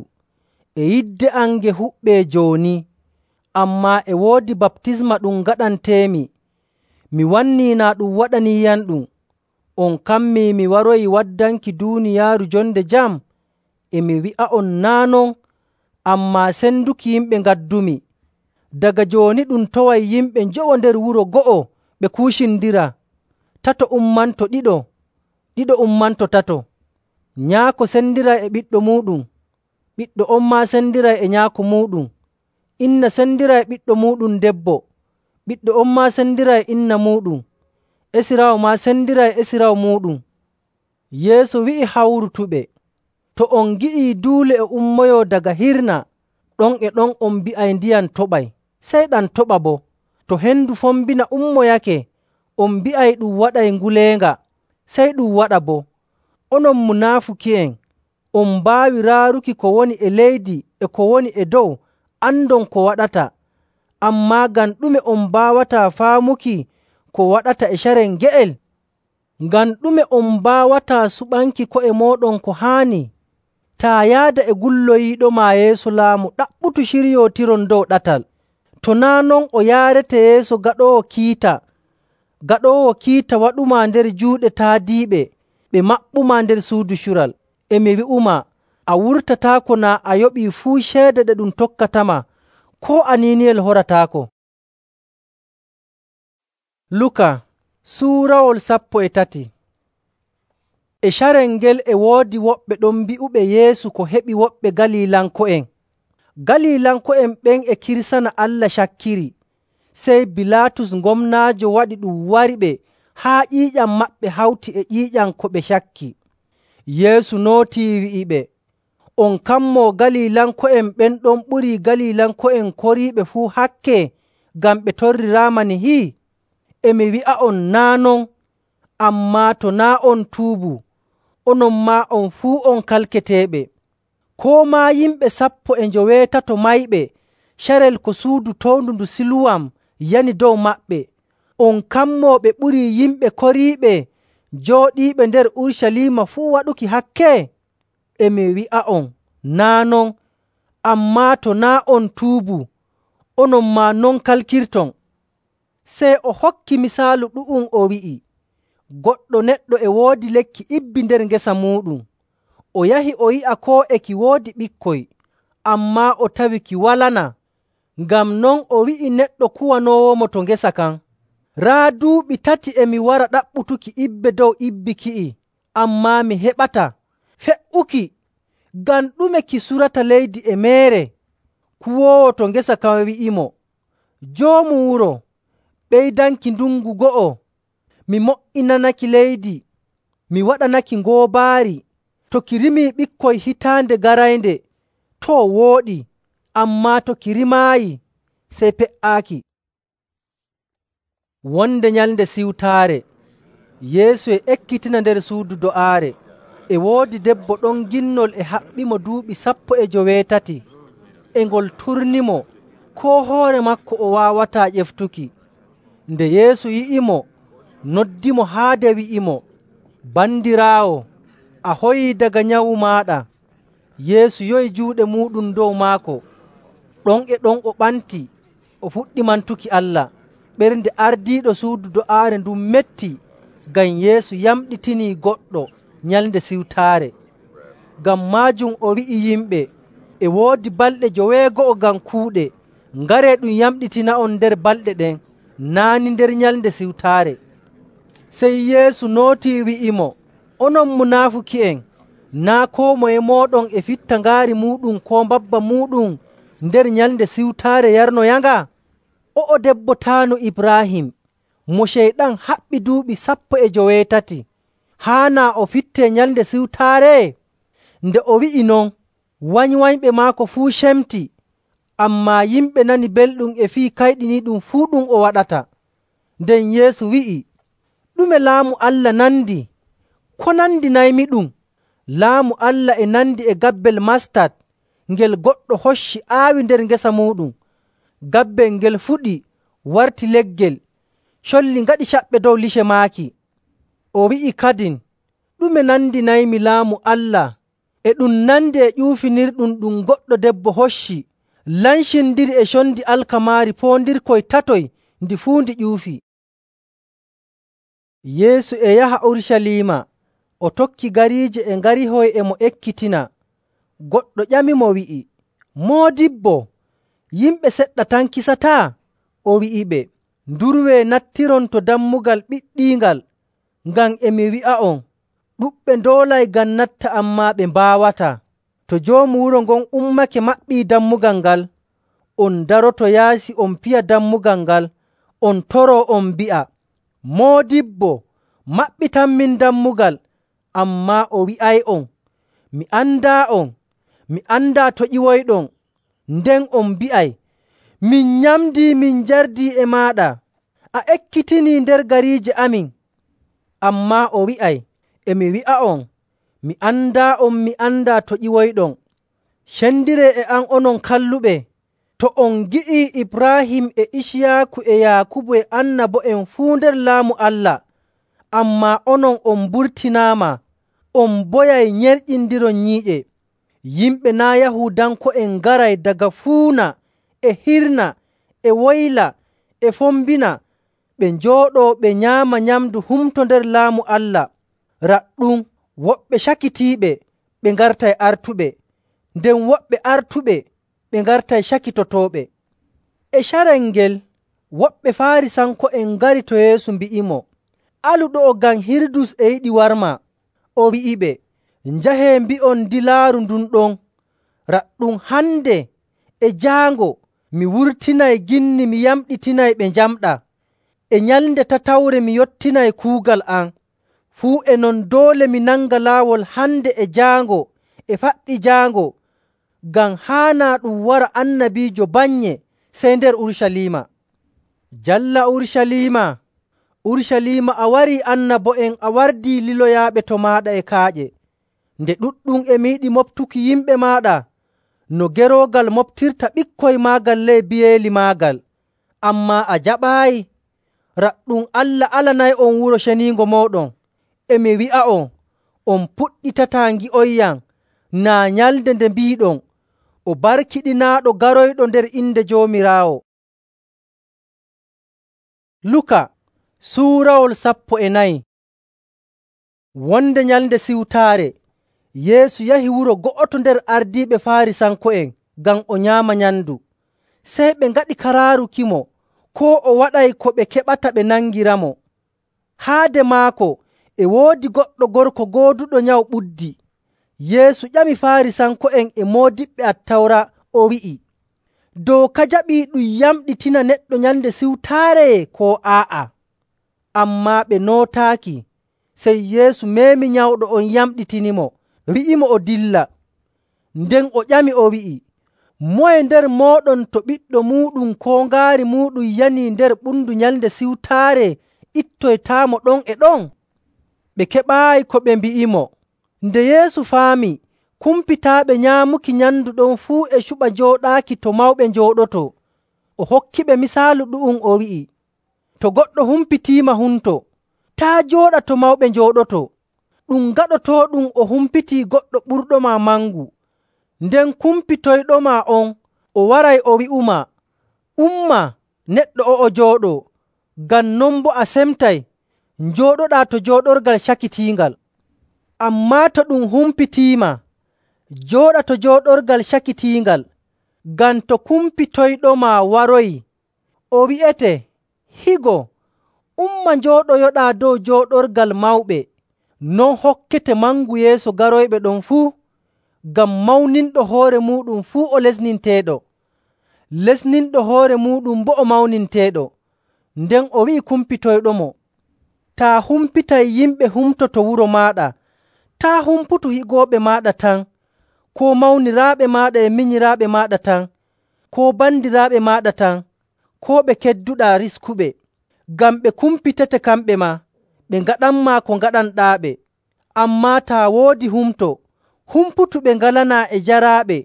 Speaker 1: e yidde am nge huɓɓee jooni. Ammaa e woodi baptisma ɗum ngaɗanteemi, mi wannii naa ɗum waɗaniiyamɗum. On kammii mi waroyi waddanki duuniyaaru jonde jam? E mi wi'a'on naa' non, ammaa senduki yimɓe ngaddumi. Daga jooni ɗum toway yimɓe njowo nder wuro go'o ɓe kuucindira, tato ummanto ɗiɗo, ɗiɗo ummanto tato. Nyaako sendiray e ɓiɗɗo muuɗum, ɓiɗɗo on maa sendiray e nyaako muuɗum. Inna sendiray ɓiɗɗo muuɗum debbo, ɓiɗɗo on maa sendiray inna muuɗum. Esiraawo maa sendiray esiraawo muuɗum.” Yeesu wi'i hawrutuɓe, “To on ngi'ii duule e ummoyoo daga hirna, ɗon e ɗon on mbi'ay ndiyam toɓay, sey ɗam toɓa boo. To hendu fombina ummoyake, on mbi'ay ɗum waɗay nguleenga, sey ɗum waɗa boo. Onon munaafuki'en, on mbaawi raaruki ko woni e leydi e ko woni e dow, andon ko waɗata. Ammaa ngam ɗume on mbaawataa faamuki ko waɗata e carel nge'el? Ngam ɗume on mbaawataa suɓanki ko'e mooɗon ko haani? Taa yaada e gulloyiiɗomaa yeeso laamu, ɗaɓɓutu ciryootiron dow ɗatal. To naa' non o yaarete yeeso gaɗoowo kiita, gaɗoowo kiita waɗumaa nder juuɗe taadiiɓe, ɓe maɓɓumaa nder suudu cural. E mi wi'umaa, a wurtataako naa a yoɓii fuu ceede ɗe ɗum tokkatama, koo aniiniyel horataako.” Luka suurawol sappo e tati. E carel ngel e woodi woɓɓe ɗon mbi'uɓe Yeesu ko heɓi woɓɓe Galiilanko'en. Galiilanko'en ɓen e kirsana Allah cakkiri. Sey Bilaatus gomnaajo waɗi ɗum wariɓe haa ƴiiƴam maɓɓe hawti e ƴiiƴam ko ɓe cakki. Yeesu nootii wi'iɓe, “On kammoo Galiilanko'en ɓen ɗon ɓurii Galiilanko'en koriiɓe fuu hakke ngam ɓe torriraama nihi? E mi wi'a'on naa' non. Ammaa to naa' on tuubu, onon maa on fuu on kalketeeɓe. Koo maa yimɓe sappo e njoweetato mayɓe carel ko suudu towndu ndu Siluwam yani dow maɓɓe, on kammoo ɓe ɓurii yimɓe koriiɓe jooɗiiɓe nder Urucaliima fuu waɗuki hakke? E mi wi'a'on naa' non. Ammaa to naa' on tuubu, onon maa non kalkirton.” Sey o hokki misaalu ɗu'um o wi'i, “Goɗɗo neɗɗo e woodi lekki ibbi nder ngesa muuɗum. O yahi o yi'a koo e ki woodi ɓikkoy, ammaa o tawi ki walana. Ngam non o wi'i neɗɗo kuwanoowomo to ngesa kan, ‘Raa duuɓi tati e mi wara ɗaɓɓutuki ibbe dow ibbi ki'i, ammaa mi heɓataa. Fe''uki! Ngam ɗume ki surata leydi e meere?’ Kuwoowo to ngesa kan wi'imo, ‘Joomu wuro, ɓeydanki ndungu go'o, mi mo''inanaki leydi, mi waɗanaki ngoobaari. To ki rimii ɓikkoy hitaande garaynde, too wooɗi, ammaa to ki rimaayi, sey pe''aaki.” Wonde Nyalnde Siwtaare, Yeesu e ekkitina nder suudu do'aare. E woodi debbo ɗon ginnol e haɓɓimo duuɓi sappo e joweetati, e ngol turnimo, koo hoore maako o waawataa ƴeftuki. Nde Yeesu yi'imo, noddimo haade wi'imo, “Bandiraawo, a hoyii daga nyawu maaɗa.” Yeesu yowi juuɗe muuɗum dow maako. Ɗon e ɗon o ɓanti, o fuɗɗi mantuki Allah. Ɓernde ardiiɗo suudu do'aare ndun metti, ngam Yeesu yamɗitinii goɗɗo Nyalnde Siwtaare. Ngam maajum o wi'i yimɓe, e woodi balɗe joweego'o ngam kuuɗe, Ngaree ɗum yamɗitina'on nder balɗe ɗen, naa' ni nder Nyalnde Siwtaare.” Sey Yeesu nootii wi'imo, “Onon munaafuki'en, naa' koo moye mooɗon e fitta ngaari muuɗum koo mbabba muuɗum nder Nyalnde Siwtaare yarnoyanga? O'o debbo taanu Ibraahim mo Ceyɗan haɓɓi duuɓi sappo e joweetati, haanaa o fittee Nyalnde Siwtaare?” Nde o wi'i non, wanywanyɓe maako fuu cemti, ammaa yimɓe nani belɗum e fii kayɗiniiɗum fuu ɗum o waɗata. Nden Yeesu wi'i, “Ɗume Laamu Allah nandi? Ko nandinaymiɗum? Laamu Allah e nandi e gabbel mastat ngel goɗɗo hocci aawi nder ngesa muuɗum. Gabbel ngel fuɗi warti leggel, colli ngaɗi caɓɓe dow lice maaki.” O wi'i kadin, “Ɗume nandinaymi Laamu Allah? E ɗum nandi e ƴuufinirɗum ɗum goɗɗo debbo hocci, lancindiri e condi alkamaari poondirkoy tatoy ndi fuu ndi ƴuufi.” Yeesu e yaha Urucaliima, o tokki gariije e ngarihoy e mo ekkitina. Goɗɗo ƴamimo wi'i, “Moodibbo, yimɓe seɗɗa tan kisataa?” O wi'iɓe, “Ndurwee nattiron to dammugal ɓiɗɗiingal, ngam e mi wi'a'on, ɗuɗɓe ndoolay ngam natta, ammaa ɓe mbaawataa. To joomu wuro ngon ummake maɓɓii dammugal ngal, on daroto yaasi on piya dammugal ngal, on toroo on mbi'a, ‘Moodibbo, maɓɓitanmin dammugal.’ Ammaa o wi'ay'on, ‘Mi andaa'on, mi andaa to ƴiwoyɗon.’ Nden on mbi'ay, ‘Min nyamdii, min njardii e maaɗa, a ekkitinii nder gariije amin.’ Ammaa o wi'ay, ‘E mi wi'a'on, mi andaa'on, mi andaa to ƴiwoyɗon. Cendiree e am, onon kalluɓe! To on ngi'ii Ibraahim e Iciyaaku e Yaakubu e annabo'en fuu nder Laamu Allah, ammaa onon on mburtinaama, on mboyay nyerƴindiron nyiiƴe. Yimɓe naa' Yahuudanko'en ngaray daga fuuna e hirna e woyla e fombina, ɓe njooɗoo ɓe nyaama nyamndu humto nder Laamu Allah. Raɗɗum woɓɓe cakitiiɓe ɓe ngartay artuɓe, nden woɓɓe artuɓe ɓe ngartay cakitotooɓe.” E carel ngel woɓɓe Faarisanko'en ngari to Yeesu mbi'imo, “Alu ɗo'o ngam Hirudus e yiɗi warmaa.” O wi'iɓe, “Njahee mbi'on dilaaru ndun ɗon, raɗɗum hande e jaango mi wurtinay ginni mi yamɗitinay ɓe njamɗaa. E nyalnde tatawre mi yottinay kuugal am. Fuu e non doole mi nanga laawol hande e jaango e faɗɗi jaango, ngam haanaa ɗum wara annabiijo bannye sey nder Urucaliima. Jalla Urucaliima, Urucaliima, a warii annabo'en, a wardii liloyaaɓe to maaɗa e kaaƴe. Nde ɗuɗɗum e mi yiɗi moftuki yimɓe maaɗa no geroogal moftirta ɓikkoy maagal ley biyeeli maagal, ammaa a jaɓaayi. Raɗɗum Allah alanay'on wuro ceniingo mooɗon. E mi wi'a'on, on puɗɗitataa ngi'oyyam naa nyalnde nde mbiiɗon, ‘O barkiɗinaaɗo garoyɗo nder inde Joomiraawo.’” Luka suurawol sappo e nayi. Wonde Nyalnde Siwtaare, Yeesu yahi wuro go'oto nder ardiiɓe Faarisanko'en ngam o nyaama nyamndu. Sey ɓe ngaɗi karaarukimo koo o waɗay ko ɓe keɓata ɓe nangiramo. Haade maako e woodi goɗɗo gorko gooduɗo nyawu ɓuddi. Yeesu ƴami Faarisanko'en e moodiɓɓe Attawra, o wi'i, “Dooka jaɓii ɗum yamɗitina neɗɗo Nyalnde Siwtaare koo aa'a?” Ammaa ɓe nootaaki. Sey Yeesu meemi nyawɗo on yamɗitinimo, wi'imo o dilla. Nden o ƴami o wi'i, “Moye nder mooɗon to ɓiɗɗo muuɗum koo ngaari muuɗum yanii nder ɓundu Nyalnde Siwtaare ittoytaamo ɗon e ɗon?” Ɓe keɓaayi ko ɓe mbi'imo. Nde Yeesu faami kumpitaaɓe nyaamuki nyamndu ɗon fuu e cuɓa njooɗaaki to mawɓe njooɗotoo, o hokkiɓe misaalu ɗu'um, o wi'i, “To goɗɗo humpitiima hunto, taa' jooɗa to mawɓe njooɗotoo. Ɗum gaɗotooɗum o humpitii goɗɗo ɓurɗomaa mangu. Nden kumpitoyɗomaa on o waray o wi'umaa, ‘Umma, neɗɗo o'o jooɗoo.’ Ngam non boo a semtay njooɗoɗaa to jooɗorgal cakitiingal. Ammaa to ɗum humpitiima, jooɗa to jooɗorgal cakitiingal, Ngam to kumpitoyɗoma waroyi, o wi'ete, ‘Higo, umma njooɗoyoɗaa dow jooɗorgal mawɓe,’ non hokkete mangu yeeso garoyɓe ɗon fuu, ngam mawninɗo hoore muuɗum fuu o lesninteeɗo, lesninɗo hoore muuɗum boo o mawninteeɗo.” Nden o wi'i kumpitoyɗomo, “Taa humpitay yimɓe humto to wuro maaɗa, taa' humputu higooɓe maaɗa tan, koo mawniraaɓe maaɗa e minyiraaɓe maaɗa tan, koo bandiraaɓe maaɗa tan, koo ɓe kedduɗaa riskuɓe. Ngam ɓe kumpitete kamɓe maa, ɓe ngaɗanmaa ko ngaɗanɗaaɓe. Ammaa taa woodi humto, humputu ɓe ngalanaa e jaraaɓe,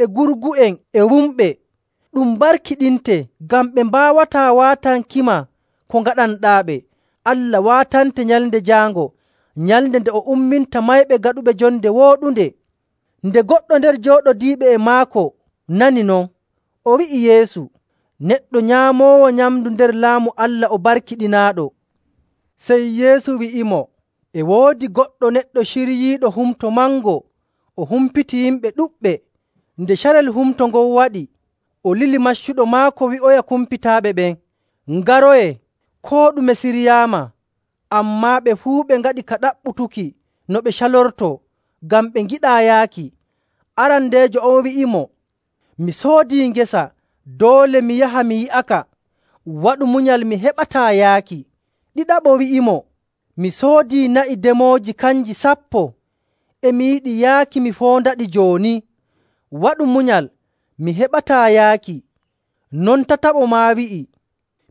Speaker 1: e gurgu'en, e wumɓe. Ɗum barkiɗinte, ngam ɓe mbaawataa waatankima ko ngaɗanɗaaɓe. Allah waatante Nyalnde Jaango, nyalnde nde o umminta mayɓe gaɗuɓe jonde wooɗunde.” Nde goɗɗo nder jooɗodiiɓe e maako nani non, o wi'i Yeesu, “Neɗɗo nyaamoowo nyamndu nder Laamu Allah o barkiɗinaaɗo.” Sey Yeesu wi'imo, “E woodi goɗɗo neɗɗo ciryiiɗo humto mango, o humpiti yimɓe ɗuɗɓe. Nde carel humto ngon waɗi, o lili maccuɗo maako wi'oya kumpitaaɓe ɓen, ‘Ngaroyee, koo ɗume siryaama.’ Ammaa ɓe fuu ɓe ngaɗi ka ɗaɓɓutuki no ɓe calortoo, ngam ɓe ngiɗaa yaaki. Arandeejo on wi'imo, ‘Mi soodii ngesa, doole mi yaha mi yi'aka. Waɗu munyal, mi heɓataa yaaki.’ Ɗiɗaɓo wi'imo, ‘Mi soodii na'i demooji kanji sappo. E mi yiɗi yaaki mi foondaɗi jooni. Waɗu munyal, mi heɓataa yaaki.’ Non tataɓo maa wi'i,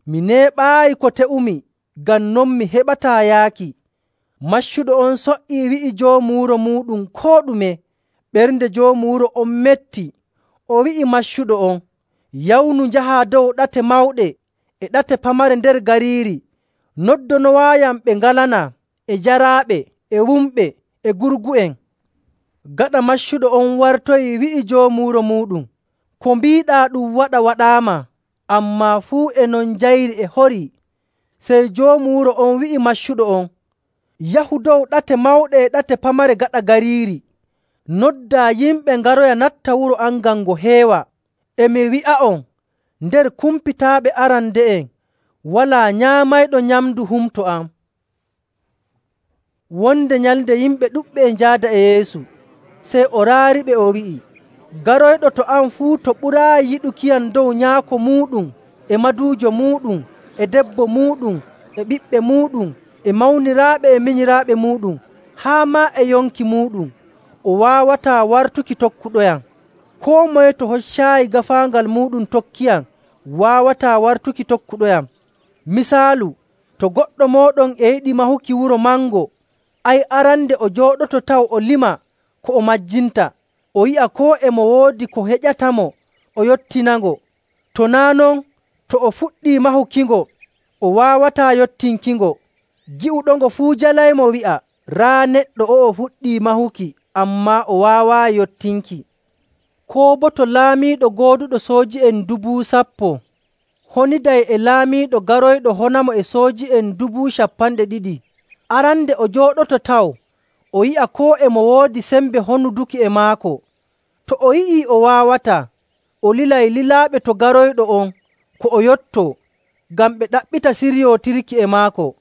Speaker 1: ‘Mi neeɓaayi ko te'umi, ngam non mi heɓataa yaaki.’ Maccuɗo on so''ii wi'i joomu wuro muuɗum koo ɗume. Ɓernde joomu wuro on metti. O wi'i maccuɗo on, ‘Yawnu njahaa dow ɗate mawɗe e ɗate pamare nder gariiri, noddonowaayam ɓe ngalanaa, e jaraaɓe, e wumɓe, e gurgu'en.’ Gaɗa maccuɗo on wartoyi wi'i joomu wuro muuɗum, ‘Ko mbiiɗaa ɗum waɗa waɗaama.’ Ammaa fuu e non njayri e horii. Sey joomu wuro on wi'i maccuɗo on, ‘Yahu dow ɗate mawɗe e ɗate pamare gaɗa gariiri, noddaa yimɓe ngaroya natta wuro am ngam ngo heewa. E mi wi'a'on, nder kumpitaaɓe arande'en walaa nyaamayɗo nyamndu humto am.” Wonde nyalnde yimɓe ɗuɗɓe e njaada e Yeesu. Sey o raariɓe o wi'i, “Garoyɗo to am fuu to ɓuraayi yiɗukiyam dow nyaako muuɗum, e maduujo muuɗum, e debbo muuɗum, e ɓiɓɓe muuɗum, e mawniraaɓe e minyiraaɓe muuɗum, haa maa e yonki muuɗum, o waawataa wartuki tokkuɗoyam. Koo moye to hoccaayi gaafaangal muuɗum tokkiyam, waawataa wartuki tokkuɗoyam. Misaalu, to goɗɗo mooɗon e yiɗi mahuki wuro mango, ay, arande o jooɗoto taw o lima ko o majjinta, o yi'a koo e mo woodi ko heƴatamo o yottinango. To naa' non, to o fuɗɗii mahukingo, o waawataa yottinkingo. Gi'uɗongo fuu jalaymo wi'a, ‘Raa neɗɗo o'o fuɗɗii mahuki, ammaa o waawaayi yottinki.’ Koo boo to laamiiɗo gooduɗo sooji'en dubu sappo honiday e laamiiɗo garoyɗo honamo e sooji'en dubu cappanɗe ɗiɗi, arande o jooɗoto taw o yi'a koo e mo woodi sembe honuduki e maako. To o yi'ii o waawataa, o lilay lilaaɓe to garoyɗo on ko o yottoo, ngam ɓe ɗaɓɓita siryootirki e maako.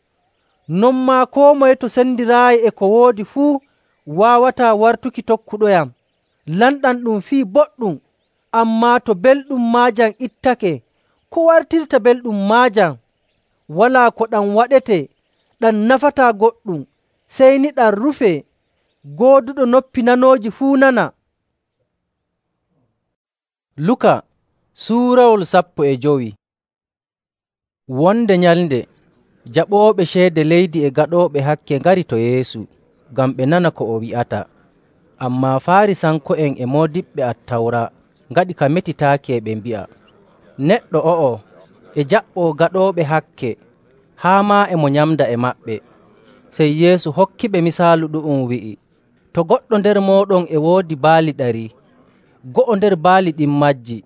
Speaker 1: Non maa koo moye to sendiraayi e ko woodi fuu waawataa wartuki tokkuɗoyam. Lamɗam ɗum fii boɗɗum, ammaa to belɗum maajam ittake, ko wartirta belɗum maajam? Walaa ko ɗam waɗete ɗam nafataa goɗɗum, sey ni ɗam rufee. Gooduɗo noppi nanooji fuu nana.” Luka suurawol sappo e jowi. Wonde nyalnde, jaɓooɓe ceede leydi e gaɗooɓe hakke ngari to Yeesu ngam ɓe nana ko o wi'ata. Ammaa Faarisanko'en e moodiɓɓe Attawra ngaɗi ka metitaaki e ɓe mbi'a, “Neɗɗo o'o e jaɓɓoo gaɗooɓe hakke, haa maa e mo nyamda e maɓɓe.” Sey Yeesu hokkiɓe misaalu ɗu'um wi'i, “To goɗɗo nder mooɗon e woodi baali ɗari, go'o nder baali ɗin majji,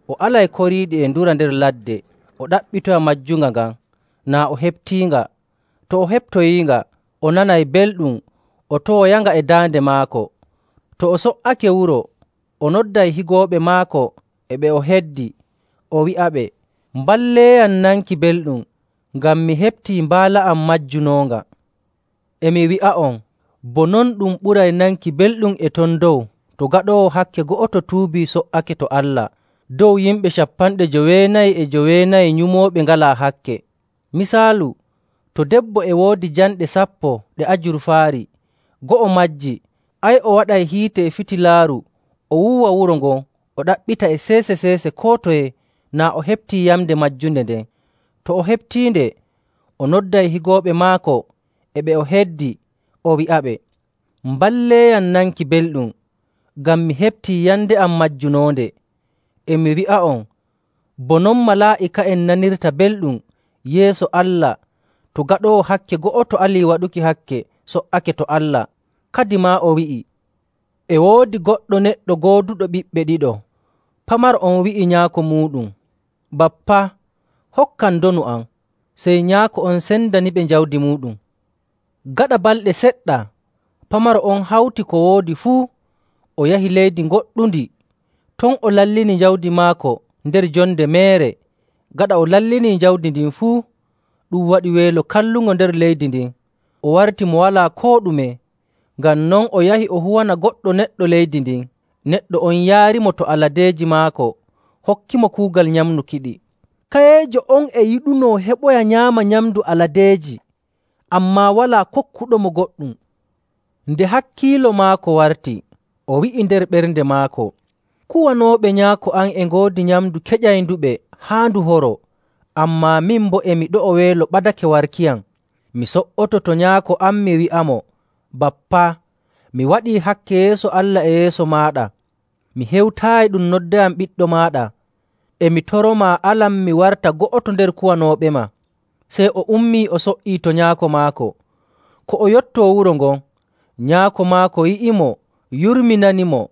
Speaker 1: o alay koriiɗi e ndura nder ladde o ɗaɓɓitoya majjunga ngan, naa o heɓtiinga. To o heɓtoyiinga, o nanay belɗum, o tooyanga e daande maako. To o so''ake wuro, o nodday higooɓe maako e ɓe o heddi, o wi'aɓe, “Mballeeyam nanki belɗum, ngam mi heɓtii mbaala am majjunoonga.” E mi wi'a'on, bo non ɗum ɓuray nanki belɗum e ton dow to gaɗoowo hakke go'oto tuubii so''ake to Allah, dow yimɓe cappanɗe joweenayi e joweenayi nyumooɓe ngalaa hakke. Misaalu, to debbo e woodi janɗe sappo ɗe ajurfaari, go'o majji, ay, o waɗay hiite e fitilaaru, o wuuwa wuro ngon, o ɗaɓɓita e seese‑seese koo toye naa o heɓtii yamnde majjunde nden. To o heɓtiinde, o nodday higooɓe maako e ɓe o heddi, o wi'aɓe, “Mballeeyam nanki belɗum, ngam mi heɓtii yande am majjunoonde.” E mi wi'a'on, bo non malaa'ika'en nanirta belɗum yeeso Allah to gaɗoowo hakke go'oto alii waɗuki hakke so''ake to Allah. Kadimaa o wi'i, “E woodi goɗɗo neɗɗo gooduɗo ɓiɓɓe ɗiɗo. Pamaro on wi'i nyaako muuɗum, ‘Bappa, hokkam ndonu am.’ Sey nyaako on sendaniɓe jawdi muuɗum. Gaɗa balɗe seɗɗa, pamaro on hawti ko woodi fuu, o yahi leydi goɗɗundi. Ton o lallini jawdi maako nder jonde meere. Gaɗa o lallinii jawdi ndin fuu, ɗum waɗi weelo kallungo nder leydi ndin. O warti mo walaa koo ɗume. Ngam non o yahi o huwana goɗɗo neɗɗo leydi ndin. Neɗɗo on yaarimo to aladeeji maako, hokkimo kuugal nyamnuki-ɗi. Kayeejo on e yiɗunoo heɓoya nyaama nyamndu aladeeji, ammaa walaa kokkuɗomo goɗɗum. Nde hakkiilo maako warti, o wi'i nder ɓernde maako, ‘Kuwanooɓe nyaako am e ngoodi nyamndu keƴaynduɓe haa ndu horo, ammaa min boo e mi ɗo'o weelo ɓadake warkiyam. Mi so''oto to nyaako am mi wi'amo, Bappa, mi waɗii hakke yeeso Allah e yeeso maaɗa. Mi hewtaayi ɗum noddayam ɓiɗɗo maaɗa. E mi toromaa alam mi warta go'oto nder kuwanooɓema.’ Sey o ummii o so''ii to nyaako maako. Ko o yottoo wuro ngon, nyaako maako yi'imo, yurminanimo,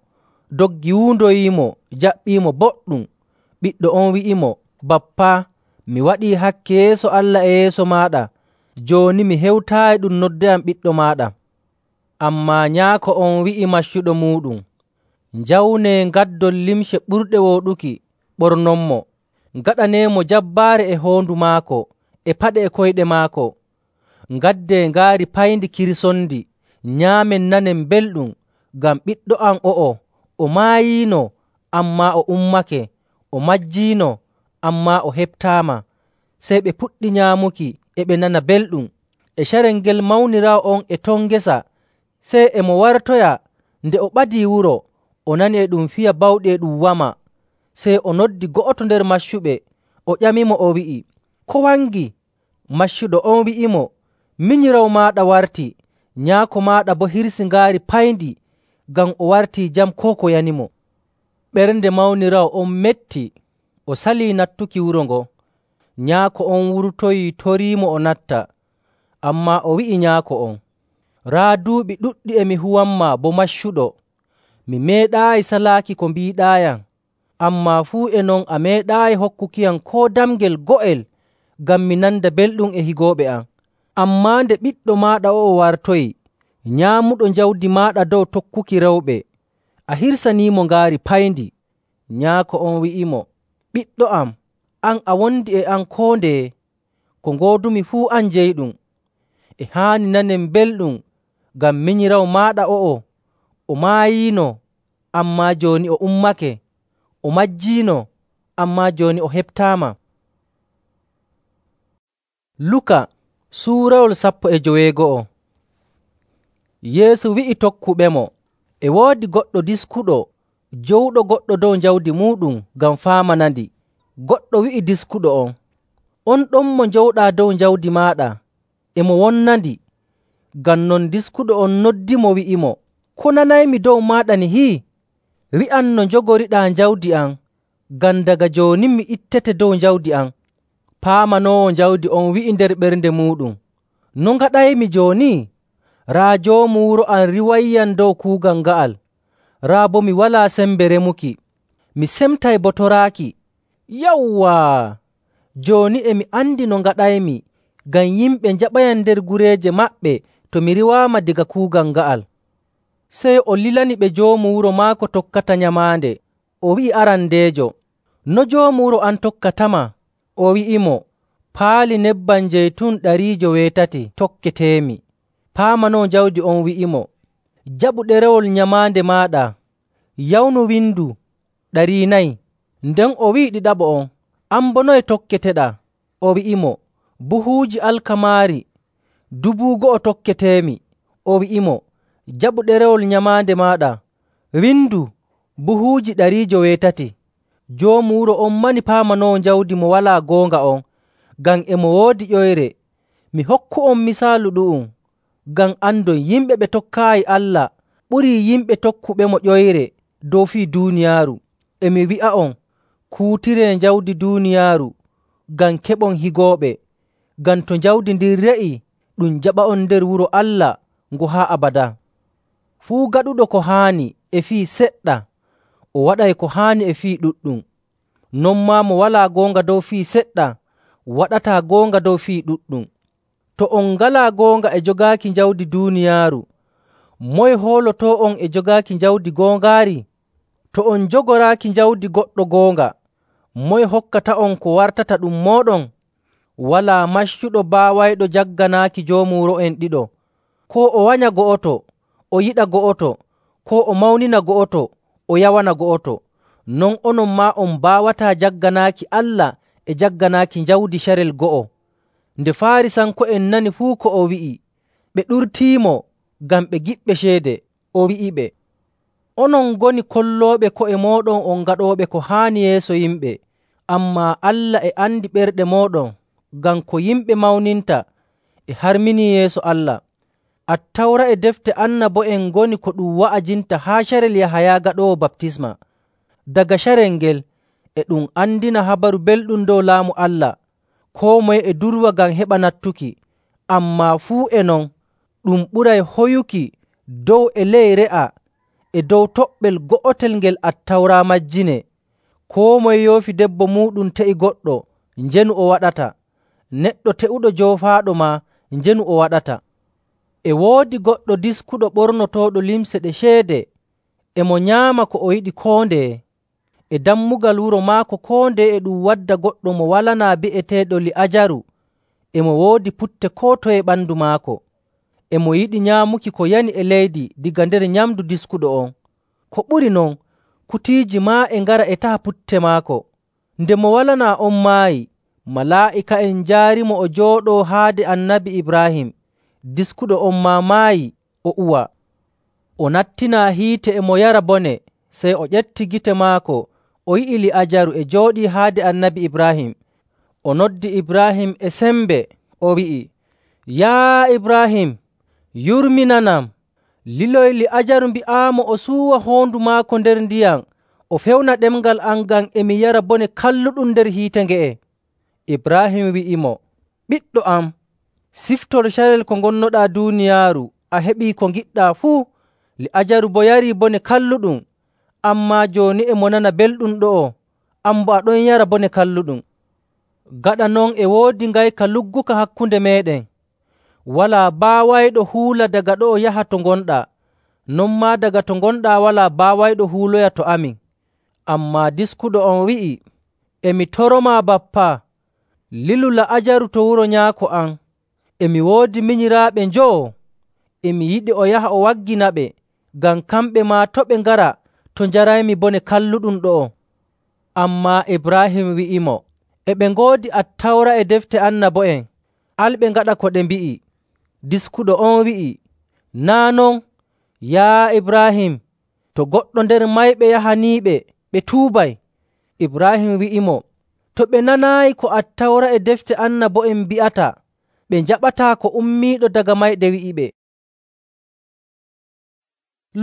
Speaker 1: doggi wuundoyiimo, jaɓɓiimo boɗɗum. Ɓiɗɗo on wi'imo, ‘Bappa, mi waɗii hakke yeeso Allah e yeeso maaɗa. Jooni mi hewtaayi ɗum noddayam ɓiɗɗo maaɗa.’ Ammaa nyaako on wi'i maccuɗo muuɗum, ‘Njawnee ngaddon limce ɓurɗe wooɗuki, ɓornonmo. Ngaɗaneemo jabbaare e hoondu maako, e paɗe e koyɗe maako. Ngaddee ngaari payndi kirsondi, nyaamen nanen belɗum, ngam ɓiɗɗo am o'o, o maayiino, ammaa o ummake, o majjiino, ammaa o heɓtaama.’ Sey ɓe puɗɗi nyaamuki, e ɓe nana belɗum. E carel ngel mawniraawo on e ton ngesa, sey e mo wartoya. Nde o ɓadii wuro, o nani e ɗum fiya bawɗi e ɗum wama. Sey o noddi go'oto nder maccuɓe, o ƴamimo, o wi'i, ‘Ko wangi?’ Maccuɗo on wi'imo, ‘Minyiraawo maaɗa warti, nyaako maaɗa boo hirsi ngaari payndi, ngam o wartii jam koo ko yanimo.’ Ɓernde mawniraawo on metti, o salii nattuki wuro ngon. Nyaako on wurtoyii toriimo o natta. Ammaa o wi'i nyaako on, ‘Raa duuɓi ɗuɗɗi e mi huwanmaa bo maccuɗo. Mi meeɗaayi salaaki ko mbiiɗaayam, ammaa fuu e non a meeɗaayi hokkukiyam koo damngel go'el ngam mi nanda belɗum e higooɓe am. Ammaa nde ɓiɗɗo maaɗa o'o wartoyi, nyaamuɗo jawdi maaɗa dow tokkuki rewɓe, a hirsaniimo ngaari payndi.’ Nyaako on wi'imo, ‘Ɓiɗɗo am, an a wondi e am koo ndeye. Ko ngoodumi fuu an jeyiɗum. E haani nanen belɗum, ngam minyiraawo maaɗa o'o, o maayiino, ammaa jooni o ummake, o majjiino, ammaa jooni o heɓtaama.” Luka suurawol sappo e joweego'o. Yeesu wi'i tokkuɓemo, “E woodi goɗɗo diskuɗo jowɗo goɗɗo dow jawdi muuɗum ngam faamanandi. Goɗɗo wi'i diskuɗo on, ‘On ɗon mo njowɗaa dow jawdi maaɗa, e mo wonnandi.’ Ngam non diskuɗo on noddimo wi'imo, ‘Ko nanaymi dow maaɗa nihi? Wi'am no njogoriɗaa jawdi am, ngam daga jooni mi ittete dow jawdi am.’ Paamanoowo jawdi on wi'i nder ɓernde muuɗum, ‘No ngaɗaymi jooni? Raa joomu wuro am riiwayyam dow kuugal nga'al, raa boo mi walaa sembe remuki. Mi semtay bo toraaki. Yawwaa! Jooni e mi andi no ngaɗaymi, ngam yimɓe njaɓayam nder gureeje maɓɓe to mi riiwaama daga kuugal nga'al.’ Sey o lilani ɓe joomu wuro maako tokkata nyamaande. O wi'i arandeejo, No joomu wuro an tokkatama?” O wi'imo, “Paali nebbam jeytun ɗariijo weetati tokketeemi.” Paamanoowo jawdi on wi'imo, “Jaɓu ɗerewol nyamaande maaɗa, yawnu windu ɗari nayi.” Nden o wi'i ɗiɗaɓo on, “An boo noye tokketeɗaa?” O wi'imo, “Buhuuji alkamaari dubu go'o tokketeemi.” O wi'imo, “Jaɓu ɗerewol nyamaande maaɗa, windu buhuuji ɗariijo weetati.” Joomu wuro on mani paamanoowo jawdi mo walaa goonga on, ngam e mo woodi ƴoyre. “Mi hokku'on misaalu ɗu'um, ngam andon yimɓe ɓe tokkaayi Allah ɓurii yimɓe tokkuɓemo ƴoyre dow fii duuniyaaru. E mi wi'a'on, kuutiree jawdi duuniyaaru ngam keɓon higooɓe, ngam to jawdi ndin re'ii, ɗum jaɓa'on nder wuro Allah ngo haa abadaa. Fuu gaɗuɗo ko haani e fii seɗɗa, o waɗay ko haani e fii ɗuɗɗum. Non maa mo walaa goonga dow fii seɗɗa, waɗataa goonga dow fii ɗuɗɗum. To on ngalaa goonga e jogaaki jawdi duuniyaaru, moye hoolotoo'on e jogaaki jawdi goongaari? To on njogoraaki jawdi goɗɗo goonga, moye hokkata'on ko wartata ɗum mooɗon? Walaa maccuɗo baawayɗo jagganaaki joomu wuro'en ɗiɗo. Koo o wanya go'oto, o yiɗa go'oto, koo o mawnina go'oto, o yawana go'oto. Non onon maa on mbaawataa jagganaaki Allah e jagganaaki jawdi carel go'o. Nde Faarisanko'en nani fuu ko o wi'i, ɓe ɗurtiimo ngam ɓe giɓɓe ceede. O wi'iɓe, “Onon ngoni kollooɓe ko'e mooɗon on gaɗooɓe ko haani yeeso yimɓe, ammaa Allah e andi ɓerɗe mooɗon, ngam ko yimɓe mawninta e harminii yeeso Allah. Attawra e defte annabo'en ngoni ko ɗum wa'ajinta haa carel Yahaya Gaɗoowo Baptisma. Daga carel ngel e ɗum andina habaru belɗum dow Laamu Allah. Koo moye e durwa ngam heɓa nattuki, ammaa fuu e non ɗum ɓuray hoyuki dow e ley re'a e dow toɓɓel go'otel ngel Attawra majjinee. Koo moye yoofi debbo muuɗum te'i goɗɗo, njenu o waɗata. Neɗɗo te'uɗo joofaaɗo maa, njenu o waɗata. E woodi goɗɗo diskuɗo ɓornotooɗo limce ɗe ceede, e mo nyaama ko o yiɗi koo ndeye. E dammugal wuro maako koo ndeye e ɗum wadda goɗɗo mo walanaa bi'eteeɗo Li'aajaru, e mo woodi putte koo toye ɓandu maako. E mo yiɗi nyaamuki ko yani e leydi daga nder nyamndu diskuɗo on. Ko ɓuri non, kutiiji maa e ngara e taha putte maako. Nde mo walanaa on maayi, malaa'ika'en njaarimo o jooɗoo haade Annabi Ibraahim. Diskuɗo on maa maayi, o uwa. O nattinaa hiite e mo yara bone, sey o ƴetti gite maako, o yi'i Li'aajaru e jooɗii haade Annabi Ibraahim. O noddi Ibraahim e sembe, o wi'i, “Yaa Ibraahim, yurminanam. Liloy Li'aajaru mbi'aamo o suuwa hoondu maako nder ndiyam, o fewna ɗemngal am ngam e mi yara bone kalluɗum nder hiite nge'e.” Ibraahim wi'imo, “Ɓiɗɗo am, siftol carel ko ngonnoɗaa duuniyaaru, a heɓii ko ngiɗɗaa fuu. Li'aajaru boo yarii bone kalluɗum, ammaa jooni e mo nana belɗum ɗo'o, an boo aɗon yara bone kalluɗum. Gaɗa non e woodi ngayka lugguka hakkunde meeɗen. Walaa baawayɗo huula daga ɗo'o yaha to ngonɗaa, non maa daga to ngonɗaa walaa baawayɗo huuloya to amin.” Ammaa diskuɗo on wi'i, “E mi toromaa bappa, lilu La'aajaru to wuro nyaako am. E mi woodi minyiraaɓe njowo. E mi yiɗi o yaha o wagginaɓe, ngam kamɓe maa to' ɓe ngara to njaraymi bone kalluɗum ɗo'o.” Ammaa Ibraahim wi'imo, “E ɓe ngoodi Attawra e defte annabo'en, al ɓe ngaɗa ko ɗe mbi'i.” Diskuɗo on wi'i, “Naa' non, yaa Ibraahim, to goɗɗo nder mayɓe yahaniiɓe, ɓe tuubay.” Ibraahim wi'imo, “To ɓe nanaayi ko Attawra e defte annabo'en mbi'ata, ɓe njaɓataa ko ummiiɗo daga mayde wi'iɓe.”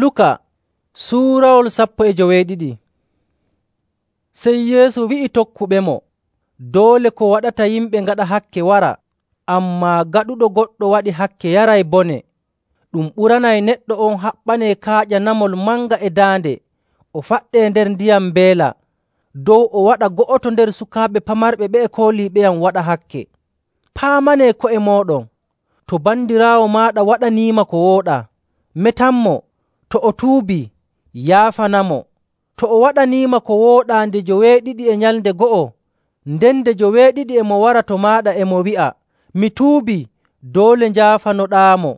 Speaker 1: Luka suurawol sappo e joweeɗiɗi. Sey Yeesu wi'i tokkuɓemo, “Doole ko waɗata yimɓe ngaɗa hakke wara, ammaa gaɗuɗo goɗɗo waɗi hakke yaray bone. Ɗum ɓuranay neɗɗo on haɓɓanee kaaƴa namol manga e daande, o faɗɗee nder ndiyam mbeela, dow o waɗa go'oto nder sukaaɓe pamarɓe ɓe'e kooliiɓeyam waɗa hakke. Paamanee ko'e mooɗon. To bandiraawo maaɗa waɗaniima ko wooɗaa, metanmo. To o tuubii, yaafanamo. To o waɗaniima ko wooɗaa nde joweeɗiɗi e nyalnde go'o, nden nde joweeɗiɗi e mo wara to maaɗa e mo wi'a, ‘Mi tuubii,’ doole njaafanoɗaamo.”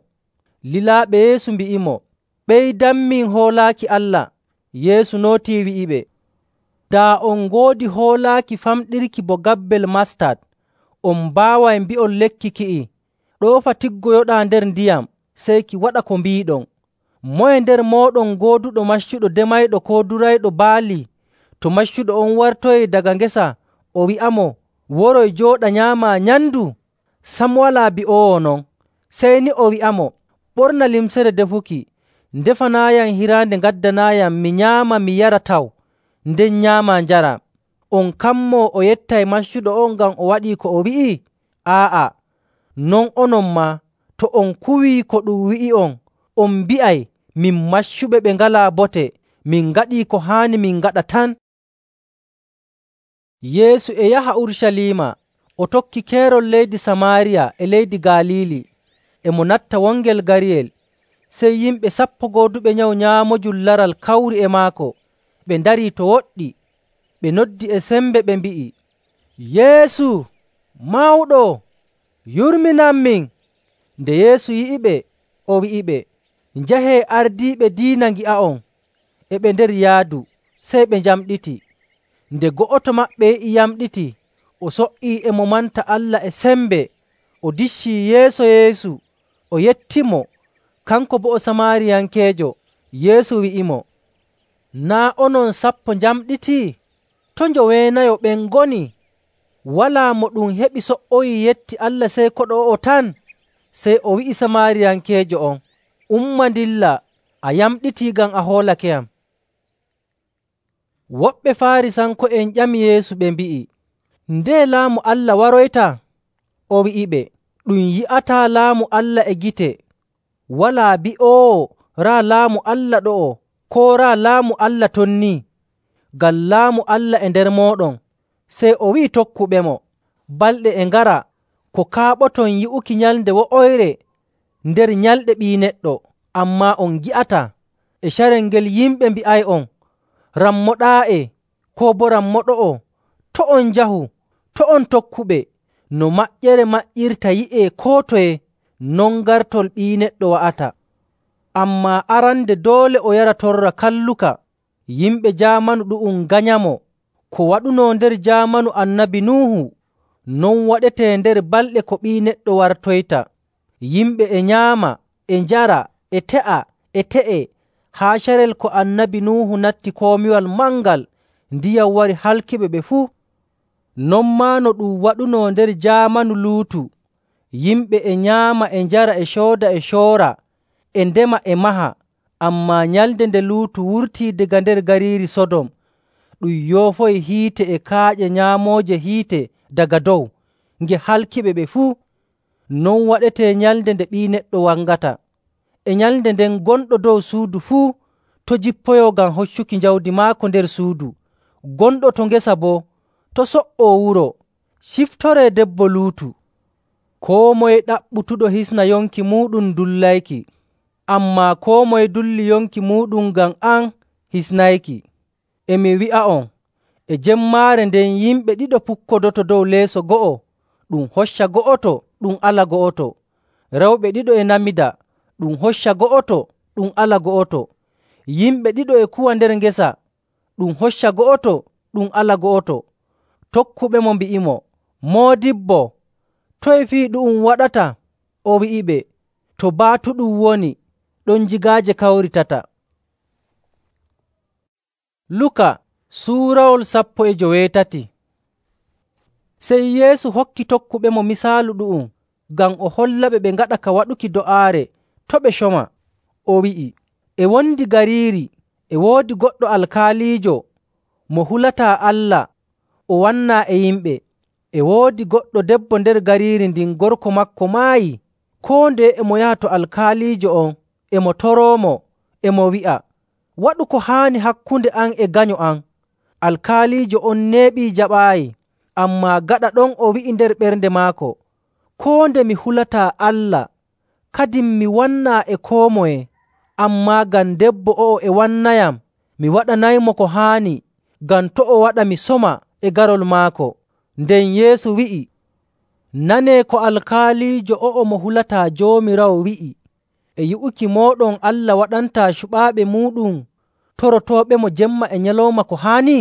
Speaker 1: Lilaaɓe Yeesu mbi'imo, “Ɓeydanmin hoolaaki Allah.” Yeesu nootii wi'iɓe, “Daa on ngoodi hoolaaki famɗirki bo gabbel mastat, on mbaaway mbi'on lekki ki'i, ‘Ɗoofa tiggoyoɗaa nder ndiyam,’ sey ki waɗa ko mbiiɗon. Moye nder mooɗon gooduɗo maccuɗo demayɗo koo durayɗo baali, to maccuɗo on wartoyii daga ngesa o wi'amo, ‘Woroy jooɗa nyaamaa nyamndu?’ Sam walaa bi'oowo non. Sey ni o wi'amo, ‘Ɓorna limcere defuki, ndefanaayam hiraande ngaddanaayam mi nyaama mi yara taw, nden nyaamaa njaraa.’ On kammoo o yettay maccuɗo on ngam o waɗii ko o wi'i? Aa'a, non onon maa, to on kuwii ko ɗum wi'i'on, on mbi'ay, ‘Min maccuɓe ɓe ngalaa bote, min ngaɗii ko haani min ngaɗa tan.’” Yeesu e yaha Urucaliima, o tokki keerol leydi Samaariya e leydi Galiili. E mo natta wongel gariyel, sey yimɓe sappo gooduɓe nyawu nyaamojum laral kawri e maako. Ɓe ndarii to woɗɗi. Ɓe noddi e sembe ɓe mbi'i, “Yeesu, Mawɗo, yurminanmin!” Nde Yeesu yi'iɓe, o wi'iɓe, “Njahee ardiiɓe diina ngi'a'on.” E ɓe nder yaadu, sey ɓe njamɗiti. Nde go'oto maɓɓe yi'i yamɗiti, o so''ii e mo manta Allah e sembe, o diccii yeeso Yeesu, o yettimo. Kanko boo o Samaariyankeejo. Yeesu wi'imo, “Naa' onon sappo njamɗitii? To njoweenayo ɓen ngoni? Walaa mo ɗum heɓi so''oyii yetti Allah sey koɗo o'o tan.” Sey o wi'i Samaariyankeejo on, “Umma ndilla, a yamɗitii ngam a hoolakeyam.” Woɓɓe Faarisanko'en ƴami Yeesu ɓe mbi'i, “Ndeye Laamu Allah waroytaa?” O wi'iɓe, “Ɗum yi'ataa Laamu Allah e gite. Walaa bi'oowo, ‘Raa Laamu Allah ɗo'o,’ koo ‘Raa Laamu Allah ton ni.’ Ngam Laamu Allah e nder mooɗon.” Sey o wi'i tokkuɓemo, “Balɗe e ngara ko kaaɓoton yi'uki nyalnde wo'oyre nder nyalɗe Ɓii Neɗɗo, ammaa on ngi'ataa. E carel ngel yimɓe mbi'ay'on, ‘Rammoɗaa'e,’ koo boo ‘Rammoɗo'o.’ To' on njahu, to' on tokkuɓe. No maƴƴere maƴƴirta yi'ee koo toye, non gartol Ɓii Neɗɗo wa'ata. Ammaa arande doole o yara torra kalluka, yimɓe jaamanu ɗu'um nganyamo. Ko waɗunoo nder jaamanu Annabi Nuuhu, non waɗetee nder balɗe ko Ɓii Neɗɗo wartoyta. Yimɓe e nyaama, e njara, e te'a, e te'e, haa carel ko Annabi Nuuhu natti komiwal mangal, ndiyam wari halkiɓe ɓe fuu. Non maa no ɗum waɗunoo nder jaamanu Luutu. Yimɓe e nyaama, e njara, e cooda, e coora, e ndema, e maha. Ammaa nyalnde nde Luutu wurtii daga nder gariiri Sodom, ɗum yoofoyi hiite e kaaƴe nyaamooje hiite daga dow, nge halkiɓe ɓe fuu. Non waɗetee nyalnde nde Ɓii Neɗɗo wangata. E nyalnde nden gonɗo dow suudu fuu to jippoyoo ngam hoccuki jawdi maako nder suudu. Gonɗo to ngesa boo to so''oo wuro. Ciftoree debbo Luutu. Koo moye ɗaɓɓutuɗo hisna yonki muuɗum dullayki, ammaa koo moye dulli yonki muuɗum ngam am hisnayki. E mi wi'a'on, e jemmaare nden yimɓe ɗiɗo pukkodoto dow leeso go'o, ɗum hocca go'oto, ɗum ala go'oto. Rewɓe ɗiɗo e namida, ɗum hocca go'oto, ɗum ala go'oto. Yimɓe ɗiɗo e kuwa nder ngesa, ɗum hocca go'oto, ɗum ala go'oto. Tokkuɓemo mbi'imo, “Moodibbo, toye fii ɗu'um waɗata?” O wi'iɓe, “To baatu ɗum woni, ɗon jigaaje kawritata.” Luka suurawol sappo e joweetati. Sey Yeesu hokki tokkuɓemo misaalu ɗu'um ngam o hollaɓe ɓe ngaɗa ka waɗuki do'aare to' ɓe coma. O wi'i, “E wondi gariiri e woodi goɗɗo alkaaliijo mo hulataa Allah o wannaa e yimɓe. E woodi goɗɗo debbo nder gariiri ndin gorko maako maayi. Koo ndeye e mo yaha to alkaaliijo on e mo toroomo, e mo wi'a, ‘Waɗu ko haani hakkunde am e ganyo am.’ Alkaaliijo on neeɓii jaɓaayi, ammaa gaɗa ɗon o wi'i nder ɓernde maako, ‘Koo nde mi hulataa Allah, kadin mi wannaa e koo moye, ammaa ngam debbo o'o e wannayam, mi waɗanaymo ko haani ngam to' o waɗa mi soma e garol maako.” Nden Yeesu wi'i, “Nanee ko alkaaliijo o'o mo hulataa Joomiraawo wi'i, ‘E yi'uki mooɗon Allah waɗantaa cuɓaaɓe muuɗum torotooɓemo jemma e nyalawma ko haani?’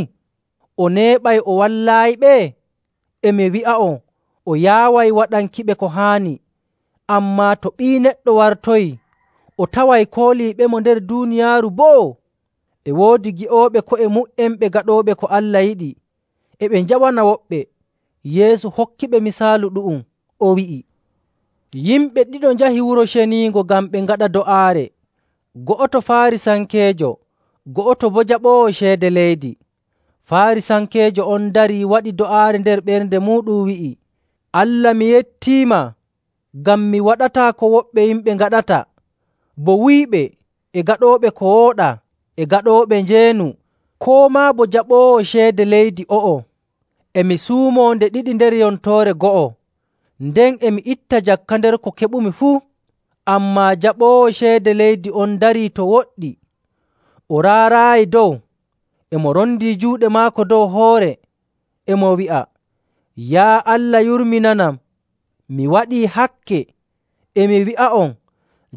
Speaker 1: O neeɓay o wallaayiɓe? E mi wi'a'on, o yaaway waɗankiɓe ko haani. Ammaa to Ɓii Neɗɗo wartoyii, o taway kooliiɓemo nder duuniyaaru boo? E woodi gi'ooɓe ko'e mu''en ɓe gaɗooɓe ko Allah yiɗi, e ɓe njaɓana woɓɓe.” Yeesu hokkiɓe misaalu ɗu'um, o wi'i, “Yimɓe ɗiɗo njahi Wuro Ceniingo ngam ɓe ngaɗa do'aare. Go'oto Faarisankeejo, go'oto boo jaɓoowo ceede leydi. Faarisankeejo on darii waɗi do'aare nder ɓernde muuɗum wi'i, ‘Allah, mi yettiima ngam mi waɗataa ko woɓɓe yimɓe ngaɗata, bo wuyɓe, e gaɗooɓe ko wooɗaa, e gaɗooɓe njeenu, koo maa bo jaɓoowo ceede leydi o'o. E mi suumoo nde ɗiɗi nder yontoore go'o, nden e mi itta jakka nder ko keɓumi fuu.’ Ammaa jaɓoowo ceede leydi on darii to woɗɗi, o raaraayi dow, e mo rondii juuɗe maako dow hoore, e mo wi'a, ‘Yaa Allah, yurminanam. Mi waɗii hakke.’ E mi wi'a'on,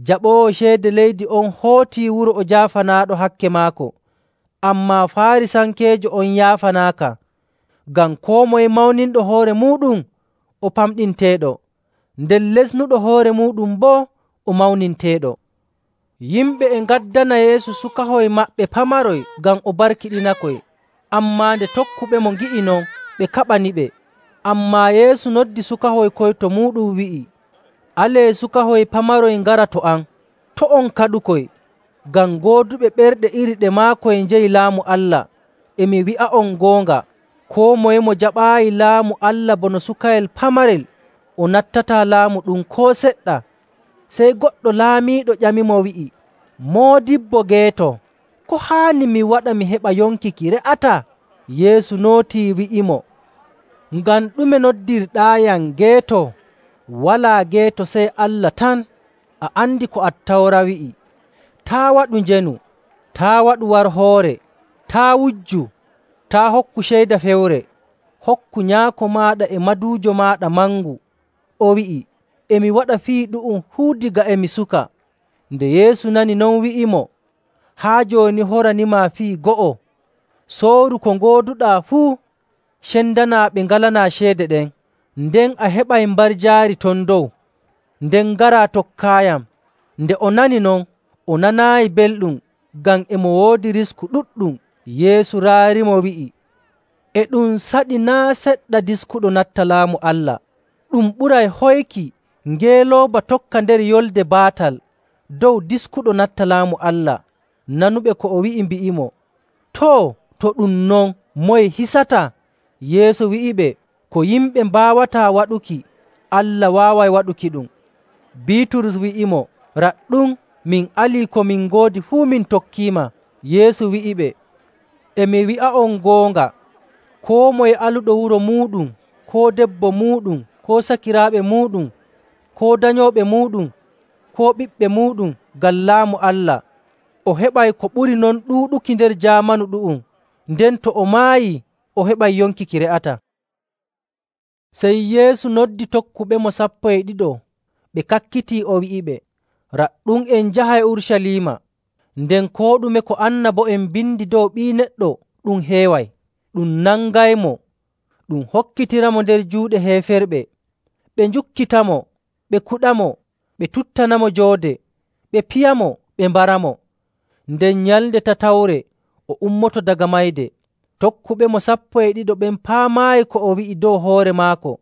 Speaker 1: jaɓoowo ceede leydi on hootii wuro o jaafanaaɗo hakke maako. Ammaa Faarisankeejo on yaafanaaka, ngam koo moye mawninɗo hoore muuɗum, o famɗinteeɗo, nden lesnuɗo hoore muuɗum boo, o mawninteeɗo.” Yimɓe e ngaddana Yeesu sukahoy maɓɓe pamaroy ngam o barkiɗinakoy. Ammaa nde tokkuɓemo ngi'i non, ɓe kaɓaniɓe. Ammaa Yeesu noddi sukahoy koyto muuɗum wi'i, “Alee sukahoy pamaroy ngara to am, to' on kaɗukoy, ngam gooduɓe ɓerɗe iri ɗe maakoy njeyi Laamu Allah. E mi wi'a'on goonga, koo moye mo jaɓaayi Laamu Allah bono sukayel pamarel, o nattataa laamu ɗum koo seɗɗa.” Sey goɗɗo laamiiɗo ƴamimo wi'i, “Moodibbo geeto, ko haani mi waɗa mi heɓa yonki ki re'ataa?” Yeesu nootii wi'imo, “Ngam ɗume noddirɗaayam geeto? Walaa geeto sey Allah tan. A andi ko Attawra wi'i, ‘Taa' waɗu njeenu, taa' waɗu warhoore, taa' wujju, taa' hokku ceyda fewre, hokku nyaako maaɗa e maduujo maaɗa mangu.’” O wi'i, “E mi waɗa fii ɗu'um fuu diga e mi suka.” Nde Yeesu nani non wi'imo, “Haa jooni horanimaa fii go'o. Sooru ko ngooduɗaa fuu, cendanaa ɓe ngalanaa ceede ɗen, nden a heɓay mbarjaari ton dow. Nden ngaraa tokkaayam.” Nde o nani non, o nanaayi belɗum, ngam e mo woodi risku ɗuɗɗum. Yeesu raarimo wi'i, “E ɗum saɗi naa' seɗɗa diskuɗo natta Laamu Allah. Ɗum ɓuray hoyki ngeelooba tokka nder yolde baatal dow diskuɗo natta Laamu Allah.” Nanuɓe ko o wi'i mbi'imo, “Too, to ɗum non, moye hisataa?” Yeesu wi'iɓe, “Ko yimɓe mbaawataa waɗuki, Allah waaway waɗukiɗum.” Biiturus wi'imo, “Raɗɗum, min alii ko min ngoodi fuu min tokkiima.” Yeesu wi'iɓe, “E mi wi'a'on goonga, koo moye aluɗo wuro muuɗum, koo debbo muuɗum, koo sakiraaɓe muuɗum, koo danyooɓe muuɗum, koo ɓiɓɓe muuɗum ngam Laamu Allah, o heɓay ko ɓuri non ɗuuɗuki nder jaamanu ɗu'um, nden to o maayii, o heɓay yonki ki re'ataa.” Sey Yeesu noddi tokkuɓemo sappo e ɗiɗo, ɓe kakkitii, o wi'iɓe, “Raɗɗum, en njahay Urucaliima. Nden koo ɗume ko annabo'en mbindi dow Ɓii Neɗɗo ɗum heeway. Ɗum nangaymo, ɗum hokkitiramo nder juuɗe heeferɓe. Ɓe njukkitamo, ɓe kuɗamo, ɓe tuttanamo joode, ɓe piyamo, ɓe mbaramo. Nden nyalnde tatawre o ummoto daga mayde.” Tokkuɓemo sappo e ɗiɗo ɓen paamaayi ko o wi'i dow hoore maako.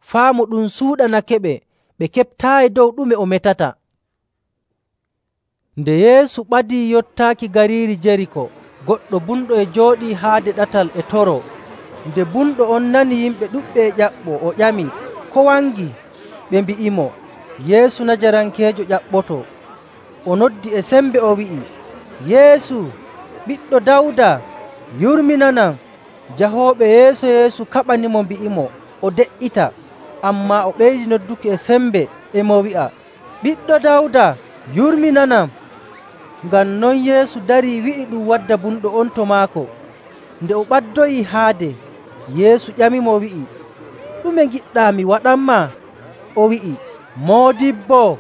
Speaker 1: Faamu ɗum suuɗanakeɓe, ɓe keɓtaayi dow ɗume o metata. Nde Yeesu ɓadii yottaaki gariiri Jeriko, goɗɗo bumɗo e jooɗii haade ɗatal e toroo. Nde bumɗo on nani yimɓe ɗuɗɓe e ƴaɓɓoo, o ƴami, “Ko wangi?” Ɓe mbi'imo, “Yeesu Najarankeejo ƴaɓɓotoo.” O noddi e sembe o wi'i, “Yeesu, Ɓiɗɗo Dawda, yurminanam!” Jahooɓe yeeso Yeesu kaɓanimo mbi'imo o de''ita. Ammaa o ɓeydi nodduki e sembe, e mo wi'a, “Ɓiɗɗo Dawda, yurminanam!” Ngam non Yeesu darii wi'i ɗum wadda bumɗo on to maako. Nde o ɓaddoyii haade, Yeesu ƴamimo wi'i, “Ɗume ngiɗɗaa mi waɗanmaa?” O wi'i, “Moodibbo,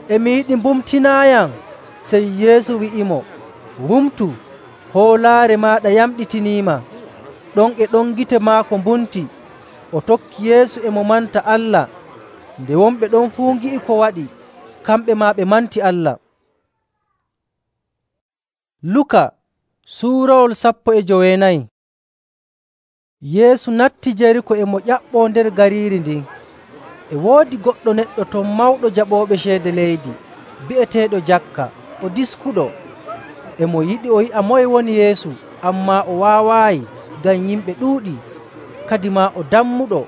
Speaker 1: e mi yiɗi mbumtinaayam.” Sey Yeesu wi'imo, “Wumtu, hoolaare maaɗa yamɗitiniima.” Ɗon e ɗon gite maako mbumti. O tokki Yeesu e mo manta Allah. Nde wonɓe ɗon fuu ngi'i ko waɗi, kamɓe maa ɓe manti Allah. Luka suurawol sappo e joweenayi. Yeesu natti Jeriko e mo ƴaɓɓoo nder gariiri ndin. E woodi goɗɗo neɗɗo ton mawɗo jaɓooɓe ceede leydi, bi'eteeɗo Jakka, o diskuɗo. E mo yiɗi o yi'a moye woni Yeesu, ammaa o waawaayi ngam yimɓe ɗuuɗii, kadimaa o dammuɗo.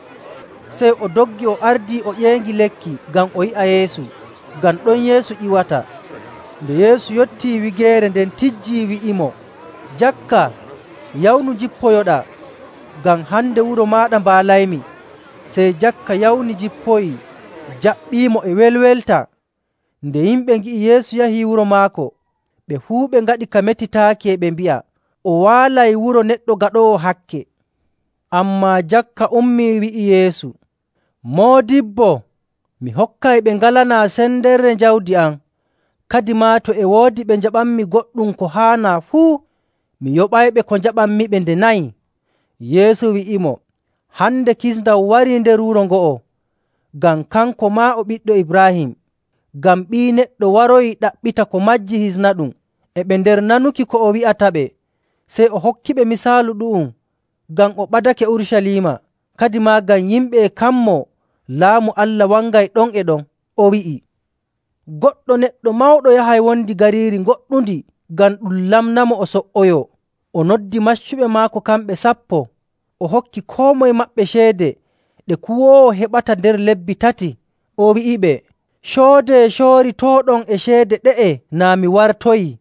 Speaker 1: Sey o doggi o ardii o ƴeengi lekki ngam o yi'a Yeesu, ngam ɗon Yeesu ƴiwata. Nde Yeesu yottii wigeere nden tijjii wi'imo, “Jakka, yawnu njippoyoɗaa, ngam hande wuro maaɗa mbaalaymi.” Sey Jakka yawni jippoyii, jaɓɓiimo e welwelta. Nde yimɓe ngi'i Yeesu yahii wuro maako, ɓe fuu ɓe ngaɗi ka metitaaki e ɓe mbi'a, “O waalay wuro neɗɗo gaɗoowo hakke.” Ammaa Jakka ummii wi'i Yeesu, “Moodibbo, mi hokkayɓe ngalanaa sendere jawdi am. Kadimaa to e woodi ɓe njaɓanmi goɗɗum ko haanaa fuu, mi yoɓayɓe ko njaɓanmiɓe nde nayi.” Yeesu wi'imo, “Hande kisndam warii nder wuro ngo'o, ngam kanko maa o ɓiɗɗo Ibraahim. Ngam Ɓii Neɗɗo waroyii ɗaɓɓita ko majji hisnaɗum.” E ɓe nder nanuki ko o wi'ataɓe, sey o hokkiɓe misaalu ɗu'um ngam o ɓadake Urucaliima, kadimaa ngam yimɓe e kammoo Laamu Allah wangay ɗon e ɗon. O wi'i, “Goɗɗo neɗɗo mawɗo yahay wondi gariiri goɗɗundi ngam ɗum lamnamo o so''oyoo. O noddi maccuɓe maako kamɓe sappo, o hokki koo moye maɓɓe ceede ɗe kuwoowo heɓata nder lebbi tati. O wi'iɓe, ‘Coodee coori tooɗon e ceede ɗe'e naa mi wartoyii.’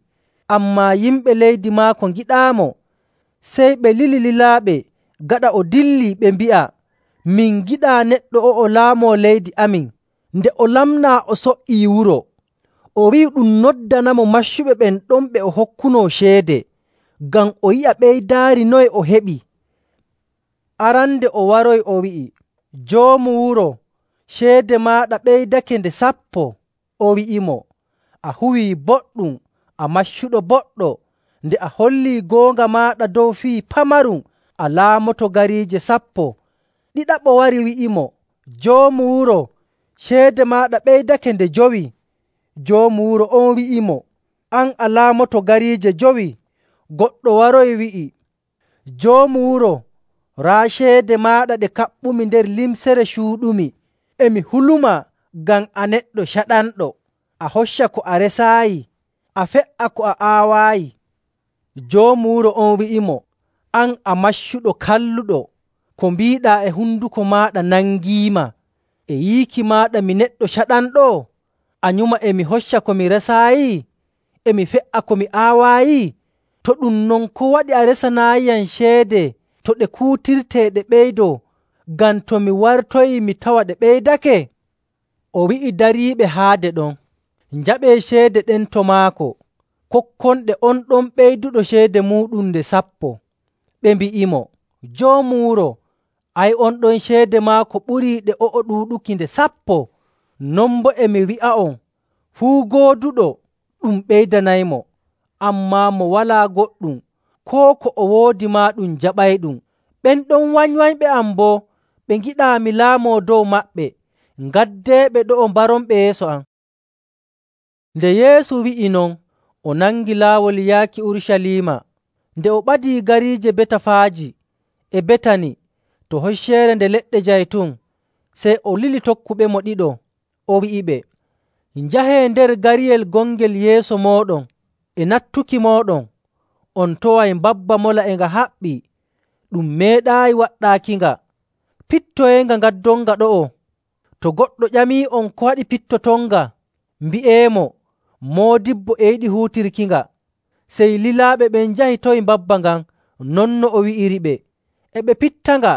Speaker 1: Ammaa yimɓe leydi maako ngiɗaamo. Sey ɓe lili lilaaɓe gaɗa o dillii, ɓe mbi'a, ‘Min ngiɗaa neɗɗo o'o laamoo leydi amin, nde o lamnaa o so''ii wuro.’ O wi'i ɗum noddanamo maccuɓe ɓen ɗon ɓe o hokkunoo ceede, ngam o yi'a ɓeydaari noye o heɓi. Arande o waroyi o wi'i, ‘Joomu wuro, ceede maaɗa ɓeydake nde sappo.’ O wi'imo, ‘A huwii boɗɗum, a maccuɗo boɗɗo! Nde a hollii goonga maaɗa dow fii pamarum, a laamoto gariije sappo.’ Ɗiɗaɓo wari wi'imo, ‘Joomu wuro, ceede maaɗa ɓeydake nde jowi.’ Joomu wuro on wi'imo, ‘An a laamoto gariije jowi.’ Goɗɗo waroyi wi'i, ‘Joomu wuro, raa ceede maaɗa ɗe kaɓɓumi nder limcere cuuɗumi. E mi hulumaa ngam a neɗɗo caɗanɗo. A hocca ko a resaayi, a fe''a ko a aawaayi.’ Joomu wuro on wi'imo, ‘An a maccuɗo kalluɗo! Ko mbiiɗaa e honduko maaɗa nangiima. E yiiki maaɗa mi neɗɗo caɗanɗo? A nyuma e mi hocca ko mi resaayi, e mi fe''a ko mi aawaayi? To ɗum non, ko waɗi a resanaayiyam ceede to ɗe kuutirtee ɗe ɓeydoo, ngam to mi wartoyii mi tawa ɗe ɓeydake?’ O wi'i dariiɓe haade ɗon, ‘Njaɓee ceede ɗen to maako, kokkonɗe on ɗon ɓeyduɗo ceede muuɗum nde sappo.’ Ɓe mbi'imo, ‘Joomu wuro, ay, on ɗon ceede maako ɓurii ɗe o'o ɗuuɗuki nde sappo.’ Non boo e mi wi'a'on, fuu gooduɗo ɗum ɓeydanaymo, ammaa mo walaa goɗɗum, koo ko o woodi maa ɗum jaɓayɗum. Ɓen ɗon wanywanyɓe am boo, ɓe ngiɗaa mi laamoo dow maɓɓe. Ngaddeeɓe ɗo'o mbaronɓe yeeso am.” Nde Yeesu wi'i non, o nangi laawol yaaki Urucaliima. Nde o ɓadii gariije Betafaaji e Betani to Hocceere Nde Leɗɗe Jaytun, sey o lili tokkuɓemo ɗiɗo, o wi'iɓe, “Njahee nder gariyel gongel yeeso mooɗon. E nattuki mooɗon, on toway mbabba mola e nga haɓɓii, ɗum meeɗaayi waɗɗaakinga. Pittoyenga ngaddonga ɗo'o. To goɗɗo ƴamii'on ko waɗi pittotonga, mbi'eemo, ‘Moodibbo e yiɗi huutirkinga.’” Sey lilaaɓe ɓen njahi towi mbabba ngan non no o wi'iriɓe. E ɓe pittanga,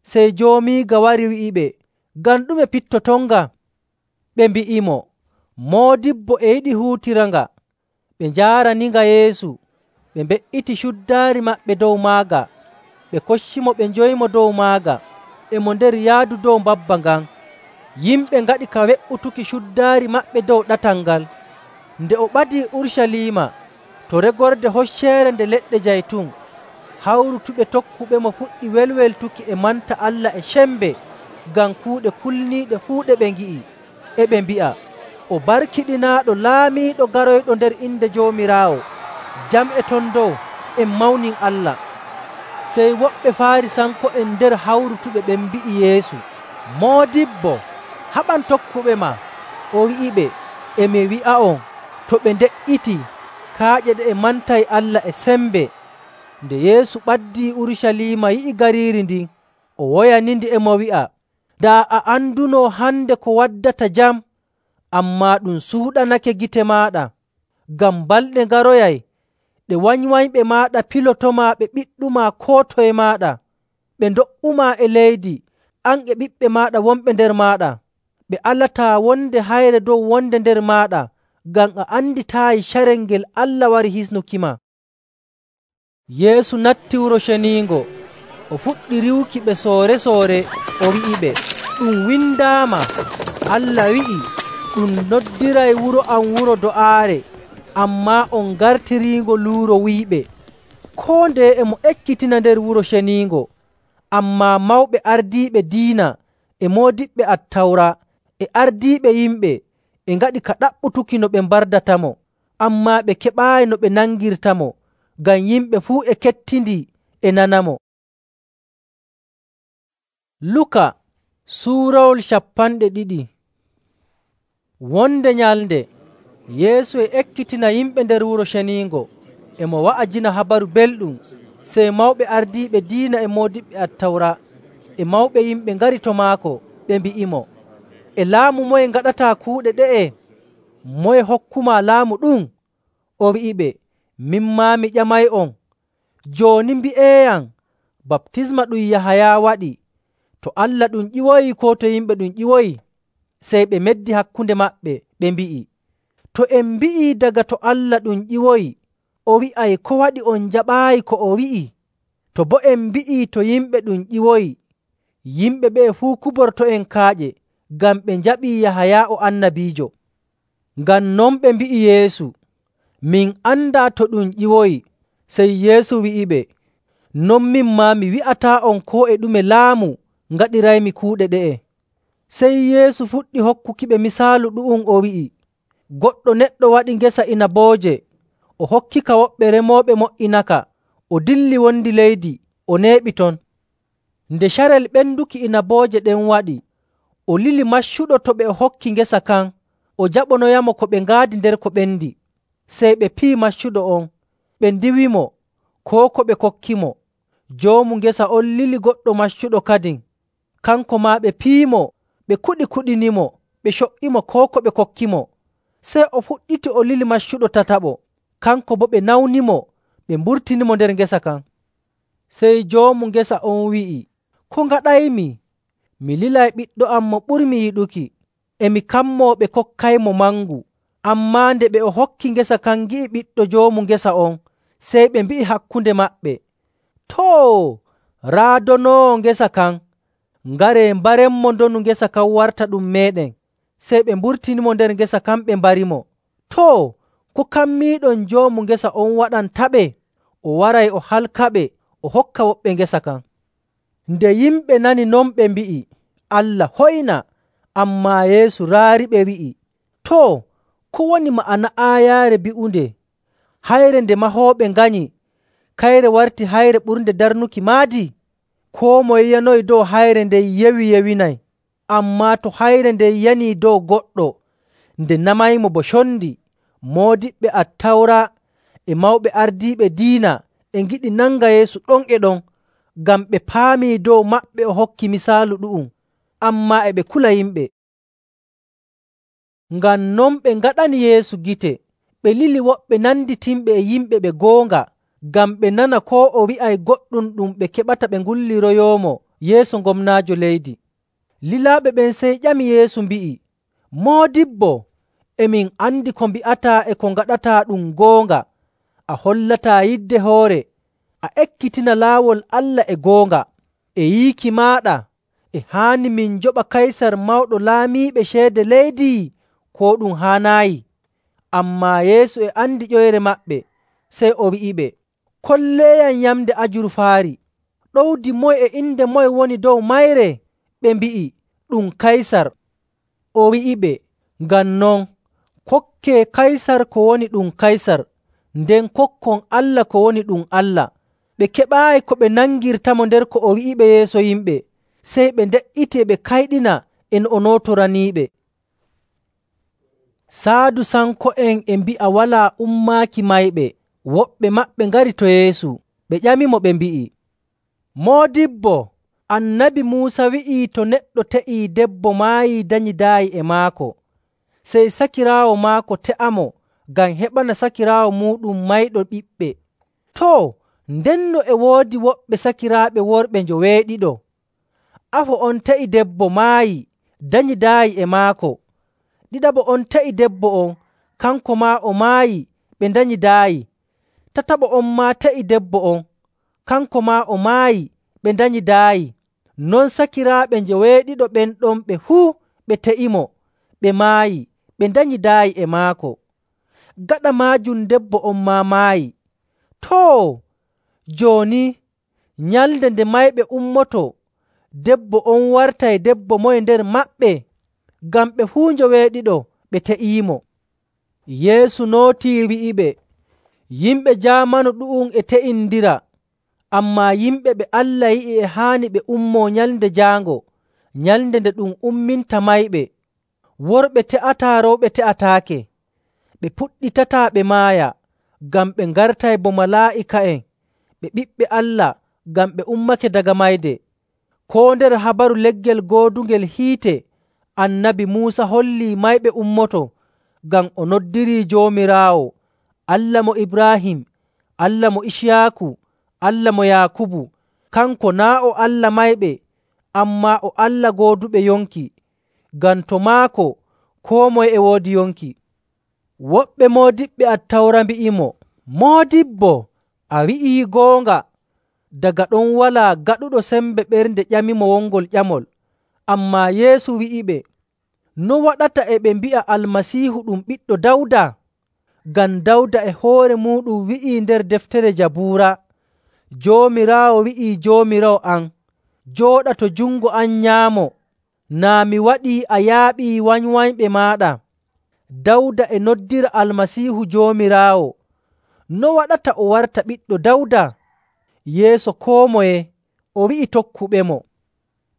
Speaker 1: sey joomiiga wari wi'iɓe, “Ngam ɗume pittotonga?” Ɓe mbi'imo, “Moodibbo e yiɗi huutiranga.” ɓe njaaraninga Yeesu, ɓe mbe''iti cuddaari maɓɓe dow maaga, ɓe koccimo ɓe njoyimo dow maaga. E mo nder yaadu dow mbabba ngan, yimɓe ngaɗi ka we''utuki cuddaari maɓɓe dow ɗatal ngal. Nde o ɓadii Urucaliima to regorde Hocceere Nde Leɗɗe Jaytun, hawrutuɓe tokkuɓemo puɗɗi welweltuki e manta Allah e cembe ngam kuuɗe kulniiɗe fuu ɗe ɓe ngi'i, e ɓe mbi'a, “O barkiɗinaaɗo laamiiɗo garoyɗo nder inde Joomiraawo! Jam e ton dow, en mawnin Allah!” Sey woɓɓe Faarisanko'en nder hawrutuɓe ɓen mbi'i Yeesu, “Moodibbo, haɓan tokkuɓema!” O wi'iɓe, “E mi wi'a'on, to ɓe nde''itii, kaaƴe ɗe e mantay Allah e sembe.” Nde Yeesu ɓaddii Urucaliima yi'i gariiri ndin, o woyanindi e mo wi'a, “Daa a andunoo hande ko waddata jam, ammaa ɗum suuɗanake gite maaɗa. Ngam balɗe ngaroyay ɗe wanywanyɓe maaɗa pilotomaa ɓe ɓiɗɗumaa koo toye maaɗa, ɓe ndo''umaa e leydi, an e ɓiɓɓe maaɗa wonɓe nder maaɗa. Ɓe alataa wonde hayre dow wonde nder maaɗa, ngam a anditaayi carel ngel Allah wari hisnukima.” Yeesu natti Wuro Ceniingo, o fuɗɗi riiwuki ɓe soore‑soore, o wi'iɓe, “Ɗum windaama, Allah wi'i, ‘Ɗum noddiray wuro am wuro do'aare,’ ammaa on ngartiriingo luuro wuyɓe.” Koo ndeye e mo ekkitina nder Wuro Ceniingo, ammaa mawɓe ardiiɓe diina e moodiɓɓe Attawra e ardiiɓe yimɓe e ngaɗi ka ɗaɓɓutuki no ɓe mbardatamo, ammaa ɓe keɓaayi no ɓe nangirtamo, ngam yimɓe fuu e kettindi e nanamo. Luka suurawol cappanɗe ɗiɗi. Wonde nyalnde, Yeesu e ekkitina yimɓe nder Wuro Ceniingo, e mo wa'ajina Habaru Belɗum. Sey mawɓe ardiiɓe diina e moodiɓɓe Attawra e mawɓe yimɓe ngari to maako, ɓe mbi'imo, “E laamu moye ngaɗataa kuuɗe ɗe'e? Moye hokkumaa laamu ɗum?” O wi'iɓe, “Min maa mi ƴamay'on, jooni mbi'eeyam, baptisma ɗum Yahaya waɗi, to Allah ɗum ƴiwoyi koo to yimɓe ɗum ƴiwoyi?” Sey ɓe meddi hakkunde maɓɓe, ɓe mbi'i, “To en mbi'ii daga to Allah ɗum ƴiwoyi, o wi'ay ko waɗi on njaɓaayi ko o wi'i? To boo en mbi'ii to yimɓe ɗum ƴiwoyi, yimɓe ɓe'e fuu kuborto'en kaaƴe, ngam ɓe njaɓii Yahaya o annabiijo.” Ngam non ɓe mbi'i Yeesu, “Min andaa to ɗum ƴiwoyi.” Sey Yeesu wi'iɓe, “Non min maa mi wi'ataa'on koo e ɗume laamu ngaɗiraymi kuuɗe ɗe'e.” Sey Yeesu fuɗɗi hokkukiɓe misaalu ɗu'um, o wi'i, “Goɗɗo neɗɗo waɗi ngesa inabooje. O hokkika woɓɓe remooɓe mo''inaka, o dilli wondi leydi, o neeɓi ton. Nde carel ɓenduki inabooje ɗen waɗi, o lili maccuɗo to ɓe o hokki ngesa kan o jaɓonoyamo ko ɓe ngaadi nder ko ɓendi. Sey ɓe piyi maccuɗo on, ɓe ndiwimo koo ko ɓe kokkimo. Joomu ngesa on lili goɗɗo maccuɗo kadin, kanko maa ɓe piyimo, ɓe kuɗi-kuɗinimo, ɓe co''imo koo ko ɓe kokkimo. Sey o fuɗɗiti o lili maccuɗo tataɓo, kanko boo ɓe nawnimo, ɓe mburtinimo nder ngesa kan. Sey joomu ngesa on wi'i, ‘Ko ngaɗaymi? Mi lilay ɓiɗɗo am mo ɓurmi yiɗuki, e mi kammoo ɓe kokkaymo mangu.’ Ammaa nde ɓe o hokki ngesa kan ngi'i ɓiɗɗo joomu ngesa on, sey ɓe mbi'i hakkunde maɓɓe, ‘Too, raa donoowo ngesa kan, ngaree mbarenmo ndonu ngesa kan warta ɗum meeɗen.’ Sey ɓe mburtinimo nder ngesa kan ɓe mbarimo. Too, ko kammiiɗon joomu ngesa on waɗantaɓe? O waray o halkaɓe o hokka woɓɓe ngesa kan.” Nde yimɓe nani non ɓe mbi'i, “Allah hoyna!” Ammaa Yeesu raariɓe wi'i, “Too, ko woni ma'ana aayaare bi'unde, ‘Hayre nde mahooɓe nganyi, kayre warti hayre ɓurnde darnuki maadi?’ Koo moye yanoyi dow hayre nden yewi yewinay. Ammaa to hayre nden yanii dow goɗɗo, nde namaymo bo condi.” Moodiɓɓe Attawra e mawɓe ardiiɓe diina e ngiɗi nanga Yeesu ɗon e ɗon, ngam ɓe paamii dow maɓɓe o hokki misaalu ɗu'um, ammaa e ɓe kula yimɓe. Ngam non ɓe ngaɗani Yeesu gite, ɓe lili woɓɓe nanditinɓe e yimɓe ɓe goonga, ngam ɓe nana koo o wi'ay goɗɗum ɗum ɓe keɓata ɓe ngulliroyoomo yeeso gomnaajo leydi. Lilaaɓe ɓen sey ƴami Yeesu mbi'i, “Moodibbo, E min andi ko mbi'ataa e ko ngaɗataa ɗum goonga. A hollataa yidde hoore, a ekkitina laawol Allah e goonga. E yiiki maaɗa, e haani min njoɓa Kaysar mawɗo laamiiɓe ceede leydi, koo ɗum haanaayi?” Ammaa Yeesu e andi ƴoyre maɓɓe, sey o wi'iɓe, “Kolleeyam yamnde ajurfaari. Ɗowdi moye e inde moye woni dow mayre?” Ɓe mbi'i, “Ɗum Kaysar.” O wi'iɓe, “Ngam non, kokkee Kaysar ko woni ɗum Kaysar, nden kokkon Allah ko woni ɗum Allah.” Ɓe keɓaayi ko ɓe nangirtamo nder ko o wi'iɓe yeeso yimɓe, sey ɓe nde''iti e ɓe kayɗina e no o nootoraniiɓe. Saadusanko'en e mbi'a walaa ummaaki mayɓe. Woɓɓe maɓɓe ngari to Yeesu, ɓe ƴamimo ɓe mbi'i, “Moodibbo, Annabi Muusa wi'ii to neɗɗo te'ii debbo maayii danyidaayi e maako, sey sakiraawo maako te'amo ngam heɓana sakiraawo muuɗum mayɗo ɓiɓɓe. Too, ndenno e woodi woɓɓe sakiraaɓe worɓe njoweeɗiɗo. Afo on te'i debbo maayii, danyidaayi e maako. Ɗiɗaɓo on te'i debbo on, kanko maa o maayi, ɓe ndanyidaayi. Tataɓo on maa te'i debbo on, kanko maa o maayi, ɓe ndanyidaayi. Non sakiraaɓe njoweeɗiɗo ɓen ɗon ɓe fuu ɓe te'imo, ɓe maayi, ɓe ndanyidaayi e maako. Gaɗa maajum debbo on maa maayi. Too, jooni nyalnde nde mayɓe ummoto, debbo on wartay debbo moye nder maɓɓe? Ngam ɓe fuu njoweeɗiɗo ɓe te'iimo.” Yeesu nootii wi'iɓe, “Yimɓe jaamanu ɗu'um e te'indira, ammaa yimɓe ɓe Allah yi'i e haani ɓe ummoo nyalnde jaango, nyalnde nde ɗum umminta mayɓe. Worɓe te'ataa, rewɓe te'ataake. Ɓe puɗɗitataa ɓe maaya, ngam ɓe ngartay bo malaa'ika'en, ɓe ɓiɓɓe Allah, ngam ɓe ummake daga mayde. Koo nder habaru leggel goodungel hiite, Annabi Muusa hollii mayɓe ummoto, ngam o noddirii Joomiraawo, Allah mo Ibraahim, Allah mo Iciyaaku, Allah mo Yaakubu. Kanko naa' o Allah mayɓe, ammaa o Allah gooduɓe yonki, ngam to maako koo moye e woodi yonki. Woɓɓe moodiɓɓe Attawra mbi'imo, “Moodibbo, a wi'ii goonga.” Daga ɗon walaa gaɗuɗo sembe ɓernde ƴamimo wongol ƴamol. Ammaa Yeesu wi'iɓe, “No waɗata e ɓe mbi'a Almasiihu ɗum ɓiɗɗo Dawda? Ngam Dawda e hoore muuɗum wi'ii nder deftere Jabuura, ‘Joomiraawo wi'ii Joomiraawo am, jooɗa to jungo am nyaamo, naa mi waɗii a yaaɓii wanywanyɓe maaɗa.’ Dawda e noddira Almasiihu Joomiraawo. No waɗata o warta ɓiɗɗo Dawda?” Yeeso koo moye o wi'i tokkuɓemo,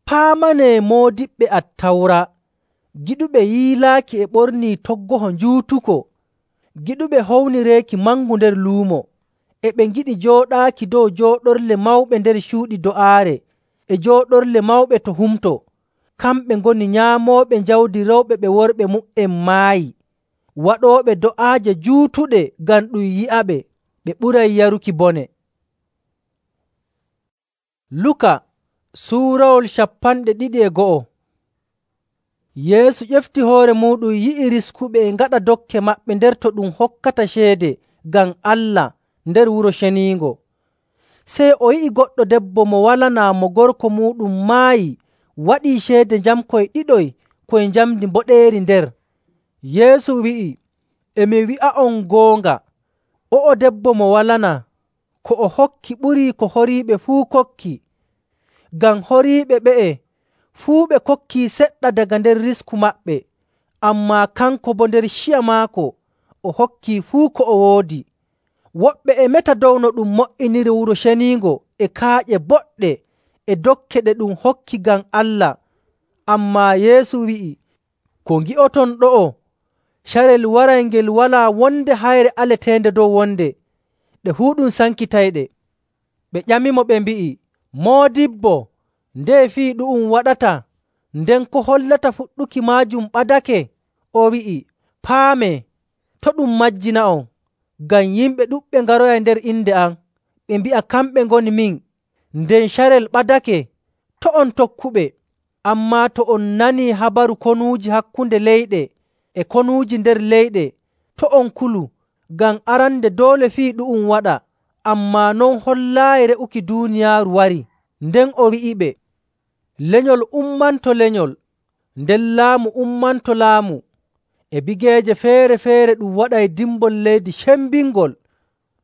Speaker 1: “Paamanee moodiɓɓe Attawra, giɗuɓe yiilaaki e ɓornii toggoho njuutuko, giɗuɓe hownireeki mangu nder luumo, e ɓe ngiɗi jooɗaaki dow jooɗorle mawɓe nder cuuɗi do'aare e jooɗorle mawɓe to humto. Kamɓe ngoni nyaamooɓe jawdi rewɓe ɓe worɓe mu''en maayi, waɗooɓe do'aaje juutuɗe ngam ɗum yi'aɓe, ɓe ɓuray yaruki bone.” Luka suurawol cappanɗe ɗiɗi e go'o. Yeesu ƴefti hoore muuɗum yi'i riskuɓe e ngaɗa dokke maɓɓe nder to ɗum hokkata ceede ngam Allah nder Wuro Ceniingo. Sey o yi'i goɗɗo debbo mo walanaa mo gorko muuɗum maayi waɗii ceede njamkoy ɗiɗoy koy njamndi mboɗeeri nder. Yeesu wi'i, “E mi wi'a'on goonga, o'o debbo mo walanaa, ko o hokki ɓurii ko horiiɓe fuu kokki. Ngam horiiɓe ɓe'e fuu ɓe kokkii seɗɗa daga nder risku maɓɓe, ammaa kanko boo nder ciya maako o hokkii fuu ko o woodi.” Woɓɓe e meta dow no ɗum mo''iniri Wuro Ceniingo e kaaƴe boɗɗe e dokke ɗe ɗum hokki ngam Allah. Ammaa Yeesu wi'i, “Ko ngi'oton ɗo'o, carel waray ngel walaa wonde hayre aleteende dow wonde, ɗe fuu ɗum sankitayɗe.” Ɓe ƴamimo ɓe mbi'i, “Moodibbo, ndeye fii ɗu'um waɗata, nden ko hollata fuɗɗuki maajum ɓadake?” O wi'i, “Paamee, to' ɗum majjina'on, ngam yimɓe ɗuɗɓe ngaroyay nder inde am, ɓe mbi'a kamɓe ngoni min, nden carel ɓadake. To' on tokkuɓe. Ammaa to on nanii habaru konuuji hakkunde leyɗe, e konuuji nder leyɗe, to' on kulu, ngam arande doole fii ɗu'um waɗa, ammaa non hollaayi re'uki duuniyaaru wari. Nden o wi'iɓe, “Lenyol ummanto lenyol, nden laamu ummanto laamu. E bigeeje feere‑feere ɗum waɗay dimbol leydi cembingol,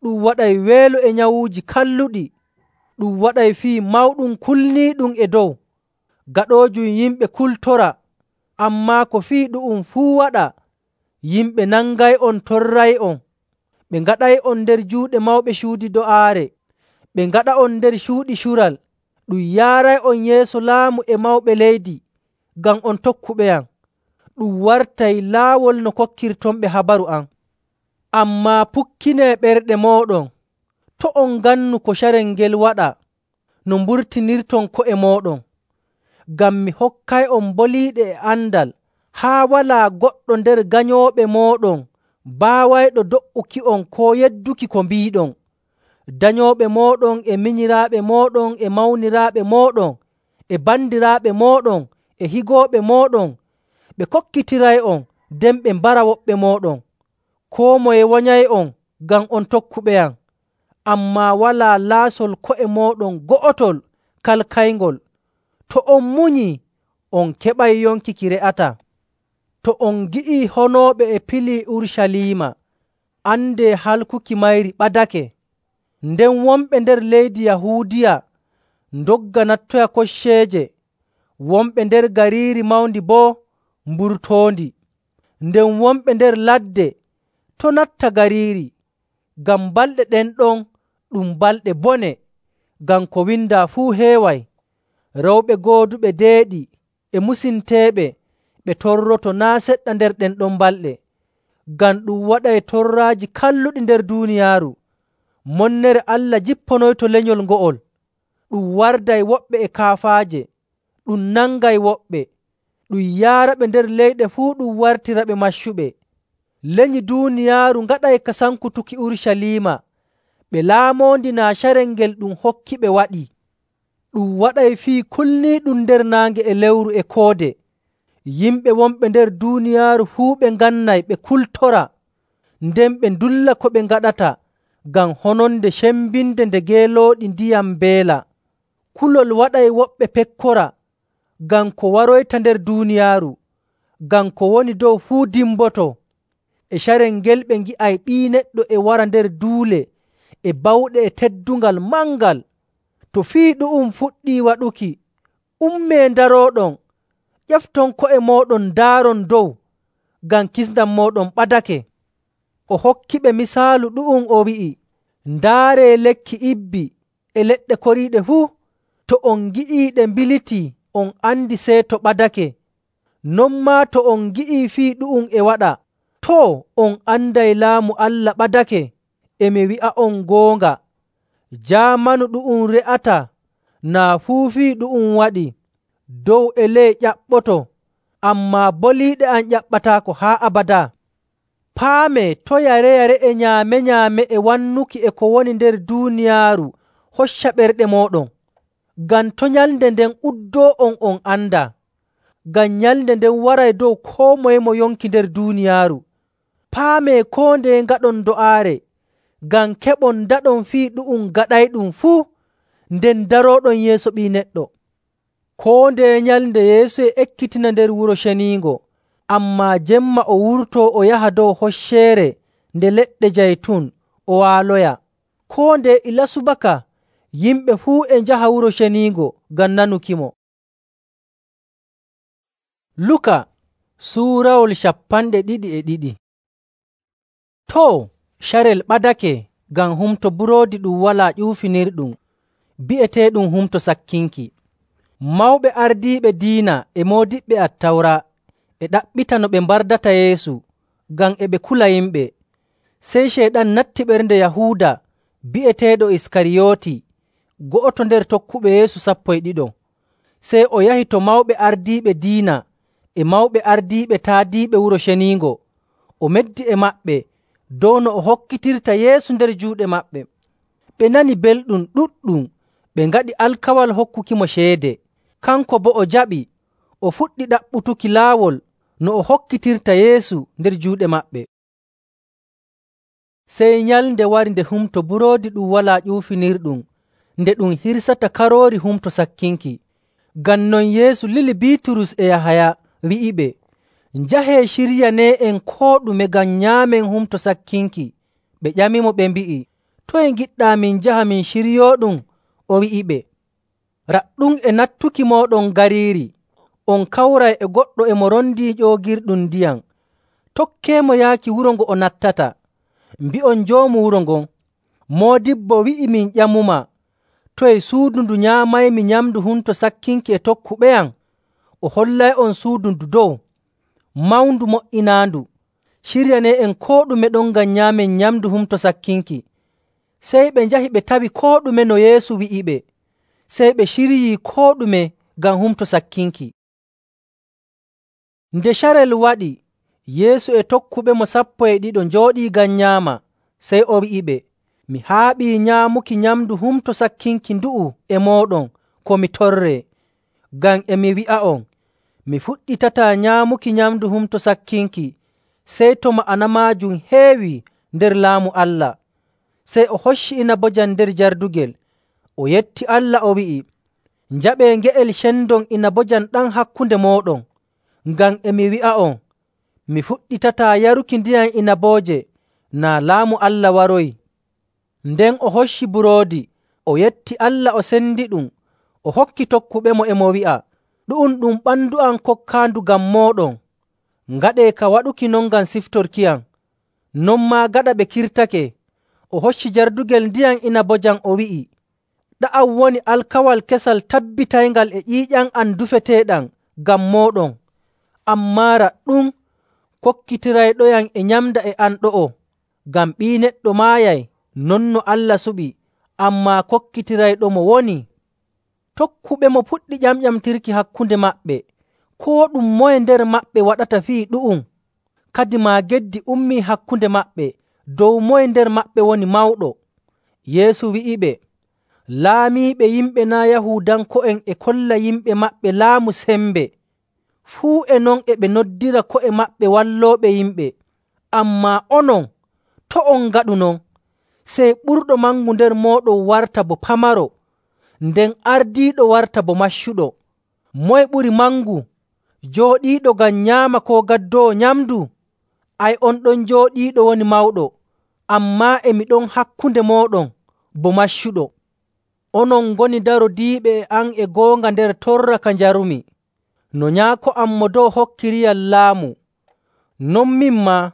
Speaker 1: ɗum waɗay weelo e nyawuuji kalluɗi, ɗum waɗay fii mawɗum kulniiɗum e dow. Gaɗoojum yimɓe kultora, ammaa ko fii ɗu'um fuu waɗa, yimɓe nangay'on torray'on. Ɓe ngaɗay'on nder juuɗe mawɓe cuudi do'aare, ɓe ngaɗa'on nder cuuɗi cural. Ɗum yaaray'on yeeso laamu e mawɓe leydi, ngam on tokkuɓeyam. Ɗum wartay laawol no kokkirtonɓe habaru am. Ammaa pukkinee ɓerɗe mooɗon, to' on ngannu ko carel ngel waɗa no mburtinirton ko'e mooɗon. Ngam mi hokkay'on boliiɗe e andal haa walaa goɗɗo nder ganyooɓe mooɗon baawayɗo do''uki'on koo yedduki ko mbiiɗon. Danyooɓe mooɗon e minyiraaɓe mooɗon e mawniraaɓe mooɗon e bandiraaɓe mooɗon e higooɓe mooɗon ɓe kokkitiray'on, nden ɓe mbara woɓɓe mooɗon. Koo moye wanyay'on ngam on tokkuɓeyam, ammaa walaa laasol ko'e mooɗon go'otol kalkayngol. To on munyii, on keɓay yonki ki re'ataa. To on ngi'ii honooɓe e pilii Urucaliima, andee halkuki mayri ɓadake. Nden wonɓe nder leydi Yahuudiya ndogga nattoya kocceeje, wonɓe nder gariiri mawndi boo mburtoondi. Nden wonɓe nder ladde to' natta gariiri, ngam balɗe ɗen ɗon ɗum balɗe bone, ngam ko windaa fuu heeway. Rewɓe gooduɓe deeɗi e musinteeɓe ɓe torroto naa' seɗɗa nder ɗen ɗon balɗe, ngam ɗum waɗay torraaji kalluɗi nder duuniyaaru. Monnere Allah jipponoyto lenyol ngo'ol, ɗum warday woɓɓe e kaafaaje, ɗum nangay woɓɓe, ɗum yaaraɓe nder leyɗe fuu ɗum wartiraɓe maccuɓe. Lenyi duuniyaaru ngaɗay ka sankutuki Urucaliima, ɓe laamoondi naa carel ngel ɗum hokkiɓe waɗii. Ɗum waɗay fii kulniiɗum nder naange e lewru e koode. Yimɓe wonɓe nder duuniyaaru fuu ɓe ngannay ɓe kultora, nden ɓe ndulla ko ɓe ngaɗata ngam hononde cembinde nde geelooɗi ndiyam mbeela. Kulol waɗay woɓɓe pekkora ngam ko waroyta nder duuniyaaru, ngam ko woni dow fuu dimboto. E carel ngel ɓe ngi'ay Ɓii Neɗɗo e wara nder duule e bawɗe e teddungal mangal. To fii ɗu'um fuɗɗii waɗuki, ummee ndarooɗon, ƴefton ko'e mooɗon ndaaron dow, ngam kisndam mooɗon ɓadake. O hokkiɓe misaalu ɗu'um o wi'i, “Ndaaree lekki ibbi e leɗɗe koriiɗe fuu. To on ngi'iiɗe mbilitii, on andi seeto ɓadake. Non maa to on ngi'ii fii ɗu'um e waɗa, too, on anday laamu Allah ɓadake. E mi wi'a'on goonga, jaamanu ɗu'um re'ataa naa fuu fii ɗu'um waɗi. Dow e ley ƴaɓɓoto, ammaa boliiɗe am ƴaɓɓataako haa abadaa.” Paamee to' yare-yare e nyaame-nyaame e wannuki e ko woni nder duuniyaaru hocca ɓerɗe mooɗon, ngam to' nyalnde nden uddoo-on on andaa. Ngam nyalnde nden waray dow koo moye mo yonki nder duuniyaaru. Paamee koo ndeye ngaɗon do'aare, ngam keɓon ndaɗon fii ɗu'um gaɗayɗum fuu, nden darooɗon yeeso Ɓii Neɗɗo. Koo ndeye nyalnde Yeesu e ekkitina nder Wuro Ceniingo, ammaa jemma o wurtoo o yaha dow hocceere nde leɗɗe Jaytun o waaloya. Koo ndeye ila subaka yimɓe fuu e njaha Wuro Ceniingo ngam nanukimo. Luka suurawol cappanɗe ɗiɗi e ɗiɗi. Too, carel ɓadake ngam humto buroodi ɗum walaa ƴuufinirɗum, bi'eteeɗum humto sakkinki. Mawɓe ardiiɓe diina e moodiɓɓe Attawra e ɗaɓɓita no ɓe mbardata Yeesu ngam e ɓe kula yimɓe. Sey Ceyɗan natti ɓernde Yahuuda bi'eteeɗo Iskariyooti, go'oto nder tokkuɓe Yeesu sappo e ɗiɗo. Sey o yahi to mawɓe ardiiɓe diina e mawɓe ardiiɓe taadiiɓe Wuro Ceniingo. O meddi e maɓɓe dow no o hokkitirta Yeesu nder juuɗe maɓɓe. Ɓe nani belɗum ɗuɗɗum, ɓe ngaɗi alkawal hokkukimo ceede. Kanko boo o jaɓi, o fuɗɗi ɗaɓɓutuki laawol no o hokkitirta Yeesu nder juuɗe maɓɓe. Sey nyalnde wari nde Humto Buroodi Ɗum Walaa Ƴuufinirɗum nde ɗum hirsata Karoori Humto Sakkinki. Ngam non Yeesu lili Biiturus e Yahaya, wi'iɓe, “Njahee ciryanee'en koo ɗume ngam nyaamen Humto Sakkinki.” Ɓe ƴamimo ɓe mbi'i, “Toye ngiɗɗaa min njaha min ciryooɗum?” O wi'iɓe, “Raɗɗum e nattuki mooɗon gariiri, on kawray e goɗɗo e mo rondii ƴoogirɗum ndiyam. Tokkeemo yaaki wuro ngo o nattata. Mbi'on joomu wuro ngon, ‘Moodibbo wi'i min ƴamumaa, toye suudu ndu nyaamaymi nyamndu Humto Sakkinki e tokkuɓeyam?’ O hollay'on suudu ndu dow, mawndu mo''inaandu. Ciryanee'en koo ɗume ɗon ngam nyaamen nyamndu Humto Sakkinki.” Sey ɓe njahi ɓe tawi koo ɗume no Yeesu wi'iɓe. Sey ɓe ciryii koo ɗume ngam Humto Sakkinki. Nde carel waɗi, Yeesu e tokkuɓemo sappo e ɗiɗo njooɗii ngam nyaama. Sey o wi'iɓe, “Mi haaɓii nyaamuki nyamndu Humto Sakkinki ndu'u e mooɗon ko mi torree. Ngam e mi wi'a'on, mi fuɗɗitataa nyaamuki nyamndu Humto Sakkinki sey to ma'ana maajum heewii nder Laamu Allah.” Sey o hocci inabojam nder jardugel, o yetti Allah, o wi'i, “Njaɓee nge'el cendon inabojam ɗam hakkunde mooɗon. Ngam e mi wi'a'on, mi fuɗɗitataa yaruki ndiyam inabooje naa Laamu Allah waroyi.” Nden o hocci buroodi, o yetti Allah, o sendiɗum, o hokki tokkuɓemo, e mo wi'a, “Ɗu'um ɗum ɓandu am kokkaandu ngam mooɗon. Ngaɗee ka waɗuki non ngam siftorkiyam.” Non maa gaɗa ɓe kirtake, o hocci jardugel ndiyam inabojam, o wi'i, “Ɗa'am woni alkawal kesal tabbitayngal e ƴiiƴam am dufeteeɗam ngam mooɗon. Ammaa raɗɗum kokkitirayɗoyam e nyamda e am ɗo'o, ngam Ɓii Neɗɗo maayay non no Allah suɓi, ammaa kokkitirayɗomo wonii.” Tokkuɓemo puɗɗi ƴamƴamtirki hakkunde maɓɓe koo ɗum moye nder maɓɓe waɗata fii ɗu'um. Kadimaa geddi ummii hakkunde maɓɓe dow moye nder maɓɓe woni mawɗo. Yeesu wi'iɓe, “Laamiiɓe yimɓe naa' Yahuudanko'en e kolla yimɓe maɓɓe laamu sembe. Fuu e non e ɓe noddira ko'e maɓɓe wallooɓe yimɓe. Ammaa onon, to' on ngaɗu non. Sey ɓurɗo mangu nder mooɗon warta bo pamaro, nden ardiiɗo warta bo maccuɗo. Moye ɓuri mangu, jooɗiiɗo ngam nyaama koo gaddoowo nyamndu? Ay, on ɗon jooɗiiɗo woni mawɗo, ammaa e mi ɗon hakkunde mooɗon bo maccuɗo. Onon ngoni darodiiɓe e am e goonga nder torra ka njarumi, no Nyaako am Mo Dow hokkiriyam laamu. Non min maa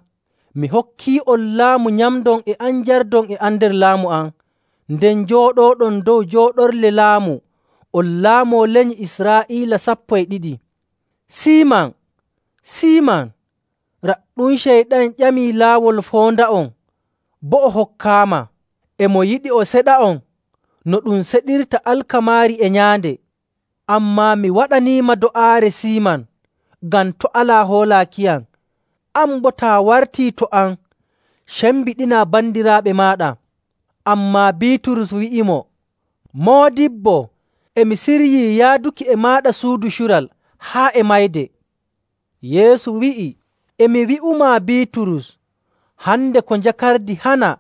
Speaker 1: mi hokkii'on laamu nyamdon e am njardon e am nder laamu am, nden njooɗooɗon dow jooɗorle laamu on laamoo lenyi Israa'iila sappo e ɗiɗi. Siiman, Siiman, raɗɗum Ceyɗan ƴamii laawol foonda'on, boo o hokkaama. E mo yiɗi o seɗa'on no ɗum seɗirta alkamaari e nyaande. Ammaa mi waɗaniima do'aare Siiman, ngam to' alaa hoolaakiyam. An boo taa wartii to am, cembiɗinaa bandiraaɓe maaɗa.” Ammaa Biiturus wi'imo, “Moodibbo, e mi siryii yaaduki e maaɗa suudu cural haa e mayde.” Yeesu wi'i, “E mi wi'umaa Biiturus, hande ko njakardi hana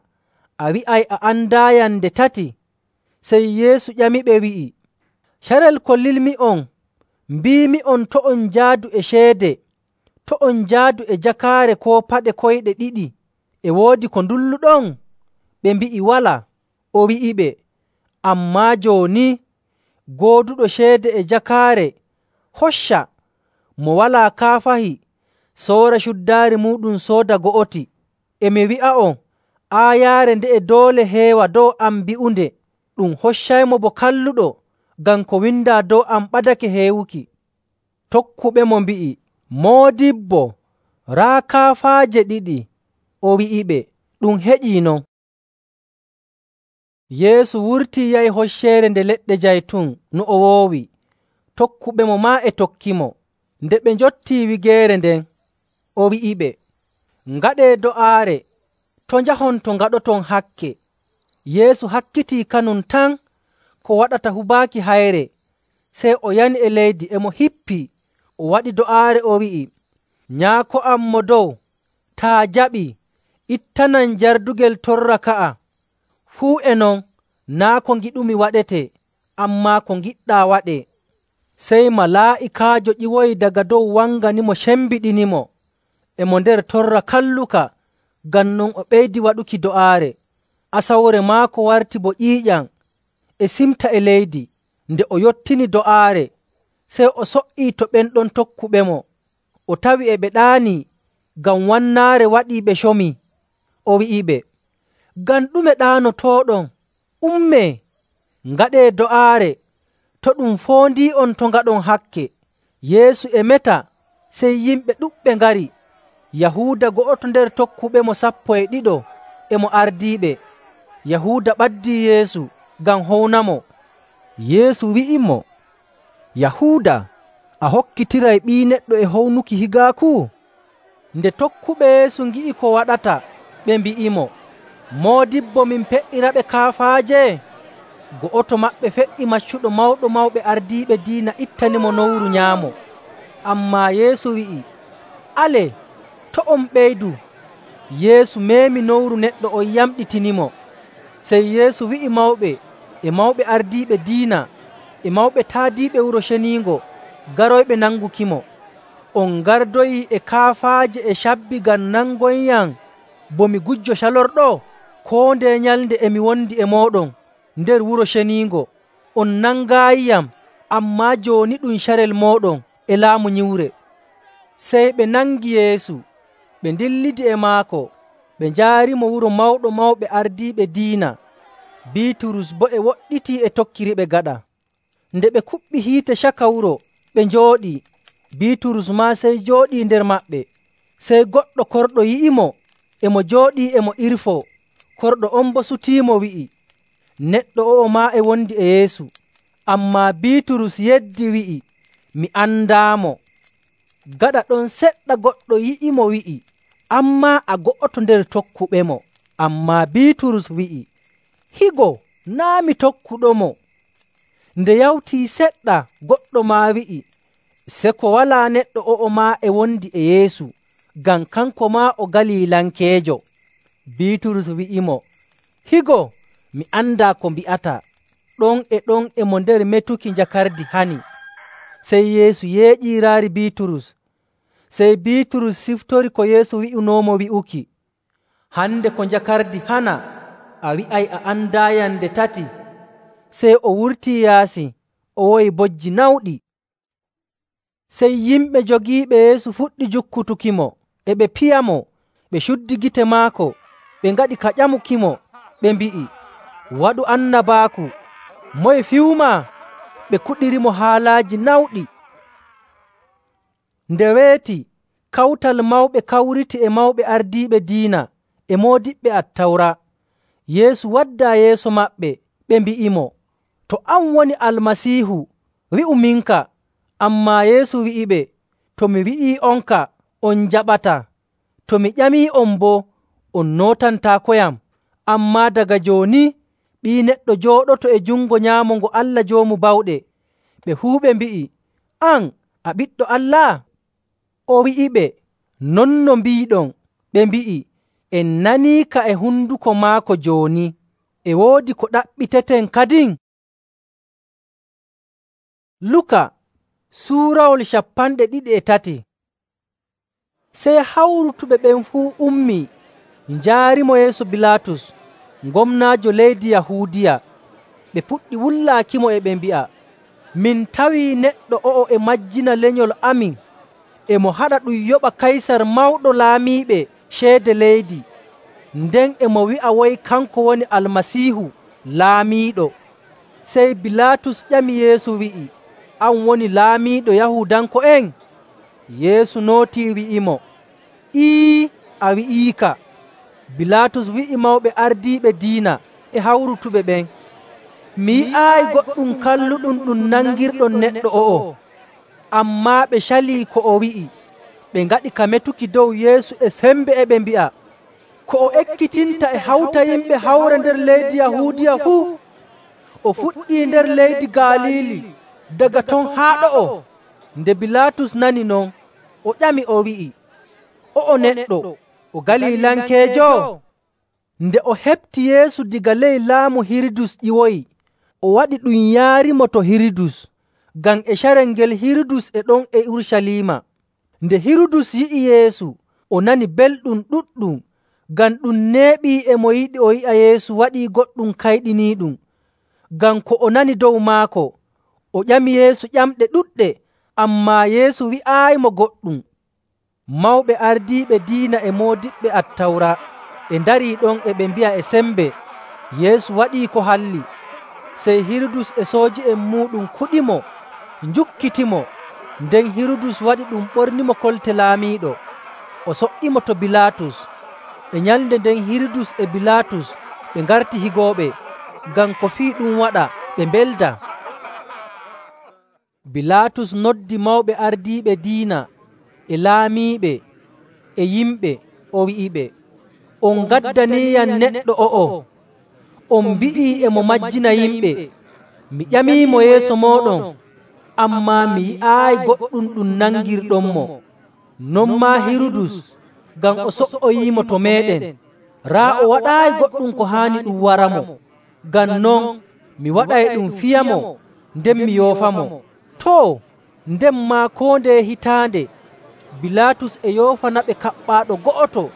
Speaker 1: a wi'ay a andaayam nde tati.” Sey Yeesu ƴamiɓe wi'i, “Carel kolilmi'on mbiimi'on to' on njaadu e ceede, to' on njaadu e jakaare koo paɗe koyɗe ɗiɗi. E woodi ko ndulluɗon?” Ɓe mbi'i, “Walaa.” O wi'iɓe, “Ammaa jooni gooduɗo ceede e jakaare hocca, mo walaa kaafahi soora cuddaari muuɗum sooda go'oti. E mi wi'a'on, aayaare nde'e doole heewa dow am bi'unde, ɗum hoccaymo bo kalluɗo, ngam ko windaa dow am ɓadake heewuki.” Tokkuɓemo mbi'i, “Moodibbo, raa kaafaaje ɗiɗi.” O wi'iɓe, “Ɗum heƴii non.” Yeesu wurtii yahi Hocceere Nde Leɗɗe Jaytun no o woowi. Tokkuɓemo maa e tokkimo. Nde ɓe njottii wigeere nden, o wi'iɓe, “Ngaɗee do'aare, to' njahon to ngaɗoton hakke.” Yeesu hakkitii kanum tan ko waɗata hubaaki hayre, sey o yani e leydi, e mo hippii, o waɗi do'aare, o wi'i, Nyaako am mo dow, taa jaɓii, ittanan jardugel torra ka'a. Fuu e non, naa' ko ngiɗumi waɗetee, ammaa ko ngiɗɗaa waɗee.” Sey malaa'ikaajo ƴiwoyi daga dow wanganimo cembiɗinimo e mo nder torra kalluka. Ngam non o ɓeydi waɗuki do'aare. Asawre maako warti bo ƴiiƴam e simta e leydi. Nde o yottini do'aare, sey o so''ii to ɓen ɗon tokkuɓemo. O tawi e ɓe ɗaanii ngam wannaare waɗii ɓe comii. O wi'iɓe, “Ngam ɗume ɗaanotooɗon? Ummee, ngaɗee do'aare, to' ɗum foondii'on to ngaɗon hakke.” Yeesu e meta, sey yimɓe ɗuɗɓe ngari. Yahuuda go'oto nder tokkuɓemo sappo e ɗiɗo e mo ardiiɓe. Yahuuda ɓaddii Yeesu ngam hownamo. Yeesu wi'imo, “Yahuuda, a hokkitiray Ɓii Neɗɗo e hownuki higaaku?” Nde tokkuɓe Yeesu ngi'i ko waɗata, ɓe mbi'imo, “Moodibbo, min pe''iraɓe kaafaaje?” Go'oto maɓɓe fe''i maccuɗo Mawɗo Mawɓe Ardiiɓe Diina ittanimo nowru nyaamo. Ammaa Yeesu wi'i, “Alee, to' on ɓeydu.” Yeesu meemi nowru neɗɗo on yamɗitinimo. Sey Yeesu wi'i mawɓe e mawɓe ardiiɓe diina e mawɓe taadiiɓe Wuro Ceniingo garoyɓe nangukimo, “On gardoyii e kaafaaje e cabbi ngam nangoyyam bo mi gujjo calorɗo? Koo ndeye nyalnde e mi wondi e mooɗon nder Wuro Ceniingo, on nangaayiyam, ammaa jooni ɗum carel mooɗon e laamu nyiwre.” Sey ɓe nangi Yeesu, ɓe ndillidi e maako, ɓe njaarimo wuro Mawɗo Mawɓe Ardiiɓe Diina. Biiturus boo e woɗɗitii e tokkiriɓe gaɗa. Nde ɓe kuɓɓi hiite caka wuro, ɓe njooɗii. Biiturus maa sey jooɗii nder maɓɓe. Sey goɗɗo korɗo yi'imo e mo jooɗii e mo irfoo. Korɗo on boo sutiimo wi'i, “Neɗɗo o'o maa e wondi e Yeesu.” Ammaa Biiturus yeddi wi'i, “Mi andaamo.” Gaɗa ɗon seɗɗa goɗɗo yi'imo wi'i, “An maa a go'oto nder tokkuɓemo.” Ammaa Biiturus wi'i, “Higo, naa' mi tokkuɗomo.” Nde yawtii seɗɗa, goɗɗo maa wi'i, “Seko walaa neɗɗo o'o maa e wondi e Yeesu, ngam kanko maa o Galilankeejo.” Biiturus wi'imo, “Higo, mi andaa ko mbi'ataa.” Ɗon e ɗon e mo nder metuki njakardi hani. Sey Yeesu yeeƴii raari Biiturus. Sey Biiturus siftori ko Yeesu wi'unoomo wi'uki, “Hande ko njakardi hana, a wi'ay a andaayam nde tati.” Sey o wurtii yaasi, o woyi bojji nawɗi. Sey yimɓe jogiiɓe Yeesu fuɗɗi jukkutukimo, e ɓe piyamo, ɓe cuddi gite maako, ɓe ngaɗi ka ƴamukimo, ɓe mbi'i, “Waɗu annabaaku! Moye fiyumaa?” Ɓe kuɗirimo haalaaji nawɗi. Nde weeti, kawtal mawɓe kawriti e mawɓe ardiiɓe diina e moodiɓɓe Attawra. Yeesu waddaa yeeso maɓɓe, ɓe mbi'imo, “To an woni Almasiihu, wi'u minka.” Ammaa Yeesu wi'iɓe, “To mi wi'ii'onka, on njaɓataa. To mi ƴamii'on boo, on nootantaakoyam. Ammaa daga jooni, Ɓii Neɗɗo jooɗoto e jungo nyaamo ngo Allah Joomu Bawɗe.” Ɓe fuu ɓe mbi'i, “An a Ɓiɗɗo Allah?” O wi'iɓe, “Non no mbiiɗon.” Ɓe mbi'i, “En naniika e honduko maako jooni. E woodi ko ɗaɓɓiteten kadin?” Luka suurawol cappanɗe ɗiɗi e tati. Sey hawrutuɓe ɓen fuu ummii, njaarimo yeeso Bilaatus, gomnaajo leydi Yahuudiya. Ɓe puɗɗi wullaakimo e ɓe mbi'a, “Min tawii neɗɗo o'o e majjina lenyol amin, e mo haɗa ɗum yoɓa Kaysar mawɗo laamiiɓe ceede leydi, nden e mo wi'a woy kanko woni Almasiihu, laamiiɗo.” Sey Bilaatus ƴami Yeesu wi'i, “An woni laamiiɗo Yahuudanko'en?” Yeesu nootii wi'imo, “Ii, a wi'iika.” Bilaatus wi'i mawɓe ardiiɓe diina e hawrutuɓe ɓen, “Mi yi'aayi goɗɗum kalluɗum ɗum nangirɗon neɗɗo o'o.” Ammaa ɓe calii ko o wi'i. Ɓe ngaɗi ka metuki dow Yeesu e sembe e ɓe mbi'a, “Ko o ekkitinta e hawta yimɓe hawra nder leydi Yahuudiya fuu. O fuɗɗii nder leydi Galiili, daga ton haa ɗo'o.” Nde Bilaatus nani non, O ƴami o wi'i, “O'o neɗɗo o Galilankeejo?” Nde o heɓti Yeesu daga ley laamu Hirudus ƴiwoyi, o waɗi ɗum yaarimo to Hirudus, ngam e carel ngel Hirudus e ɗon e Urucaliima. Nde Hirudus yi'i Yeesu, o nani belɗum ɗuɗɗum, ngam ɗum neeɓii e mo yiɗi o yi'a Yeesu waɗii goɗɗum kayɗiniiɗum. Ngam ko o nani dow maako, o ƴami Yeesu ƴamɗe ɗuɗɗe, ammaa Yeesu wi'aayimo goɗɗum. Mawɓe ardiiɓe diina e moodiɓɓe Attawra e ndarii ɗon e ɓe mbi'a e sembe Yeesu waɗii ko halli. Sey Hirudus e sooji'en muuɗum kuɗimo, njukkitimo. Nden Hirudus waɗi ɗum ɓornimo kolte laamiiɗo, o so''imo to Bilaatus. E nyalnde nden Hirudus e Bilaatus ɓe ngarti higooɓe, ngam ko fii ɗum waɗa ɓe mbelda. Bilaatus noddi mawɓe ardiiɓe diina e laamiiɓe e yimɓe, o wi'iɓe, “On ngaddaniiyam neɗɗo o'o. On mbi'ii e mo majjina yimɓe. Mi ƴamiimo yeeso mooɗon, ammaa mi yi'aayi goɗɗum ɗum nangirɗonmo. Non maa Hirudus, ngam o so''oyimo to meeɗen. Raa o waɗaayi goɗɗum ko haani ɗum waramo. Ngam non mi waɗay ɗum fiyamo, nden mi yoofamo.” Too, nden maa koo ndeye hitaande Bilaatus e yoofanaɓe kaɓɓaaɗo go'oto,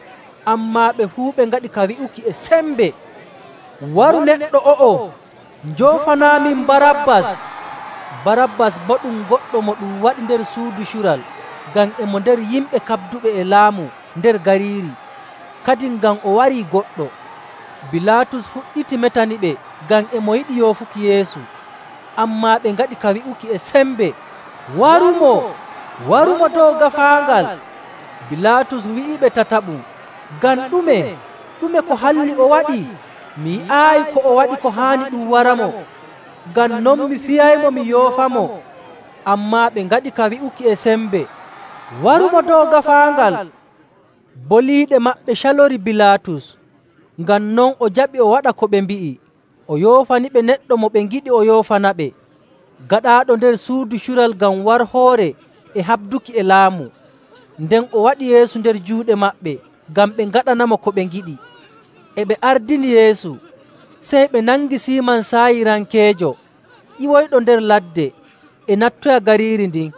Speaker 1: ammaa ɓe fuu ɓe ngaɗi ka wi'uki e sembe, “Waru neɗɗo o'o, njoofanaamin Barabbas!” Barabbas boo ɗum goɗɗo mo ɗum waɗi nder suudu cural, ngam e mo nder yimɓe kabduɓe e laamu nder gariiri, kadin ngam o warii goɗɗo. Bilaatus fuɗɗiti metaniɓe ngam e mo yiɗi yoofuki Yeesu, ammaa ɓe ngaɗi ka wi'uki e sembe, “Warumo! Warumo dow gaafaangal!” Bilaatus wi'iɓe tataɓum, “Ngam ɗume? Ɗume ko halli o waɗi? Mi yi'aayi ko o waɗi ko haani ɗum waramo. Ngam non mi fiyaymo mi yoofamo.” Ammaa ɓe ngaɗi ka wi'uki e sembe, “Warumo dow gaafaangal!” Boliiɗe maɓɓe calori Bilaatus, ngam non o jaɓi o waɗa ko ɓe mbi'i, o yoofaniɓe neɗɗo mo ɓe ngiɗi o yoofanaɓe, gaɗaaɗo nder suudu cural ngam warhoore e habduki e laamu. Nden o waɗi Yeesu nder juuɗe maɓɓe ngam ɓe ngaɗanamo ko ɓe ngiɗi. E ɓe ardini Yeesu, sey ɓe nangi Siiman Saayirankeejo, ƴiwoyɗo nder ladde, e nattoya gariiri ndin.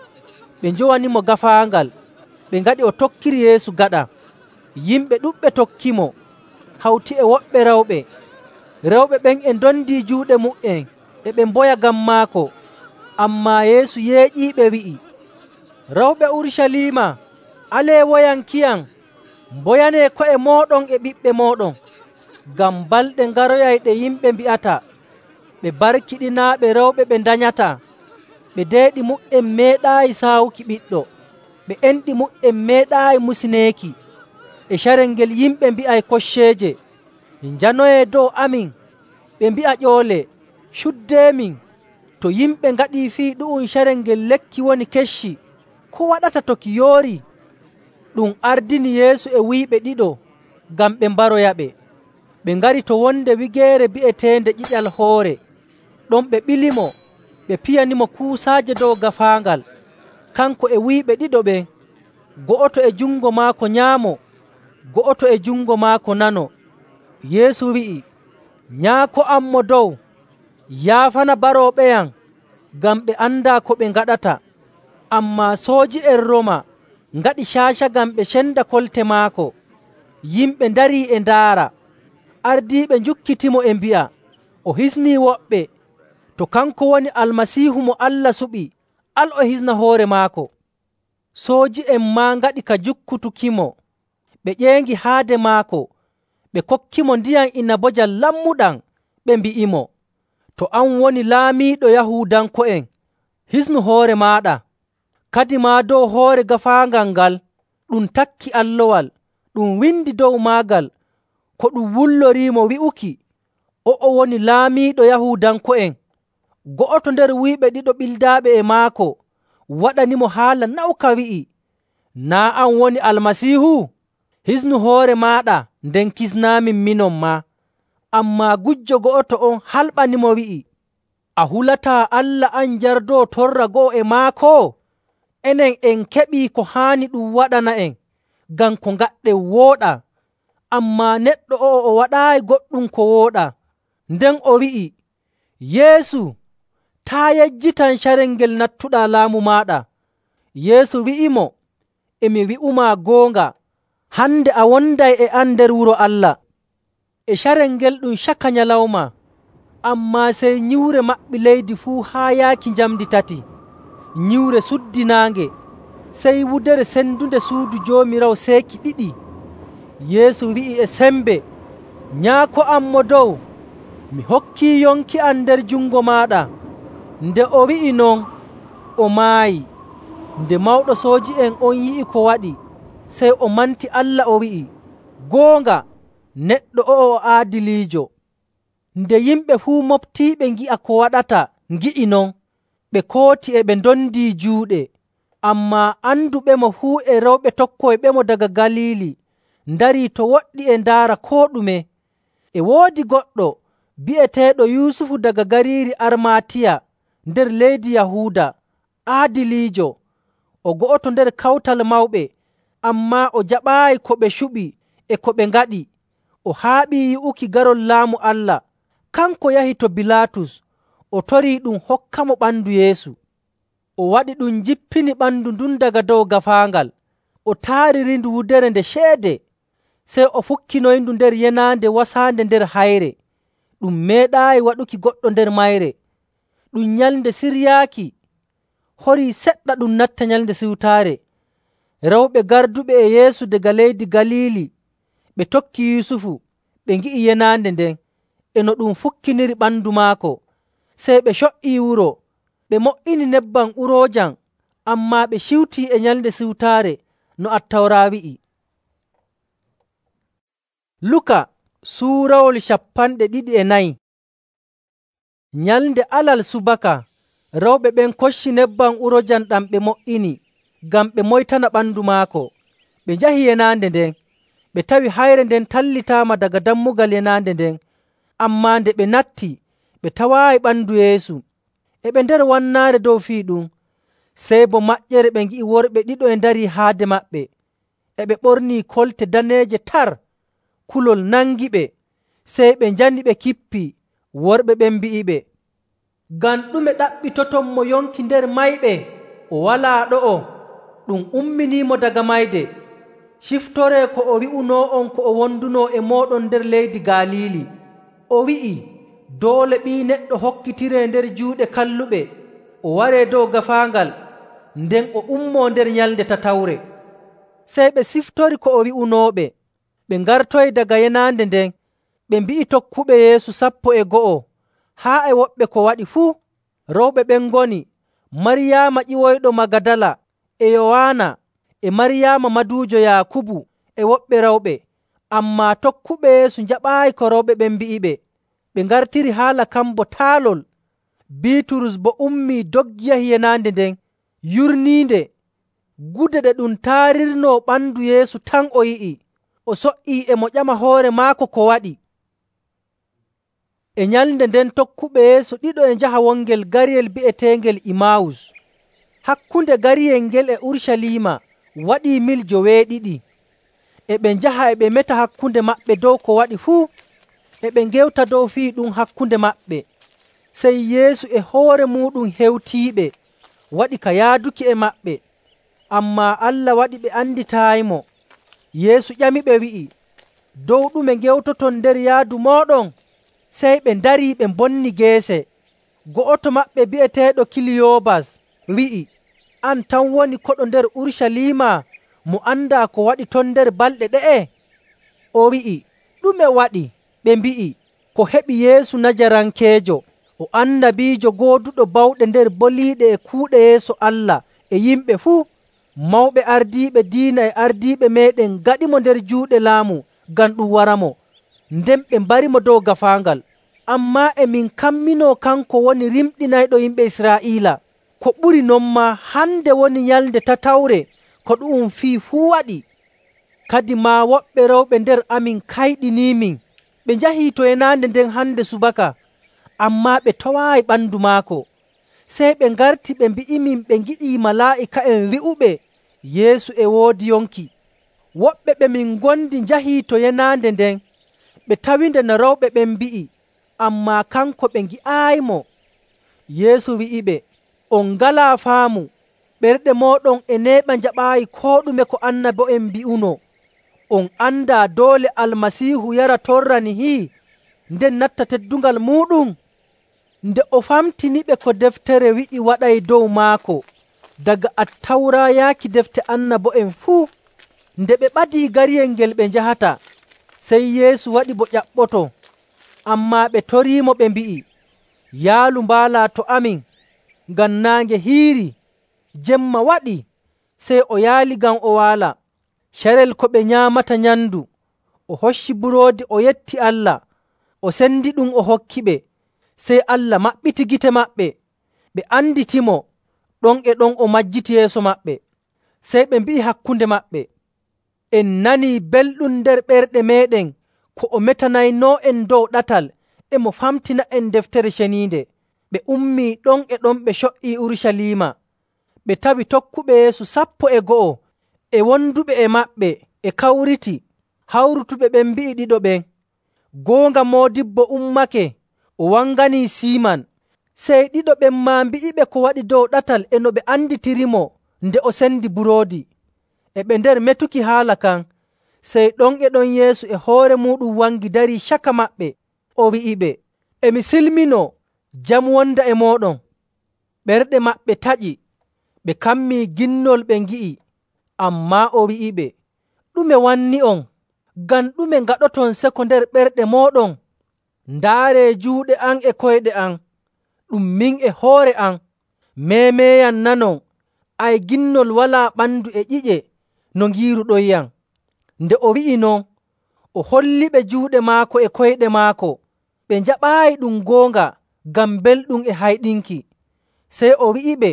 Speaker 1: Ɓe njowanimo gaafaangal, ɓe ngaɗi o tokkiri Yeesu gaɗa. Yimɓe ɗuɗɓe tokkimo, hawti e woɓɓe rewɓe. Rewɓe ɓen e ndondii juuɗe mu''en e ɓe mboya ngam maako. Ammaa Yeesu yeeƴiiɓe wi'i, “Rewɓe Urucaliima, alee woyankiyam, mboyanee ko'e mooɗon e ɓiɓɓe mooɗon. Ngam balɗe ngaroyay ɗe yimɓe mbi'ata, ɓe barkiɗinaaɓe rewɓe ɓe ndanyataa, ɓe deeɗi mu''en meeɗaayi saawuki ɓiɗɗo, ɓe enɗi mu''en meeɗaayi musineeki. E carel ngel yimɓe mbi'ay kocceeje, njanoyee dow amin, ɓe mbi'a ƴoole, cuddeemin. To yimɓe ngaɗii fii ɗu'um carel ngel lekki woni kecci, ko waɗata to ki yoori?” Ɗum ardini Yeesu e wuyɓe ɗiɗo ngam ɓe mbaroyaɓe. Ɓe ngari to wonde wigeere bi'eteende Ƴiƴal Hoore. Ɗon ɓe ɓilimo, ɓe piyanimo kuusaaje dow gaafaangal, kanko e wuyɓe ɗiɗo ɓen, go'oto e jungo maako nyaamo, go'oto e jungo maako nano. Yeesu wi'i, “Nyaako am Mo Dow, yaafana barooɓeyam, ngam ɓe andaa ko ɓe ngaɗata.” Ammaa sooji'en Rooma ngaɗi caaca ngam ɓe cenda kolte maako. Yimɓe ndarii e ndaara. Ardiiɓe njukkitimo e mbi'a, o hisnii woɓɓe. To kanko woni Almasiihu mo Allah suɓi, al o hisna hoore maako. Sooji'en maa ngaɗi ka jukkutukimo. Ɓe ƴeengi haade maako, ɓe kokkimo ndiyam inabojam lammuɗam, ɓe mbi'imo, “To an woni laamiiɗo Yahuudanko'en, hisnu hoore maaɗa.” Kadimaa dow hoore gaafaangal ngal ɗum takki allowal, ɗum windi dow maagal ko ɗum wulloriimo wi'uki, “O'o woni laamiiɗo Yahuudanko'en.” Go'oto nder wuyɓe ɗiɗo ɓildaaɓe e maako waɗanimo haala nawka wi'i, “Naa' an woni Almasiihu? Hisnu hoore maaɗa, nden kisnaamin minon maa.” Ammaa gujjo go'oto on halɓanimo wi'i, “A hulataa Allah an jardoo torra go'o e maako? enen en keɓii ko haani ɗum waɗana'en ngam ko ngaɗɗen wooɗaa. Ammaa neɗɗo o'o o waɗaayi goɗɗum ko wooɗaa. Nden o wi'i, “Yeesu, taa' yejjitam carel ngel nattuɗaa laamu maaɗa.” Yeesu wi'imo, “E mi wi'umaa goonga, hande a wonday e am nder wuro Allah.” E carel ngel ɗum caka nyalawma. Ammaa sey nyiwre maɓɓi leydi fuu haa yaaki njamndi tati. Nyiwre suddinaange. Sey wudere sendunde suudu Joomiraawo seeki ɗiɗi. Yeesu wi'i e sembe, “Nyaako am Mo Dow, mi hokkii yonki am nder jungo maaɗa.” Nde o wi'i non, o maayi. Nde mawɗo sooji'en on yi'i ko waɗi, sey o manti Allah o wi'i, “Goonga, neɗɗo o'o o aadiliijo.” Nde yimɓe fuu moftiiɓe ngi'a ko waɗata ngi'i non, ɓe kooti e ɓe ndondii juuɗe. Ammaa anduɓemo fuu e rewɓe tokkoyɓemo daga Galiili ndarii to woɗɗi e ndaara koo ɗume. E woodi goɗɗo bi'eteeɗo Yusufu daga gariiri Armaatiya nder leydi Yahuuda, aadiliijo, o go'oto nder Kawtal Mawɓe, ammaa o jaɓaayi ko ɓe cuɓi e ko ɓe ngaɗi. O haaɓii yi'uki garol Laamu Allah. Kanko yahi to Bilaatus, o torii ɗum hokkamo ɓandu Yeesu. O waɗi ɗum jippini ɓandu ndun daga dow gaafaangal, o taaririndu wudere nde ceede. Sey o fukkinoyindu nder yenaande wasaande nder hayre. Ɗum meeɗaayi waɗuki goɗɗo nder mayre. Ɗum Nyalnde Siryaaki. Horii seɗɗa ɗum natta Nyalnde Siwtaare. Rewɓe garduɓe e Yeesu daga leydi Galiili ɓe tokki Yusufu, ɓe ngi'i yenaande nden e no ɗum fukkiniri ɓandu maako. Sey ɓe co''ii wuro, ɓe mo''ini nebbam uroojam, ammaa ɓe ciwtii e Nyalnde Siwtaare no Attawra wi'i. Luka suurawol cappanɗe ɗiɗi e nayi. Nyalnde Alal subaka, rewɓe ɓen kocci nebbam uroojam ɗam ɓe mo''ini ngam ɓe moytana ɓandu maako. Ɓe njahi yenaande nden, ɓe tawi hayre nden tallitaama daga dammugal yenaande nden. Ammaa nde ɓe natti, ɓe tawaayi ɓandu Yeesu. E ɓe nder wannaare dow fii ɗum, sey bo maƴƴere ɓe ngi'i worɓe ɗiɗo e ndarii haade maɓɓe. E ɓe ɓornii kolte daneeje tar, kulol nangiɓe. Sey ɓe njani ɓe kippii. Worɓe ɓen mbi'iɓe, “Ngam ɗume ɗaɓɓitoton mo yonki nder mayɓe? O walaa ɗo'o, ɗum umminiimo daga mayde. Ciftoree ko o wi'unoo'on ko o wondunoo e mooɗon nder leydi Galiili. O wi'i, doole Ɓii Neɗɗo hokkitiree nder juuɗe kalluɓe, o waree dow gaafaangal, nden o ummoo nder nyalnde tatawre.” Sey ɓe siftori ko o wi'unooɓe. Ɓe ngartoyi daga yenaande nden, ɓe mbi'i tokkuɓe Yeesu sappo e go'o haa e woɓɓe ko waɗi fuu. Rewɓe ɓen ngoni Maryaama ƴiwoyɗo Magadala, e Yowaana, e Maryaama maduujo Yaakubu, e woɓɓe rewɓe. Ammaa tokkuɓe Yeesu njaɓaayi ko rewɓe ɓen mbi'iɓe. Ɓe ngartiri haala kan bo taalol. Biiturus boo ummii doggi yahi yenaande nden, yurniinde. Gude ɗe ɗum taarirnoo ɓandu Yeesu tan o yi'i. O so''ii e mo ƴama hoore maako ko waɗi. E nyalnde nden tokkuɓe Yeesu ɗiɗo e njaha wongel gariyel bi'eteengel Imaawus. Hakkunde gariyel ngel e Urucaliima waɗii mil joweeɗiɗi. E ɓe njaha e ɓe meta hakkunde maɓɓe dow ko waɗi fuu. E ɓe ngewta dow fii ɗum hakkunde maɓɓe. Sey Yeesu e hoore muuɗum hewtiiɓe, waɗi ka yaaduki e maɓɓe. Ammaa Allah waɗi ɓe anditaayimo. Yeesu ƴamiɓe wi'i, “Dow ɗume ngewtoton nder yaadu mooɗon?” Sey ɓe ndarii ɓe mbonni geese. Go'oto maɓɓe bi'eteeɗo Kiliyoobas wi'i, “An tan woni koɗo nder Urucaliima mo andaa ko waɗi ton nder balɗe ɗe'e?” O wi'i, “Ɗume waɗi?” Ɓe mbi'i, “Ko heɓi Yeesu Najarankeejo, o annabiijo gooduɗo bawɗe nder boliiɗe e kuuɗe yeeso Allah e yimɓe fuu. Mawɓe ardiiɓe diina e ardiiɓe meeɗen ngaɗimo nder juuɗe laamu ngam ɗum waramo, nden ɓe mbarimo dow gaafaangal. Ammaa e min kamminoo kanko woni rimɗinayɗo yimɓe Israa'iila. Ko ɓuri non maa, hande woni nyalnde tatawre ko ɗu'um fii fuu waɗi.” Kadi maa woɓɓe rewɓe nder amin kayɗiniimin. Ɓe njahii to yenaande nden hande subaka, ammaa ɓe tawaayi ɓandu maako. Sey ɓe ngarti ɓe mbi'imin ɓe ngi'ii malaa'ika'en wi'uɓe Yeesu e woodi yonki. Woɓɓe ɓe min ngondi njahii to yenaande nden, ɓe tawinde no rewɓe ɓen mbi'i, ammaa kanko ɓe ngi'aayimo. Yeesu wi'iɓe, “On ngalaa faamu, ɓerɗe mooɗon e neeɓa njaɓaayi koo ɗume ko annabo'en mbi'uno. On andaa doole Almasiihu yara torra nihi, nden natta teddungal muuɗum?” Nde o famtiniɓe ko deftere wi'i waɗay dow maako, daga Attawra yaaki defte annabo'en fuu, nde ɓe ɓadii gariyel ngel ɓe njahata, sey Yeesu waɗi bo ƴaɓɓoto. Ammaa ɓe toriimo ɓe mbi'i, “Yaalu mbaalaa to amin, ngam naange hiirii, jemma waɗii.” Sey o yaali ngam o waala. Carel ko ɓe nyaamata nyamndu, o hocci buroodi o yetti Allah, o sendiɗum o hokkiɓe. Sey Allah maɓɓiti gite maɓɓe, ɓe anditimo. Ɗon e ɗon o majjiti yeeso maɓɓe. Sey ɓe mbi'i hakkunde maɓɓe, “En nanii belɗum nder ɓerɗe meeɗen ko o metanaynoo'en dow ɗatal e mo famtina'en Deftere Ceniinde.” Ɓe ummii ɗon e ɗon ɓe co''ii Urucaliima. Ɓe tawi tokkuɓe Yeesu sappo e go'o e wonduɓe e maɓɓe e kawriti. Hawrutuɓe ɓen mbi'i ɗiɗo ɓen, “Goonga Moodibbo ummake o wanganii Siiman.” Sey ɗiɗo ɓen maa mbi'iɓe ko waɗi dow ɗatal e no ɓe anditirimo nde o sendi buroodi. E ɓe nder metuki haala kan, sey ɗon e ɗon Yeesu e hoore muuɗum wangi darii caka maɓɓe. O wi'iɓe, “E mi silminoo, jam wonda e mooɗon.” Ɓerɗe maɓɓe taƴi, ɓe kammii ginnol ɓe ngi'i. Ammaa o wi'iɓe, “Ɗume wanni'on? Ngam ɗume ngaɗoton seko nder ɓerɗe mooɗon? Ndaaree juuɗe am e koyɗe am, ɗum min e hoore am. Meemeeyam nanon, ay ginnol walaa ɓandu e ƴiƴe no ngiiruɗonyam.” Nde o wi'i non, o holliɓe juuɗe maako e koyɗe maako. Ɓe njaɓaayi ɗum goonga ngam belɗum e hayɗinki. Sey o wi'iɓe,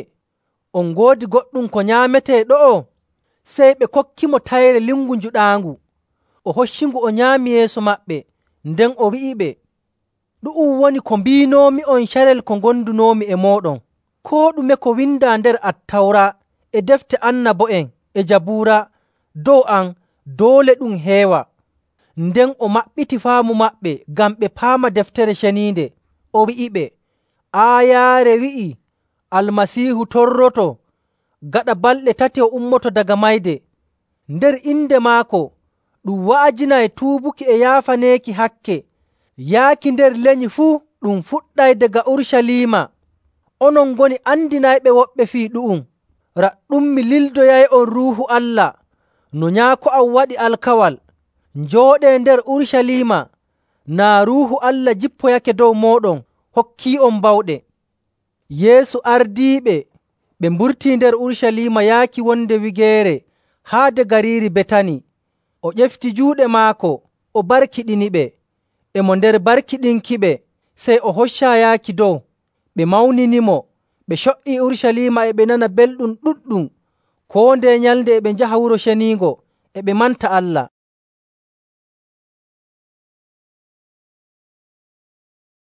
Speaker 1: “On ngoodi goɗɗum ko nyaametee ɗo'o?” Sey ɓe kokkimo tayre lingu njuɗaangu. O hoccingu o nyaami yeeso maɓɓe. Nden o wi'iɓe, “Ɗu'um woni ko mbiinoomi'on carel ko ngondunoomi e mooɗon. Koo ɗume ko windaa nder Attawra e defte annabo'en e Jabuura dow am, doole ɗum heewa.” Nden o maɓɓiti faamu maɓɓe ngam ɓe paama Deftere Ceniinde. O wi'iɓe, “Aayaare wi'ii Almasiihu torroto gaɗa balɗe tati o ummoto daga mayde. Nder inde maako ɗum wa'ajinay tuubuki e yaafaneeki hakke. Yaaki nder lenyi fuu ɗum fuɗɗay daga Urucaliima. Onon ngoni andinayɓe woɓɓe fii ɗu'um. Raɗɗum mi lildoyay'on Ruuhu Allah no Nyaako am waɗi alkawal. Njooɗee nder Urucaliima naa Ruuhu Allah jippoyake dow mooɗon hokkii'on bawɗe.” Yeesu ardiiɓe ɓe mburtii nder Urucaliima yaaki wonde wigeere haade gariiri Betani. O ƴefti juuɗe maako o barkiɗiniɓe. E mo nder barkiɗinkiɓe, sey o hoccaa yaaki dow. Ɓe mawninimo, ɓe co''ii Urucaliima e ɓe nana belɗum ɗuɗɗum. Koo ndeye nyalnde e ɓe njaha Wuro Ceniingo e ɓe manta Allah.